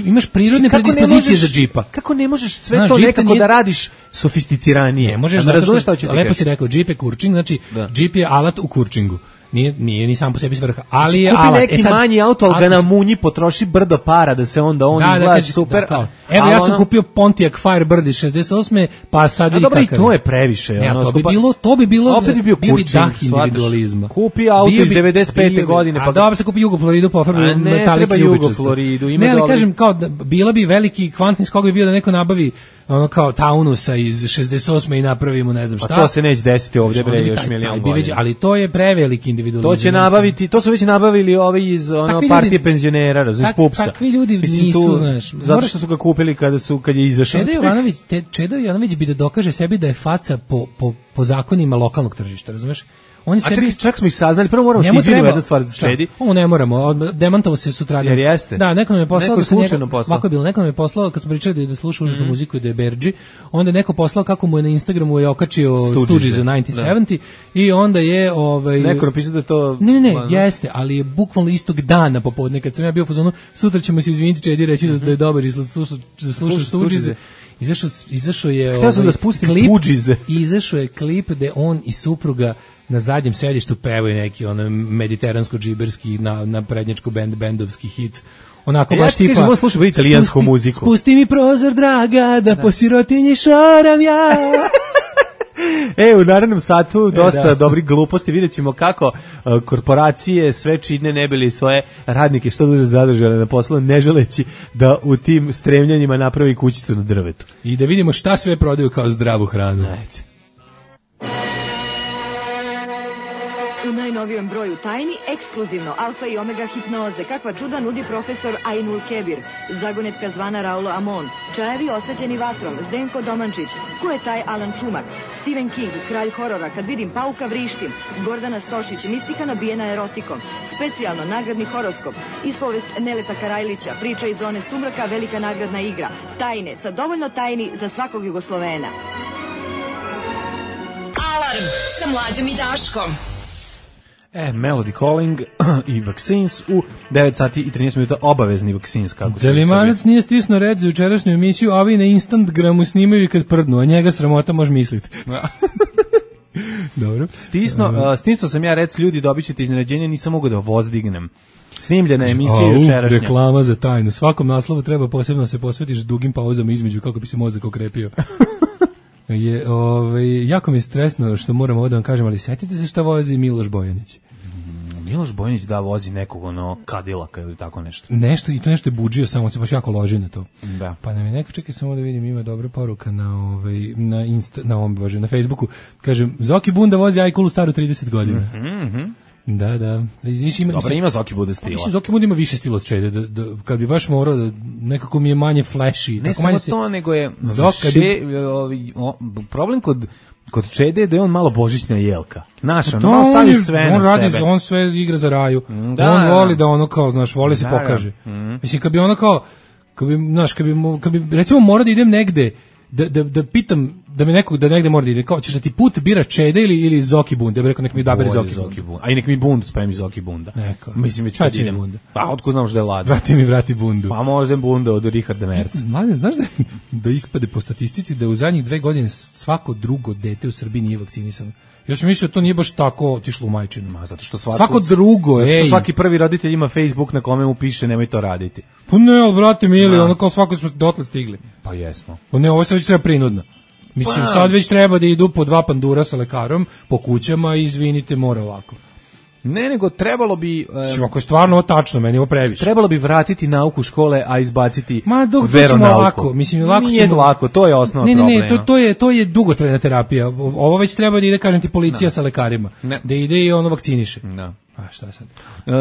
imaš prirodne predispozicije za džipa. Kako ne možeš sve to nekako da radiš sofisticiranije? Ne možeš, lepo si rekao, džip je kurčing, znači džip je alat u kurčingu. Nije ni sam po sebi svrha, ali je alat. Kupi neki manji auto, ali ga na munji potroši brdo para da se onda izgleda super. Evo, ja sam kupio Pontiac Firebird iz 68. pa sad vidi kakav. Dobro, i to je previše. To bi bilo, opet bi bio dah individualizma. Kupi auto iz 95. godine. A dobro, se kupi Jugofloridu, pofarbi metalik ljubičasto. Ne, ali kažem, kao, bila bi veliki kvantni skok bi bio da neko nabavi kao Taunusa iz 68. i napravimo ne znam šta. A to se neće desiti ovdje, bre, još milion godina. Ali to je preveliki individualizam. To će nabaviti, to su već nabavili ovi iz partije penzionera, razumiješ, PUPS-a. Takvi ljudi nisu, znaš. Zato što su ga kupili kad je izašao. Čedo Jovanović bi da dokaže sebi da je faca po zakonima lokalnog tržišta, razumiješ? On je sebi čak smo ih saznali, prvo moramo se izviniti jednu stvar za Čedi. Ovo ne moramo, demantovao se sutra. Jer jeste. Da, neko nam je poslao da se ovako je bilo, neko nam je poslao kad smo pričali da sluša užasnu muziku i da je Berđi, onda je neko poslao kako mu je na Instagramu je okačio Stooges za 1970 i onda je neko napisao da to Ne, jeste, ali je bukvalno istog dana popodne kad sam ja bio u fazonu, sutra ćemo se izviniti Čedi reći da je dobar i da sluša Stooges. Izašao je izašao je klip gde on i supruga na zadnjem sedištu pevaju neki mediteransko-džiberski na prednjačku bendovski hit. Onako baš tipa kažem, on sluša italijansku muziku. Spusti mi prozor, draga, da po sirotinji šoram ja. U narednom satu dosta dobrih gluposti, vidjet ćemo kako korporacije sve čine ne bili svoje radnike što duže zadržale na poslu, ne želeći da u tim stremljanjima napravi kućicu na drvetu. I da vidimo šta sve prodaju kao zdravu hranu. U najnovijem broju tajni, ekskluzivno alfa i omega hipnoze, kakva čuda nudi profesor Ainul Kebir, zagonetka zvana Raul Amon, čajevi osvetljeni vatrom, Zdenko Domančić, ko je taj Alan Čumak, Stephen King, kralj horora, kad vidim pauka vrištim, Gordana Stošić, mistika nabijena erotikom, specijalno nagradni horoskop, ispovest Neleta Karajlića, priča iz zone sumraka, velika nagradna igra, tajne, sa dovoljno tajni za svakog Jugoslovena. Alarm sa Mlađom i Daškom. Melody Calling i Vaccines u 9 sati i 13 minuta, obavezni Vaccines. Delimanac nije stisnuo red za jučerašnju emisiju, a ovi na Instagramu snimaju i kad prdnu, a njega sramota može misliti. Dobro. Stisnuo sam ja red, ljudi, dobit ćete iznenađenje, nisam mogu da vozdignem. Snimljena emisija jučerašnja. Reklama za tajnu. Svakom naslovu treba posebno se posvetiš dugim pauzama između kako bi se mozak okrepio. Jako mi je stresno što moram ovo da vam kažem, ali setite se šta vozi Miloš Bojanić. Miloš Bojanić vozi nekog Kadilaka ili tako nešto. Nešto, i to nešto je budžio, samo se baš jako loži na to. Da. Pa nam je neko, čekaj samo da vidim, ima dobra poruka na Facebooku. Kažem, Zoki Bunda vozi Ajkulu staru 30 godina. Da. Dobro, ima Zoki Bunda stila. Mislim, Zoki Bunda ima više stila od Čede. Kad bi baš morao da nekako mi je manje flashy. Ne samo to, nego je problem kod Čede je da je on malo božićna jelka. Znaš, on malo stavi sve na sebe. On sve igra za raju. On voli da ono kao, znaš, voli se pokaže. Mislim, kad bi ono kao, kad bi recimo morao da idem negde, da pitam, da mi nekog da negde mora da ide, kao ćeš da ti put bira Čede ili Zoki Bunda, ja bih rekao nek mi odabere Zoki Bunda. A i nek mi Bundu spremi Zoki Bunda. Mislim već kad idem. Bunda. Pa otkud znam što je ladno. Vrati Bundu. Pa možda Bunda od Richarda Merca. Mladen, znaš da ispade po statistici da u zadnjih 2 godine svako drugo dete u Srbiji nije vakcinisano. Ja sam mislio da to nije baš tako otišlo u majčinu. Zato što svako drugo, svaki prvi roditelj ima Facebook na kome mu piše nemoj to raditi. Pa ne, ali brate mili, ono kao svako smo dotle stigli. Pa jesmo. Pa ne, ovo se već treba prinudno. Mislim, sad već treba da idu po 2 pandura sa lekarom po kućama i izvinite, mora ovako. Ne, nego trebalo bi... Ako je stvarno ovo tačno, meni ovo previše. Trebalo bi vratiti nauku škole, a izbaciti veronauku. Mislim, nije lako, to je osnovno problema. To je dugotrajna terapija. Ovo već treba da ide, kažem ti, policija sa lekarima. Da ide i ono vakciniše. Da. A šta sad?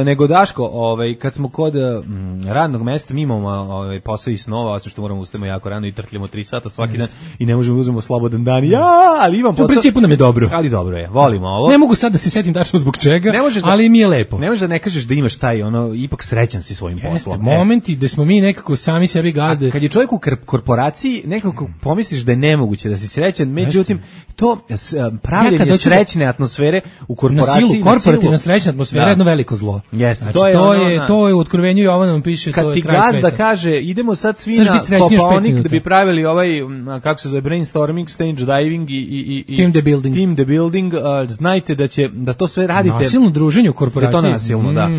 Nego Daško, kad smo kod radnog mesta, mi imamo posao i snova, osim što moramo ustajemo jako rano i trtljamo 3 sata svaki dan i ne možemo uzmemo slobodan dan. Ali imam posao. U principu nam je dobro. Ali dobro je, volimo ovo. Ne mogu sad da se setim tačno zbog čega, ali mi je lepo. Ne možeš da ne kažeš da imaš taj, ipak srećan si svojim poslom. Momenti da smo mi nekako sami sebi gazde. A kad je čovjek u korporaciji, nekako pomisliš da je nemoguće da si srećan, međutim, to pravljenje srećne atmosfere u korporaciji. Na silu, korporativna srećna atmosfera je jedno veliko zlo. Jeste, znači, to je u Otkrivenju Jovanom piše, to je kraj sveta. Kad ti gazda kaže, idemo sad svi na Kopaonik da bi pravili kako se zove, brainstorming, stage diving i team the building, znajte da to sve radite. Nasilno druženje u korporaciji. Da je to nasilno, da.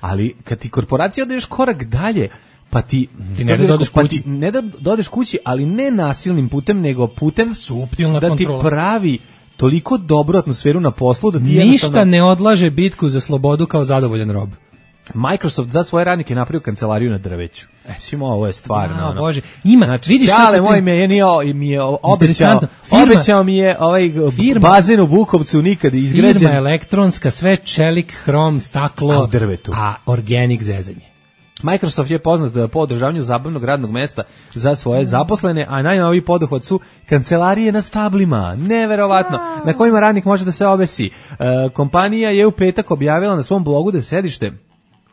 Ali kad ti korporacija odeš korak dalje, pa ti ne da dodeš kući. Ne da dodeš kući, ali ne nasilnim putem, nego putem suptilna da kontrola. Ti pravi toliko dobru atmosferu na poslu da ti ništa ne odlaže bitku za slobodu kao zadovoljan rob. Microsoft za svoje radnike napravio kancelariju na drveću. Mislim, ovo je stvarno. Bože, ima, znači, vidiš kako moj mi je obećao mi je bazen u Bukovcu nikad izgrađen. Firma elektronska, sve čelik, hrom, staklo, drvetu. A organic zezanje. Microsoft je poznat po održavanju zabavnog radnog mesta za svoje zaposlene, a najnoviji poduhvat su kancelarije na stablima, neverovatno, na kojima radnik može da se obesi. Kompanija je u petak objavila na svom blogu da sedište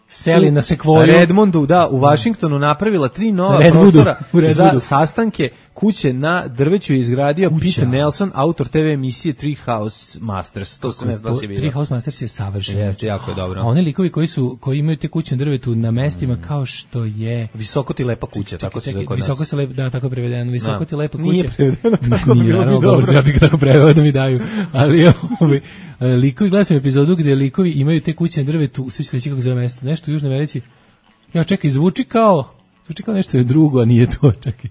seli na Sekvoju. Redmondu, da, u Washingtonu napravila 3 nova prostora za sastanke. Kuće na drveću je izgradio Pete Nelson, autor TV emisije Treehouse Masters. To se ne zna da si vidio. Treehouse Masters je savršen. Jeste, jako je dobro. A oni likovi koji imaju te kuće na drvetu na mestima kao što je... Visoko ti lepa kuća, tako se zove kod nas. Visoko se lepa, da, tako prevedeno. Visoko ti lepa kuća. Nije prevedeno, tako bi bilo bi dobro. Ja bih ga tako preveo da mi daju. Ali likovi, gledam sam epizodu gde likovi imaju te kuće na drvetu, sve će reći kako zove mesto, nešto u Južnoj Americi. Ja čekaj, zvuči kao nešto je drugo, a nije to, čekaj.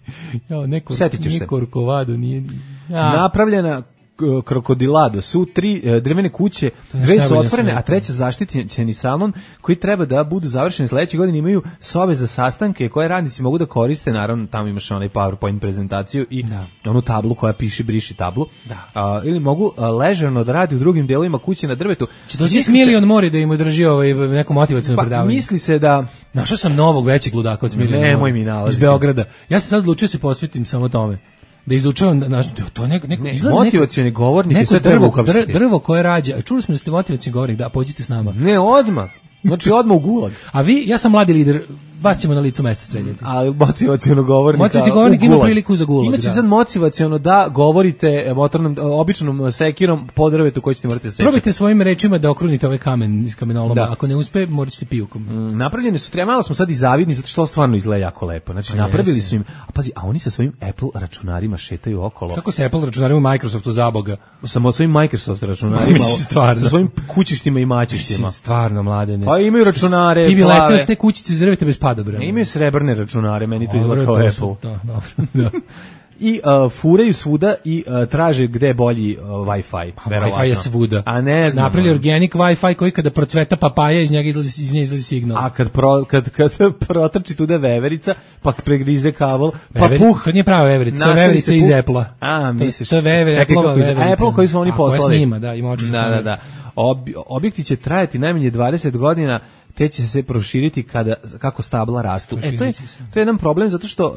Nije Korkovado, nije... Napravljena Krokodilado su 3 drvene kuće, 2 su otvorene, a 3 zaštićeni salon koji treba da budu završeni sledeće godine. Imaju sobe za sastanke koje radnici mogu da koriste, naravno tamo imaš onaj PowerPoint prezentaciju i onu tablu koja piše briši tablu. Ili mogu ležerno da radi u drugim delovima kuće na drvetu. Će doći Smiljan Mori da im održi neko motivacijno predavanje. Misli se da... Našao sam novog većeg ludaka od Smiljana Mori iz Beograda. Ja se sad odlučio se posvetim samo tome. Da izučavam, to neko motivacioni govornik je sve drvo koje rađa. Čuli smo da ste motivacioni govornik, da pođite s nama. Ne, odmah. Znači odmah u gulag. A vi, ja sam mladi lider, vas ćemo na licu mesta streljati. A motivaciono govornik ima priliku za gulag. Imaće sad motivaciono da govorite običnom sekirom po drvetu koji ćete morati seći. Probajte svojim rečima da okrunite ovaj kamen iz kamenoloma. Ako ne uspe, morat ćete pijukom. Napravljene su, malo smo sad i zavidni, zato što stvarno izgleda jako lepo. Znači, napravili su im, a oni sa svojim Apple računarima šetaju okolo. Kako se Apple računarima u Microsoftu zaboga? Samo svojim Microsoft računarima, sa svojim kućištima i mačištima. Stvarno, Mladene. Pa imaju računare. Ti bi letio s te kućice iz drveta bez padobrana. Imaju srebrne računare, meni to izgleda kao Apple. Da. I furaju svuda i traže gde je bolji Wi-Fi. Wi-Fi je svuda. A ne znam. Napravili organic Wi-Fi koji kada procveta papaja, iz nje izlazi signal. A kad protrči tuda veverica, pa pregrize kabel, pa to nije prava veverica, to je veverica iz Apple-a. A, misliš. To je Apple-ova veverica. Apple koji su oni poslali. Koja snima, da, ima očiš. Da. Objekti će trajati najmanje 20 godina, te će se proširiti kako stabla rastu. To je jedan problem zato što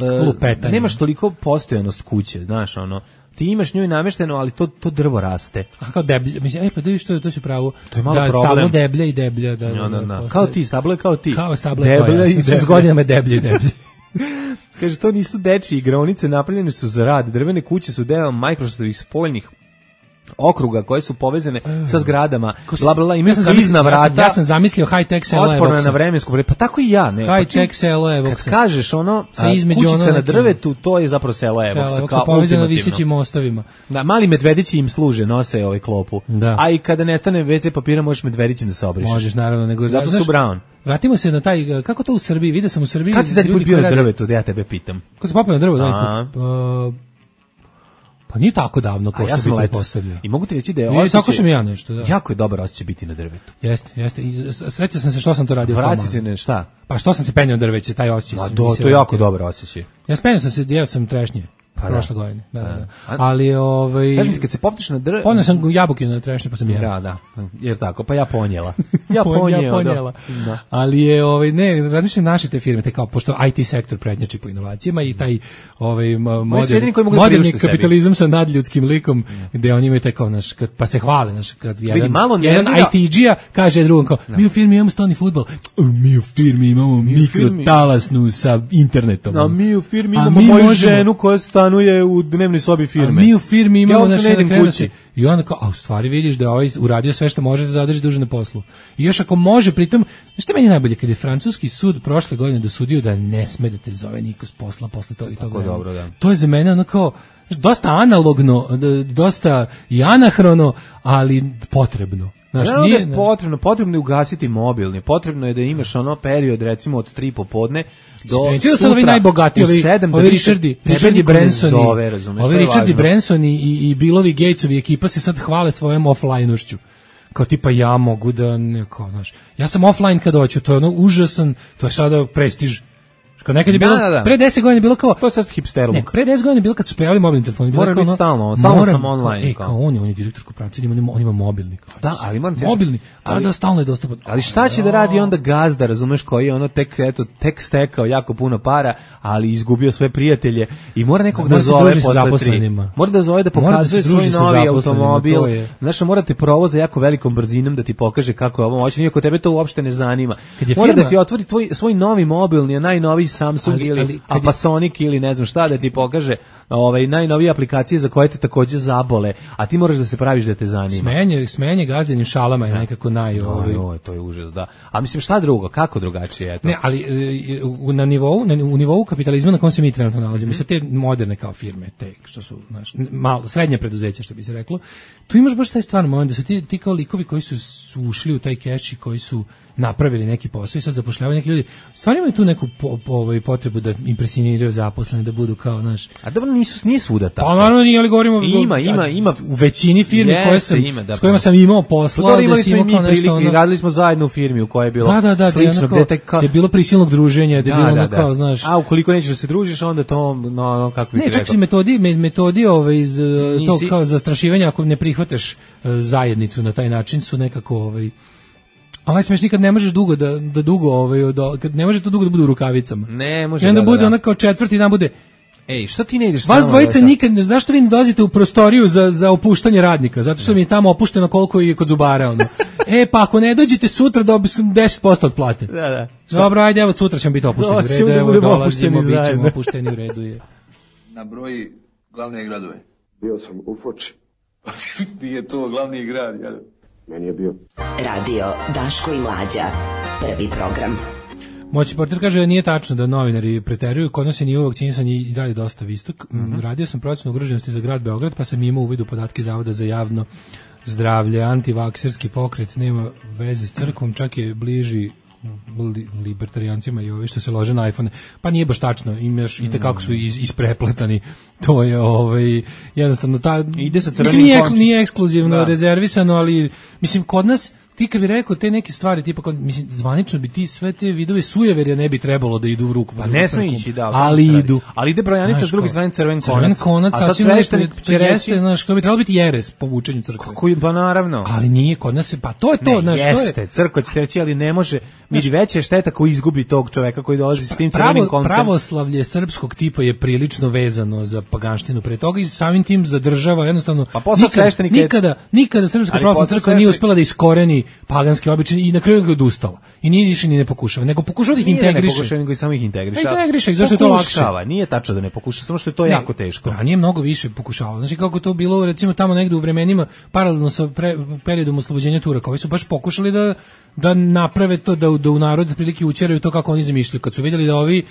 nemaš toliko postojanost kuće, znaš, ti imaš nju namešteno, ali to drvo raste. A kao deblje, mislim, pa da vidiš to će pravo. To je malo problem. Stablo deblje i deblje. Da. Kao ti, stablo je kao ti. Kao stablo je kao ja, s godinama deblje i deblje. Kaže, to nisu dečije igraonice, napravljene su za rad. Drvene kuće su deo Microsoftovih spoljnih okruga koje su povezane sa zgradama, bla bla bla, imaju klizna vrata. Ja sam zamislio high-tech selo je otporna na vremensku, pa tako i ja, ne. High-tech selo je Kad kažeš kućica na drvetu, to je zapravo selo Evox, kao povezano visećim mostovima. Da, mali medvedići im služe, nose ovaj klopu. A i kada nestane WC papira, možeš medvedićem da se obrišeš. Možeš, naravno, nego zato su brown. Vratimo se na taj, kako to u Srbiji, vidio sam u Srbiji. Kad si zadnji put bio na drvetu, da ja tebe pitam? Kad si popio na drvo, pa nije tako davno kao što bi postavio. I mogu ti reći da je osjećaj... Tako sam ja nešto, da. Jako je dobar osjećaj biti na drvetu. Jeste. I sretio sam se što sam to radio. Vratite ne, šta? Pa što sam se penio drveće, taj osjećaj. To je jako dobar osjećaj. Ja penio sam se, jeo sam trešnje. Prošle godine, da. Ali kažem ti, kad se popneš na drvo... Poneo sam jabuke na trešnje, pa sam jeo. Da, jer tako, pa ja ponijela. ponijela. Ali je, razmišljam naše te firme, te kao, pošto IT sektor prednjači po inovacijama i taj moderni kapitalizam sa nadljudskim likom, gde oni imaju taj kao, pa se hvale, kad jedan IT-đija kaže drugom kao, mi u firmi imamo stolni fudbal, mi u firmi imamo mikrotalasnu sa internetom. A mi u firmi imamo moju ženu koja stanuje u dnevnoj sobi firme. A mi u firmi imamo kući. I onda kao, a u stvari vidiš da ovaj uradio sve što može da zadrži duže na poslu. I još ako može, pritom, što meni najbolje, kad je francuski sud prošle godine dosudio da ne sme da te zove niko s posla posle toga i toga. Dobro, da. To je za mene ono kao, dosta analogno, dosta i anahrono, ali potrebno. Potrebno je ugasiti mobilni, potrebno je da imaš period recimo od 3 popodne do sutra ovi najbogatiji, ovi Richardi Branson i Billovi Gatesovi ekipa se sad hvale svojom offline-ušću. Kao tipa ja mogu da, ja sam offline kad hoću, to je užasan, to je sada prestiž. Kad nekad je bilo, pre 10 godina je bilo kao... To je sad hipsterluk. Ne, pre 10 godina je bilo kad su pojavili mobilni telefoni. Mora biti stalno sam online. Kao on je direktor korporacije, on ima mobilni. Da, ali moram ti mobilni, da stalno je dostupan. Ali šta će da radi onda gazda, razumeš, koji je ono tek stekao jako puno para, ali izgubio sve prijatelje i mora nekog da zove posle 3. Mora da zove da pokazuje svoj novi automobil. Znaš, morate provoza jako velikom brzinom da ti pokaže kako je ovo moćno, iako tebe to uopšte ne zanima. Mora da ti otvori svoj novi mobilni, najnoviji Samsung ili Panasonic ili ne znam šta, da ti pokaže najnovije aplikacije za koje te takođe zabole, a ti moraš da se praviš da te zanima. Smenje gazdenim šalama je nekako to je užas, da. A mislim šta drugo, kako drugačije je to? Ne, ali u nivou kapitalizma na kom se mi trenutno nalazimo, sa te moderne kao firme, te što su malo srednje preduzeća, što bi se reklo, tu imaš baš taj stvarno moment da su ti kao likovi koji su ušli u taj keš i koji su napravili neki posao i sad zapošljavaju neki ljudi. Stvarno imaju tu neku potrebu da impresioniraju zaposlene, da budu kao, znaš... A dobro, nije svuda tako. Pa naravno nije, ali govorimo... Ima. U većini firmi s kojima sam imao posla... Da imali smo i mi prilike i radili smo zajedno u firmi u kojoj je bilo slično. Da je bilo prisilnog druženja, da je bilo ono kao, znaš... A ukoliko nećeš da se družiš, onda to, kako bih rekao... Ne, čak i metodi iz to kao zastrašivanja, ako ne prihvataš zajednicu na taj način, su nekako... Ali najsmešnije kad ne možeš dugo kad ne može to dugo da bude u rukavicama. Ne može. I onda bude ona kao četvrti dan bude. Ej, što ti ne ideš? Vas dvojica nikad, zašto vi ne dolazite u prostoriju za opuštanje radnika? Zato što mi je tamo opušteno koliko je kod zubara ono. Pa ako ne dođete sutra dobiješ 10% od plate. Da. Dobro, ajde, evo sutra ćemo biti opušteni u redu, evo dolazimo, bit ćemo opušteni u redu je. Na broji glavne gradove. Bio sam u Foči. Nije to glavni grad, jel? Meni je bio. Radio Daško i Mlađa. Prvi program. Moći portir kaže da nije tačno da novinari preteruju, kod nas je nivo vakcinisanja i dalje dosta visok. Radio sam procenu ugroženosti za grad Beograd, pa sam imao uvid u podatke Zavoda za javno zdravlje. Antivakserski pokret nema veze s crkvom, čak je bliži libertarijancima i ovi što se lože na iPhone. Pa nije baš tačno, imaš i kako su isprepletani. To je jednostavno ide sa crvenim končom. Nije ekskluzivno rezervisano, ali mislim kod nas ti kad bi rekao te neke stvari, tipa, mislim, zvanično bi ti sve te vidove sujeverja ne bi trebalo da idu u ruku. Pa ne sme ići, da. Ali idu. Ali ide brojanica s druge strane crven konac. Crven konac, a sasvim nešto jeste, znaš, što bi trebalo biti jeres po vučenju crkve. Pa naravno. Ali nije, kod nas pa to je to, znaš, to je. Jeste, crkva će reći, ali ne može, vidi veća šteta koju izgubi tog čoveka koji dolazi s tim crvenim koncem. Pravoslavlje srpskog tipa je prilično vezano za paganštinu pre toga i samim tim zadržava jednostavno. Pa posle sveštenika nikada Srpska pravoslavna crkva nije uspela da iskoreni paganski običaj i na kraju je odustala. I nije više ni ne pokušava, nego pokušava da ih integriše. Ne pokušava, nego i samo ih integriše. Integriše, zašto je to lakše? Nije tačno da ne pokuša, samo što je to jako teško. A nije mnogo više pokušavalo. Znači kako to bilo recimo tamo negde u vremenima paralelno sa periodom oslobođenja Turaka, oni su baš pokušali da naprave to, da u narod prilike učeraju to kako oni zamišljaju. Kad su vidjeli da ovi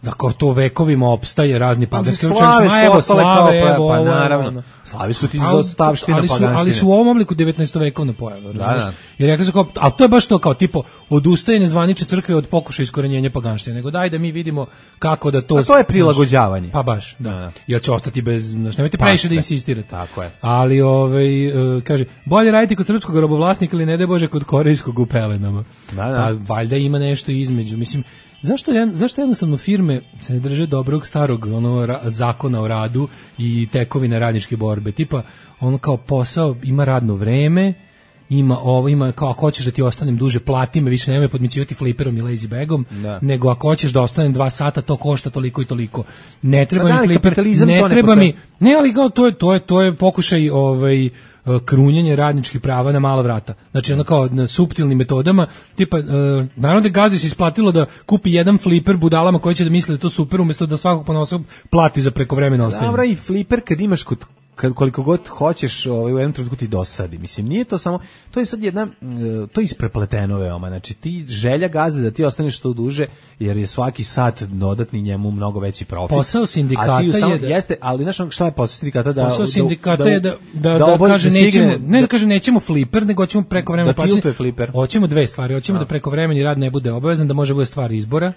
da kao to vekovima opstaje razni paganski učenjaci, pa naravno. Slavi su ti za ostavština paganštine. Ali su u ovom obliku 19. vekovna pojava, razumiješ? I rekli su kao, ali to je baš to kao tipo odustajanje zvanične crkve od pokušaja iskorenjenja paganštine, nego daj da mi vidimo kako da to... A to je prilagođavanje. Pa baš, da. Jer će ostati bez, znači nemojte previše da insistirate. Tako je. Ali, kaže, bolje raditi kod srpskog robovlasnika ili ne daj Bože kod korejskog u pelenama. Pa valjda ima nešto između, mislim. Zašto jednostavno firme se ne drže dobrog starog zakona o radu i tekovine radničke borbe? Tipa, ono kao posao ima radno vreme, ima kao ako hoćeš da ti ostanem duže, plati me, više nemoj podmićivati fliperom i lazy bagom, nego ako hoćeš da ostanem 2 sata, to košta toliko i toliko. Ne treba mi fliper, ne treba mi. Ne, ali kao to je pokušaj krunjenje radničkih prava na mala vrata. Znači ono kao na suptilnim metodama, tipa naravno da gazdi se isplatilo da kupi jedan fliper budalama koji će da misle da to super, umjesto da svakog ponosa plati za prekovremeno ostajanje. Dobro, i fliper kad imaš koliko god hoćeš u jednom trenutku ti dosadi. Mislim, nije to samo, to je sad jedna, to je isprepleteno veoma. Znači, ti želja gazde da ti ostaneš što duže, jer je svaki sat dodatni njemu mnogo veći profit. Posao sindikata je da... Jeste, ali znaš šta je posao sindikata? Posao sindikata je da kaže nećemo fliper, nego hoćemo prekovremeno plaćanje. Da tiltuje fliper. Hoćemo dve stvari, hoćemo da prekovremeni rad ne bude obavezan, da može bude stvar izbora.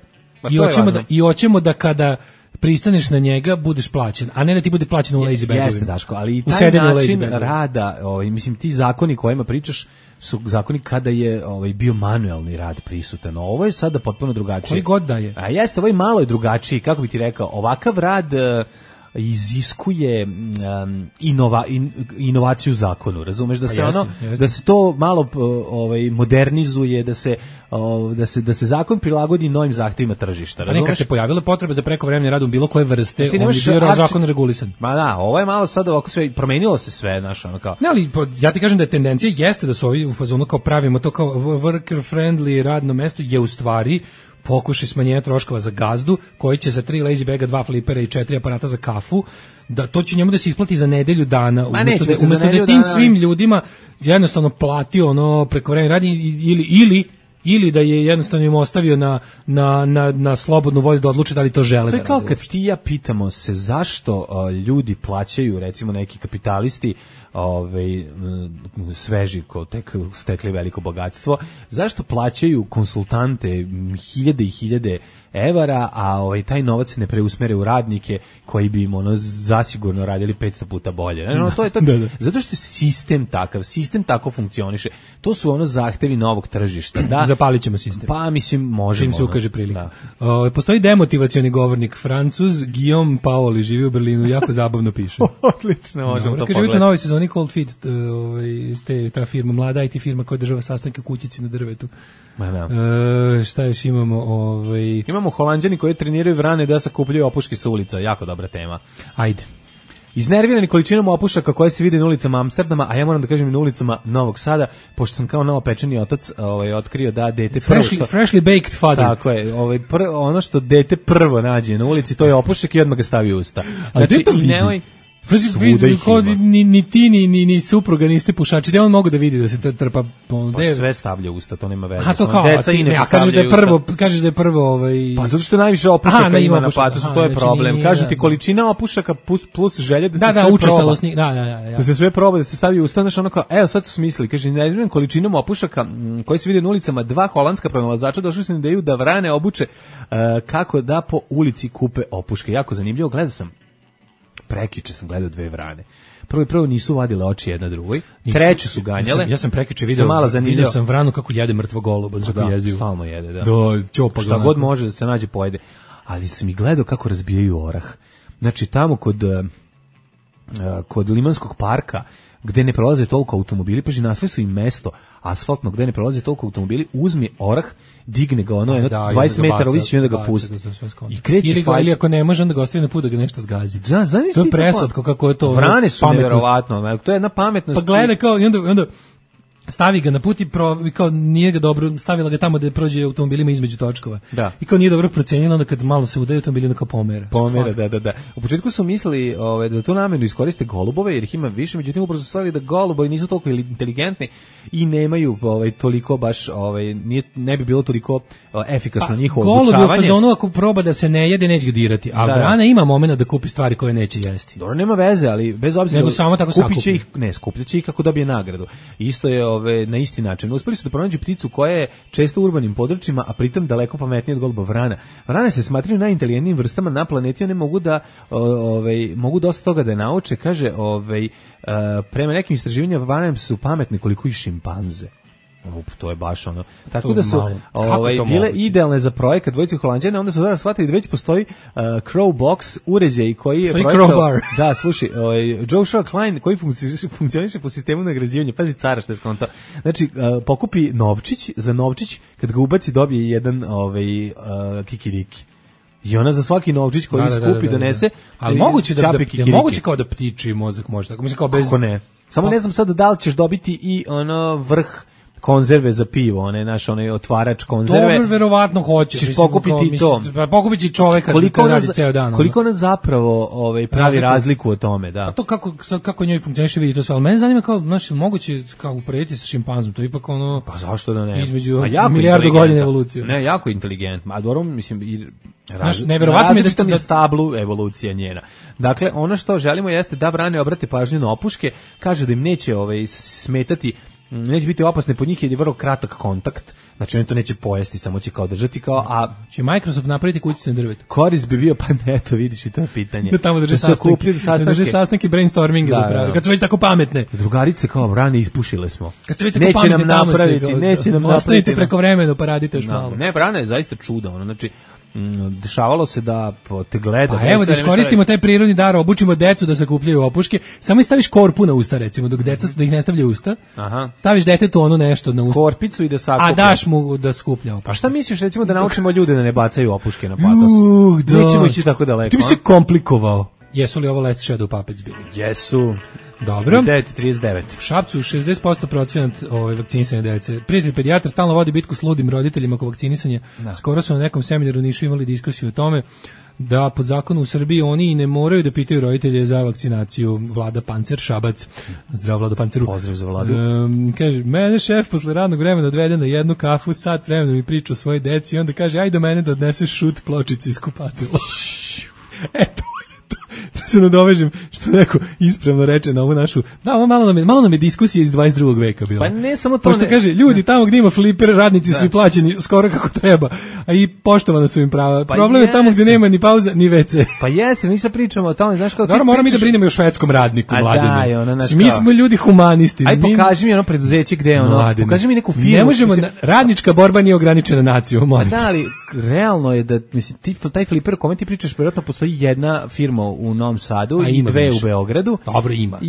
I hoćemo da kada pristaneš na njega, budeš plaćen, a ne da ti bude plaćen u lazy bagovima. Jeste, Daško, ali i taj način rada, mislim, ti zakoni kojima pričaš su zakoni kada je bio manuelni rad prisutan. Ovo je sada potpuno drugačije. Koji god da je. A jeste, ovo je malo je drugačiji, kako bi ti rekao, ovakav rad iziskuje inovaciju u zakonu, razumeš, da se da se to malo modernizuje, da se zakon prilagodi novim zahtevima tržišta, razumeš? Nekad se pojavila potreba za prekovremeni rad u bilo koje vrste, on je bio zakon regulisan. Ma da, ovo je malo sad ovako sve, promenilo se sve, znaš, ono kao. Ne, ali ja ti kažem da je tendencija jeste da su ovi u fazonu kao pravimo to kao worker friendly radno mesto, je u stvari pokušaj smanjenja troškova za gazdu, koji će za 3 lazy baga, 2 flipera i 4 aparata za kafu, da to će njemu da se isplati za nedelju dana, umesto da tim svim ljudima jednostavno platio prekovremeni rad ili da je jednostavno im ostavio na slobodnu volju da odluče da li to žele. To je kao kad ti ja pitamo se zašto ljudi plaćaju, recimo neki kapitalisti, sveži ko tek stekli veliko bogatstvo, zašto plaćaju konsultante hiljade i hiljade evara, a taj novac ne preusmere u radnike koji bi im zasigurno radili 500 puta bolje. To je to. Zato što je sistem tako funkcioniše. To su zahtevi novog tržišta. Da, zapalit ćemo sistem. Pa mislim možemo. Čim se ukaže prilika. Postoji demotivacioni govornik Francuz Guillaume Paoli, živi u Berlinu, jako zabavno piše. Odlično, možemo to pogledati. Kaže, vidite novoj sezoni Cold Feet, ta firma, mlada IT firma koja država sastanke u kućici na drvetu. Šta još imamo? Imamo Holanđani koji treniraju vrane da sakupljaju opuške sa ulica, jako dobra tema. Ajde. Iznervirani količinom opušaka koje se vide na ulicama Amsterdama, a ja moram da kažem i na ulicama Novog Sada, pošto sam kao novopečeni otac otkrio da dete prvo freshly baked father. Tako je, ono što dete prvo nađe na ulici, to je opušak i odmah ga stavi u usta. Znači, ni ti ni supruga niste pušači, da on mogu da vidi da se trpa sve stavlja u usta, to nema veze. A to kao, kažeš da je prvo pa zato što najviše opušaka ima na patosu, to je problem. Kažem ti, količina opušaka plus želja da se sve proba. Da se sve proba, da se stavi u usta, znaš, ono kao, evo sad su smislili, kaže, neizmjernim količinom opušaka koji se vide na ulicama, 2 holandska pronalazača došli su na ideju da vrane obuče kako da po ulici kupe opuške. Jako zanimljivo, gledao sam. Prekjuče sam gledao 2 vrane. Prvo nisu vadile oči jedna drugoj, treću su ganjale. Ja sam prekjuče vidio sam vranu kako jede mrtvo goluba, znači jezivo. Stalno jede, da. Šta god može da se nađe pojede. Ali sam i gledao kako razbijaju orah. Znači tamo kod Limanskog parka, gde ne prolaze toliko automobili, pa našli su im mesto asfaltno gde ne prolaze toliko automobili, uzme orah, digne ga 20 metara više i onda ga pusti. I kreće ili ako ne može, onda ga ostavi na put da ga nešto zgazi. Da, zamisli to je preslatko kako je to. Vrane su neverovatno, to je jedna pametnost. Pa gleda kao i onda stavi ga na put i kao nije ga dobro, stavila ga tamo da prođe automobilima između točkova. Da. I kao nije dobro procenjeno, onda kad malo se udaju automobili, onda kao pomera. Da. U početku su mislili da tu namjerno iskoriste golubove, jer ih ima više, međutim upravo su stvarili da golubovi nisu toliko inteligentni i nemaju toliko baš, ne bi bilo toliko efikasno njihovo obučavanje. Golub je u fazonu, ako proba da se ne jede, neće ga dirati, a vrana ima momenta da kupi stvari koje neće jesti. Dobro, nema veze, ali bez obzira, nego samo tako skupljaće ih kako dobije nagradu. Isto je na isti način. Uspeli su da pronađu pticu koja je često u urbanim područjima, a pritom daleko pametnija od goluba vrana. Vrane se smatraju najinteligentnijim vrstama na planeti, one mogu dosta toga da nauče, kaže, prema nekim istraživanjima vrane su pametne koliko i šimpanze. To je baš ono. Tako da su bile idealne za projekat dvojice Holanđana, onda su sada shvatili da već postoji Crow Box uređaj koji je projektao. Da, slušaj, Joshua Klein koji funkcioniše po sistemu nagrađivanja. Pazi cara što je skontao. Znači, pokupi novčić, za novčić kad ga ubaci dobije jedan kikiriki. I ona za svaki novčić koji skupi donese. Ali moguće kao da ptiči mozak može tako. Mislim kao bez. Kako ne? Samo ne znam sad da li ćeš dobiti i vrh konzerve za pivo, onaj otvarač konzerve. Dobro, verovatno hoćeš. Ćeš pokupiti to. Pokupiti čoveka koji radi ceo dan. Koliko ona zapravo pravi razliku o tome, da. A to kako njoj funkcioniše, vidi to sve. Ali mene zanima kao, moguće kao uporediti sa šimpanzom, to je ipak ono. Pa zašto da ne? Između milijardu godina evolucije. Ne, jako inteligentno. A dobro, mislim, neverovatno mi je da stablu evolucija njena. Dakle, ono što želimo jeste da vrane obrate pažnju na opuške, kaže da im neće smetati neće biti opasne po njih jer je vrlo kratak kontakt, znači oni to neće pojesti, samo će kao držati kao, a će Microsoft napraviti kućice na drvetu. Korist bi bio, pa ne, to vidiš i to je pitanje. Da tamo drže sastanke brainstorminge da prave, kad su već tako pametne. Drugarice kao, rane ispušile smo. Kad su već tako pametne, neće nam napraviti. Ostanite preko vremena, pa radite još malo. Ne, Brana je zaista čudo, ono, znači, dešavalo se da te gleda. Pa evo da iskoristimo taj prirodni dar, obučimo decu da sakupljaju opuške, samo staviš korpu na usta recimo, dok deca da ih ne stavljaju usta. Aha. Staviš detetu ono nešto na usta. Korpicu i da sakuplja. A daš mu da skuplja opuške. A šta misliš recimo da naučimo ljude da ne bacaju opuške na patos? Nećemo ići tako daleko. Ti bi se komplikovao. Jesu li ovo Last Shadow Puppets bili? Jesu. Dobro. 9:39. U Šapcu 60% procenat vakcinisanja dece. Prijatelj pedijatar stalno vodi bitku s ludim roditeljima oko vakcinisanja. Da. Skoro su na nekom seminaru u Nišu imali diskusiju o tome da po zakonu u Srbiji oni ne moraju da pitaju roditelje za vakcinaciju. Vlada Pancer Šabac. Zdravo Vlado Panceru. Pozdrav za Vladu. Kaže, mene šef posle radnog vremena odvede na jednu kafu, sat vremena mi priča o svojoj deci i onda kaže, ajde do mene da odneseš šut pločice iz kupatila. Eto. Da se nadovežem što neko ispravno reče na ovu našu. Da, malo nam je diskusija iz 22. veka bila. Pa ne samo to. Pošto kaže, ljudi tamo gdje ima fliper, radnici su plaćeni skoro kako treba, a i poštovano su im prava. Pa problem je tamo gdje nema ni pauza, ni WC. Pa jeste, mi se pričamo o tome, znaš kao... Dobro, moramo mi da brinemo i o švedskom radniku, Mladine. Mi smo ljudi humanisti. Aj, pokaži mi ono preduzeće gdje je ono, Mladine. Pokaži mi neku firmu. Ne možemo, radnička borba nije ograničena nacijom, molim. Da, ali realno je da, mislim, taj fliper o kome ti pričaš, vjerojatno postoji jedna firma u Novom Sadu i dve u Beogradu. Dobro ima.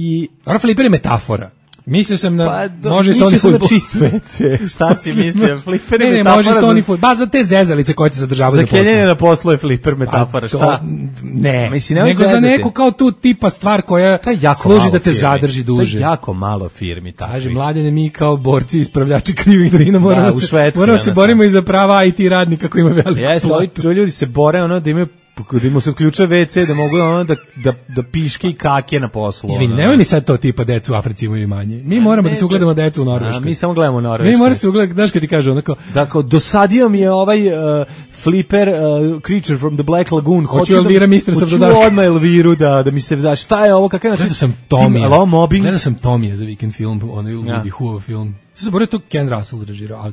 Dobro, fliper je metafora. Mislio sam na može Stony Food. Čist WC. Šta si mislio? Fliper je metafora. Ne, može Stony Food. Ba za te zezalice koje se zadržavaju za poslu. Za kenjanje na poslu je fliper metafora. Šta? Ne. Nego za neku kao tu tipa stvar koja služi da te zadrži duže. To je jako malo firmi. Kaže, Mladene, mi kao borci ispravljači krivih drina moramo se borimo i za prava IT radnika koji ima veliku platu. Ovi ljudi se bore ono da imaju da mu se odključa WC, da mogu ono da piške i kake na poslu. Izvini, nemoj mi sad to tipa decu u Africi imaju manje. Mi moramo da se ugledamo decu u Norveškoj. Mi samo gledamo Norveškoj. Mi moramo se ugledati, znaš kad ti kaže onako... Dakle, dosadio mi je ovaj Flipper Creature from the Black Lagoon. Hoću Elvira Mistress of the Dark. Hoću odmah Elviru da mi se da, šta je ovo, kakav način? Gledao sam Tomija za Weekend film, onaj ludi Who film. Zaboravio to Ken Russell režirao, a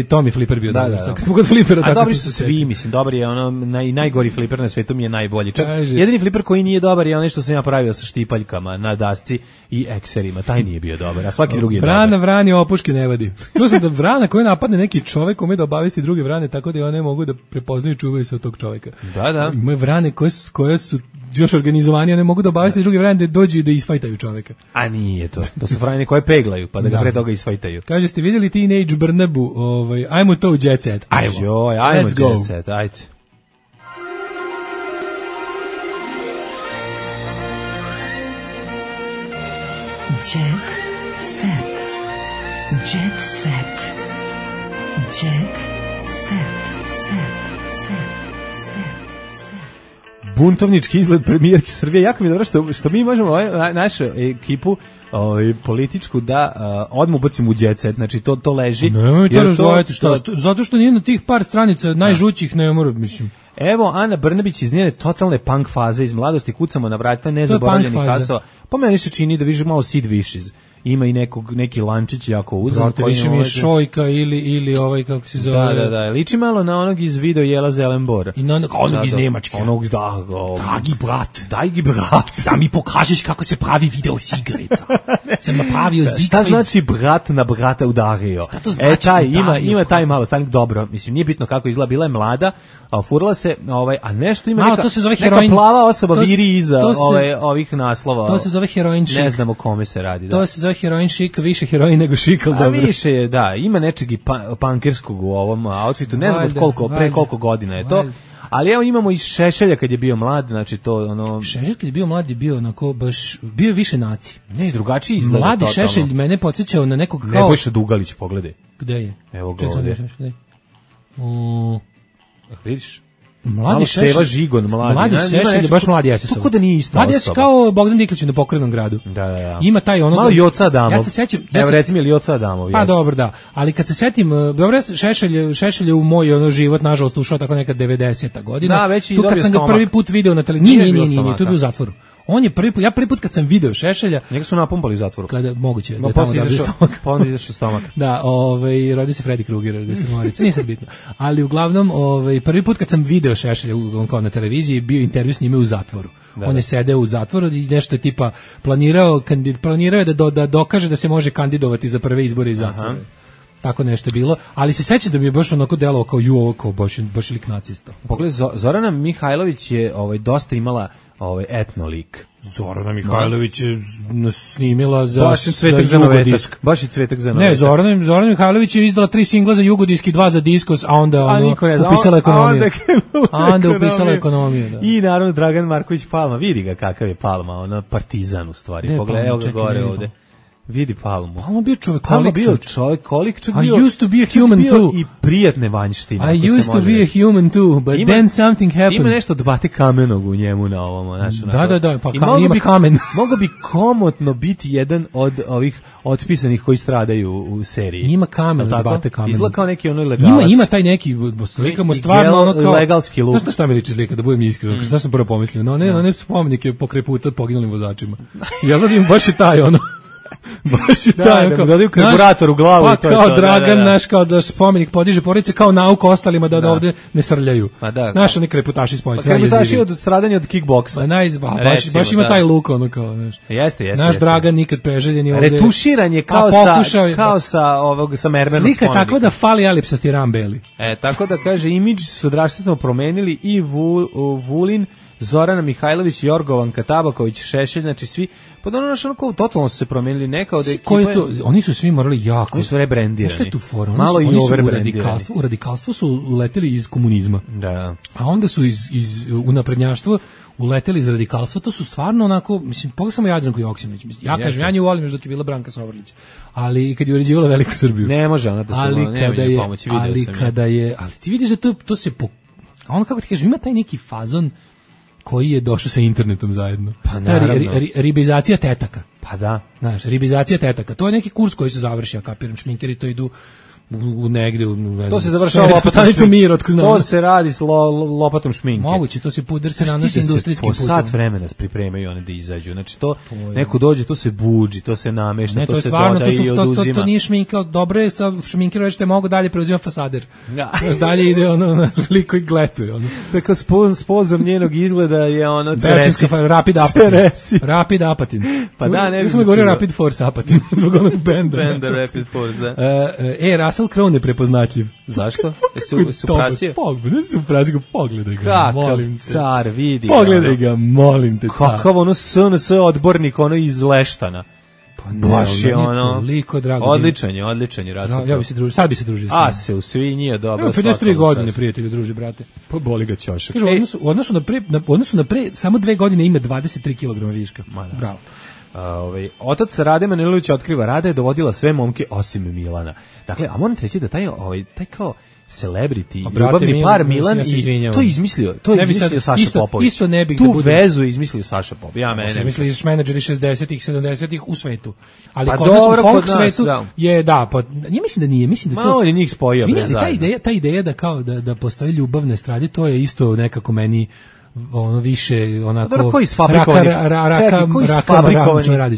Tommy Flipper bio dobar. Kad smo kod Flippera, tako dobri su svi, mislim, dobar je ono, najgori Flipper na svetu mi je najbolji. Čak jedini Flipper koji nije dobar je onaj što sam ja pravio sa štipaljkama na dasci i ekserima, taj nije bio dobar, a svaki drugi je dobar. Vrana vrani opuške ne vadi. Čuo sam da vrana koja napadne neki čovek ume da obavesti druge vrane, tako da one mogu da prepoznaju i čuvaju se od tog čoveka. Da. Ima vrane koje su još organizovanije, ne mogu da obavesti druge vrane da dođu i da isfajtaju čoveka. A nije to. To su vrane koje peglaju, pa da ga pre toga isfajtaju. Kaže, ste vidjeli Teenage Brnabu? Ajmo to u Jet Set. Ajmo Jet Set, ajde. Jet Set. Jet Set. Jet Set. Buntovnički izgled premijerke Srbije. Jako mi je dobro što mi možemo našu ekipu političku da odmah ubacimo u Jet Set. Znači to leži. Nemoj to razdvojati. Zato što nije na tih par stranica najžućih ne mora, mislim. Evo, Ana Brnabić iz njene totalne punk faze iz mladosti, kucamo na vrata nezaboravljenih kasova. Po meni se čini da više malo Sid Vicious. Ima i neki lančić jako uzan. Brate, više mi je Šojka ili ovaj, kako se zove. Da, liči malo na onog iz video Jela Zelenbora. I na onog iz Nemačke. Dragi brat. Da mi pokažeš kako se pravi video s igrica. Sam napravio Siegfried. Šta znači brat na brata udario? Šta to znači ima taj malo stanik, dobro. Mislim, nije bitno kako izgleda, bila je mlada, a furala se, a nešto ima neka plava osoba viri iza ovih naslova. To se zove heroin chic. Ne znamo kome se radi. To se zove heroin chic, više heroin nego chic, ali dobro. Više je, da, ima nečeg i punkerskog u ovom outfitu, ne znam pre koliko godina je to. Ali evo imamo i Šešelja kad je bio mlad, znači to ono... Šešelj kad je bio mlad je bio onako baš, bio više naci. Ne, drugačiji izgleda. Mladi Šešelj mene podsjećao na nekog kao... Nebojša Dugalić, pogledaj. Gde je? Evo ga ovdje. Vidiš? Mladi Šešelj, Žigon, mladi Šešelj je baš mladi SS. Tako da nije ista mladi osoba. Mladi kao Bogdan Diklić na Pokretnom gradu. Da. Ima taj ono... Malo Joca Adamov. Ja se sećam... Evo recimo ili Joca Adamov. Pa dobro, da. Ali kad se setim, dobro, Šešelj je u moj život, nažalost, ušao tako neka 90. godina. Da, već i tu kad sam ga prvi put video na televiziji. Nije, tu je bio u zatvoru. On je ja prvi put kad sam video Šešelja, njega su napumpali u zatvoru. Kada moguće da tamo dobio stomak. Pa onda izašao stomak. Da, rodio se Freddy Krueger, da se morica, nije sad bitno. Ali uglavnom, prvi put kad sam video Šešelja kao na televiziji, bio intervju s njime u zatvoru. On je sedeo u zatvoru i nešto je tipa planirao je da dokaže da se može kandidovati za prve izbore iz zatvora. Tako nešto je bilo, ali se sećam da mi je baš onako delovao kao ovo kao baš lik nacista. Pogledaj, Zorana Mihajlović je dosta imala etnolik. Zorana Mihajlović je snimila za Jugodisk. Baš je Cvetak za Ne, Zorana Mihajlović je izdala 3 singla za Jugodisk i 2 za Diskos, a onda upisala ekonomiju. Onda upisala ekonomiju, da. I naravno Dragan Marković Palma, vidi ga kakav je Palma, ona partizan u stvari. Pogledaj, evo ga gore ovde. Vidi Palmu. Palma bio čovjekolik. I used to be a human too. I prijatne vanjštine. I used to be a human too, but then something happened. Ima nešto od Bate Kamenog u njemu na ovom. Da, pa ima kamen. Mogu bi komotno biti jedan od ovih otpisanih koji stradaju u seriji. Ima kamen od Bate Kamenog. Izgleda kao neki ono legalac. Ima taj neki, slikamo stvarno ono kao... legalski luk. Znaš šta mi liči slika, da budem iskren? Šta sam prvo pomislio? No, ne spomenike pokraj puta poginulim vozačima. Ja gledam baš je taj ono... baš je taj, da dodaju karburator u glavu. Pa kao Dragan, naš, kao da spomenik podiže porodice, kao nauka ostalima da ovde ne srljaju. Naš oni kreputaši spojnici. Kreputaši od stradanja od kickboksa. Baš ima taj luk, ono kao, znaš. Jeste. Naš Dragan nikad preželjeni ovde. Retuširan je kao sa mermerom. Slika tako da fali alipsasti rambeli. Tako da kaže, imidž su drastično promenili i Vulin, Zorana Mihajlović, Jorgovanka Tabaković, Šešelj, znači svi, pa da ono totalno su se promenili neka od ekipa. Ko je to? Oni su svi morali jako. Oni su rebrendirani. Šta je tu fora? Malo i overbrendirani. U radikalstvo su uleteli iz komunizma. Da. A onda su iz unaprednjaštvo uleteli iz radikalstva, to su stvarno onako, mislim, pogledaj samo Jadranku Joksimović. Ja kažem, ja nju volim još dok je bila Branka Sovrlić. Ali kad je uređivala Veliku Srbiju. Ne može ona da se pomoći, vidio sam je. Ali ti vidiš da to se a on, kako ti kažem, ima taj neki fazon koji je došao sa internetom zajedno. Pa naravno. Ribizacija tetaka. Pa da. Znaš, ribizacija tetaka. To je neki kurs koji se završi, ja kapiram, šminkeri to idu u negde, to se završava lopatom šminke. To se radi s lopatom šminke. Moguće, to se puder se nanosi industrijskim putem. Po sat vremena pripremaju one da izađu. Znači to neko dođe, to se buđi, to se namešta, to se dodaje i oduzima. To nije šminka, dobro je sa šminkerom reći te mogu dalje preuzima fasader. Znaš, dalje ide ono liko i gletuje. Tako spozor njenog izgleda je ono Rapid Apatin. Pa da, ne bih govorio Rapid Force Apatin. Zbog onog benda Rapid Force, da. Russell Crowe neprepoznatljiv. Zašto? Su prasio? Pogledaj ga, kakav car, vidi. Pogledaj ga, molim te, car. Kakav ono SNS odbornik, ono iz Leštana. Baš je ono, odličan je Russell Crowe. Ja bi se družio, sad bi se družio. A se u svinji, dobro. 53 godine prijatelju druži, brate. Pa boli ga ćošak. Kaže, u odnosu na pre, samo 2 godine ima 23 kg viška. Bravo. Otac Rade Manilović otkriva, Rada je dovodila sve momke osim Milana. Dakle, a moram ti reći da taj kao celebrity, ljubavni par Milan i to je izmislio Saša Popović. Isto ne bih tu vezu izmislio Saša Popović. Ja mene. Misliš menadžeri 60-ih, 70-ih u svetu. Ali kod nas u folk svetu je pa ja mislim da nije, mislim da to. Malo je njih spojio ta ideja da kao da postoji ljubavne strade, to je isto nekako meni ono više onako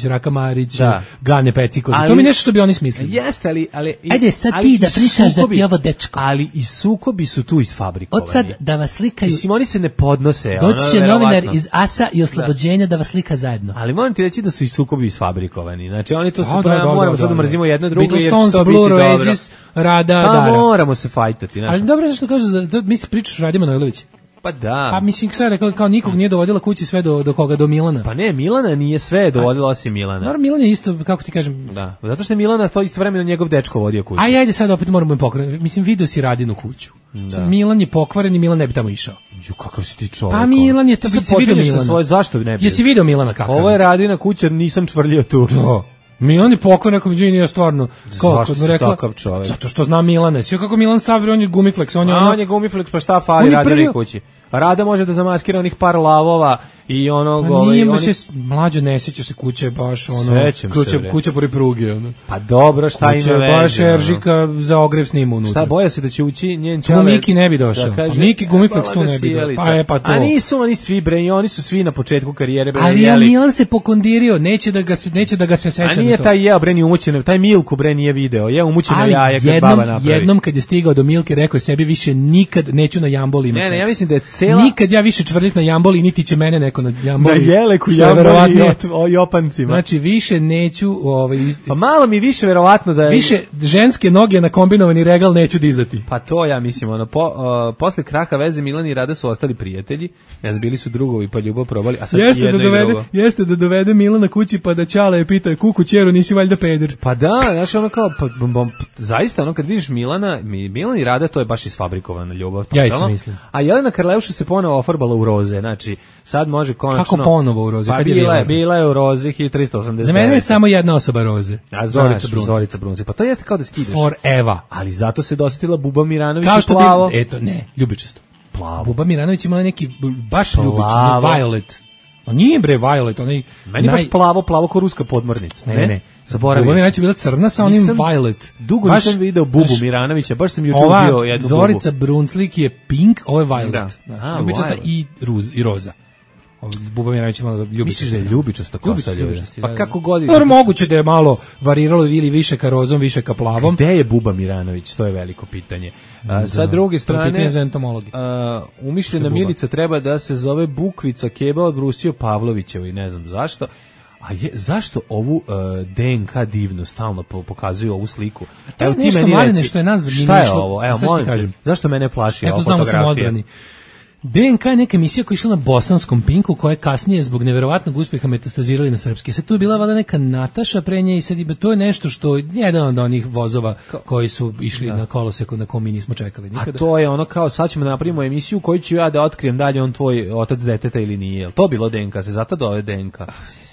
Raka Marić, Gane Peciković, to mi nešto što bi oni smislili. Jeste, ali ajde sad ti da pričaš da ti ovo dečko. Ali i sukobi su tu isfabrikovani. Od sad da vas slikaju. Mislim, oni se ne podnose. Doći će novinar iz Asa i Oslobođenja da vas slika zajedno. Ali moram ti reći da su i sukobi isfabrikovani. Znači oni to se moramo sad da mrzimo jedna druga jer će to biti dobro. Rada, pa moramo se fajtati. Ali dobro je što kažu, mi se pričaš Radi Manojlović. Pa da. Pa mislim sad rekao kao nikog nije dovodila kući sve do koga, do Milana. Pa ne, Milana nije sve dovodila osim Milana. Naravno Milan je isto, kako ti kažem. Da, zato što je Milana to istovremeno njegov dečko vodio kuću. Ajde sad opet moramo pokrenuti. Mislim, video si Radinu kuću. Da. Milan je pokvaren i Milan ne bi tamo išao. Ju, kakav si ti čovjek. Pa Milan je to video Milana. Zašto ne bi? Jesi video Milana kako? Ovo je Radina kuća, nisam čvrljio tu. Da. Milan je pokoj, nekom izvini, ja stvarno. Zašto si takav čovjek? Zato što zna Milane. Sve kako Milan Savri, on je gumifleks. On je gumifleks, pa šta fali Radinoj kući? Rada može da zamaskira onih par lavova i ono mlađo ne sećaš se kuće baš kuća pored pruge ono. Pa dobro, šta ima veze? Baš Eržika za ogrev snima unutra. Šta boja se da će ući njen čale? Tu Miki ne bi došao. Miki Gumiflex tu ne bi došao. Pa to. A nisu oni svi bre, i oni su svi na početku karijere bre. Ali Milan se pokondirio, neće da ga se seća. A nije taj jeo bre ni umućen, taj Milku bre nije video. Je umućena jaja kad baba napravi. Jednom kad je stigao do Milke rekao je sebi više nikad neću na jamboli imati seks. Ne, ja mislim da je cela nikad ja više čvrlit na jamboli niti će mene neko na jamboli. Na Jeleku jamboli o Jopancima. Znači više neću pa malo mi više verovatno da je više ženske noge na kombinovani regal neću dizati. Pa to ja mislim ono posle kraha veze Milan i Rada su ostali prijatelji. Ja bili su drugovi pa ljubav probali, a sad jeste da dovede Milana kući pa da Ćala je pita kuku ćero nisi valjda peder. Pa da, znači ono kao zaista ono kad vidiš Milan i Rada to je baš isfabrikovana ljubav. Ja isto mislim. A Jelena Karleuša se ponovo ofarbala u roze, znači sad može konačno. Kako ponovo u roze? Pa bila je u roze 1389. Za mene je samo jedna osoba roze. A Zorica Brunci. Pa to jeste kao da skidaš. Forever. Ali zato se dosetila Buba Miranović kao što plavo. ljubičasto. Plavo. Buba Miranović ima neki baš ljubični, Violet. On nije bre Violet, onaj meni baš plavo ko ruska podmornica. Ne. Zaboravio. Buba Miranović je bila crna sa onim Violet. Dugo nisam video Bubu Miranovića, baš sam juče ubio jednu Bubu. Zorica Brunslik je pink, ovo je Violet. Ljubičasta i roza. Buba Miranović malo ljubičasta. Misliš da je ljubičasta kosa? Pa kako god. Moguće da je malo variralo ili više ka rozom, više ka plavom. Gde je Buba Miranović? To je veliko pitanje. Sa druge strane, umišljena Milica treba da se zove Bukvica Keba od Brusio Pavlovićevi, ne znam zašto. Zašto ovu DNK divno stalno pokazuju ovu sliku? Evo ti meni reci, što je nas šta je ovo? Evo, molim te, zašto mene plaši ova fotografija? DNK je neka emisija koja je išla na bosanskom Pinku, koja je kasnije zbog neverovatnog uspjeha metastazirali na srpski. Sad tu je bila valjda neka Nataša pre nje i sad to je nešto što je jedan od onih vozova koji su išli na koloseku na kom mi nismo čekali nikada. A to je ono kao sad ćemo da napravimo emisiju koju ću ja da otkrijem dalje on tvoj otac deteta ili nije. Jel to bilo DNK? Se zato dove DNK?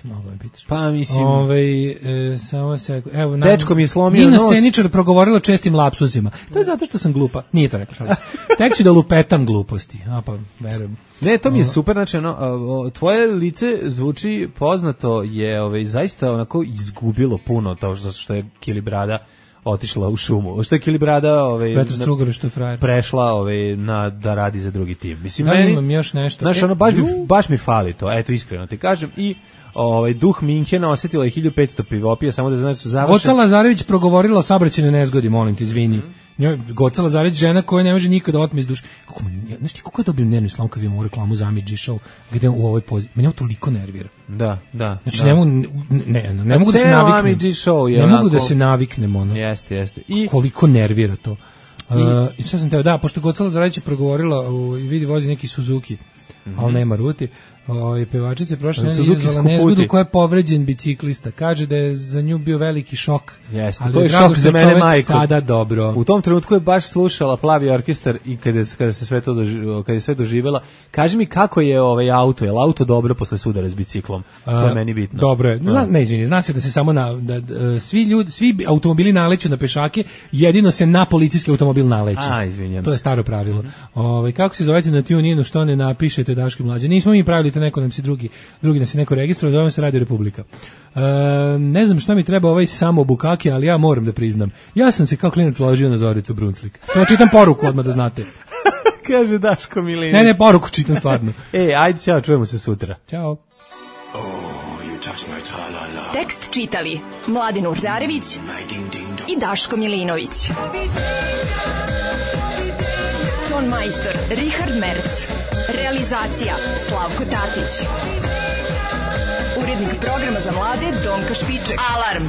Mogu me pitaš. Pa mislim. Samo se evo dečko mi je slomio Nina nos. Seničar progovorila čestim lapsusima. To je zato što sam glupa. Nije to rekla. Tek ću da lupetam gluposti. Pa verujem. Ne, to mi je super, znači tvoje lice zvuči poznato, je zaista onako izgubilo puno to što je Kilibrada otišla u šumu. Što je Kilibrada prešla da radi za drugi tim. Mislim, imam još nešto. Znaš, baš mi fali to, eto iskreno ti kažem. I duh Minhena osjetila je 1500 pivopija, samo da znaš završen. Goca Lazarević progovorila o saobraćajnoj nezgodi, molim te, izvini. Goca Lazarević, žena koja ne može nikada otme iz duše. Znaš ti kako je dobio nervni slom kad vidimo u reklamu za Amidži Show, gde u ovoj poziciji. Mene ovo toliko nervira. Da. Znači ne mogu da se naviknem. Ne mogu da se naviknem, ono. Jeste. I koliko nervira to. I što sam teo, pošto Goca Lazarević je progovorila, vidi vozi neki Suzuki, ali nema ruti. Pevačice prošle izazvala nezgodu koja je povređen biciklista. Kaže da je za nju bio veliki šok. Jeste, to je šok za mene, majko. Sada dobro. U tom trenutku je baš slušala Plavi orkestar i kada je sve doživjela. Kaži mi kako je auto, je li auto dobro posle sudara s biciklom? To je meni bitno. Dobro je. Zna se da se samo svi automobili naleću na pešake, jedino se na policijski automobil naleće. Izvinjam se. To je staro pravilo. Kako se zovete na TuneInu, što ne napišete Daško Mlađe? Nismo mi pravili neko nam se drugi nas je neko registrovao, zovem se Radio Republika. Ne znam šta mi treba samo bukake, ali ja moram da priznam. Ja sam se kao klinac ložio na Zoricu Brunslik. To čitam poruku odmah da znate. Kaže Daško Milinović. Ne, poruku čitam stvarno. Ajde, čao, čujemo se sutra. Ćao. Tekst čitali Mladin Urdarević i Daško Milinović. Ton majstor Richard Merc. Realizacija Slavko Tatić. Urednik programa za mlade Donka Špiček. Alarm!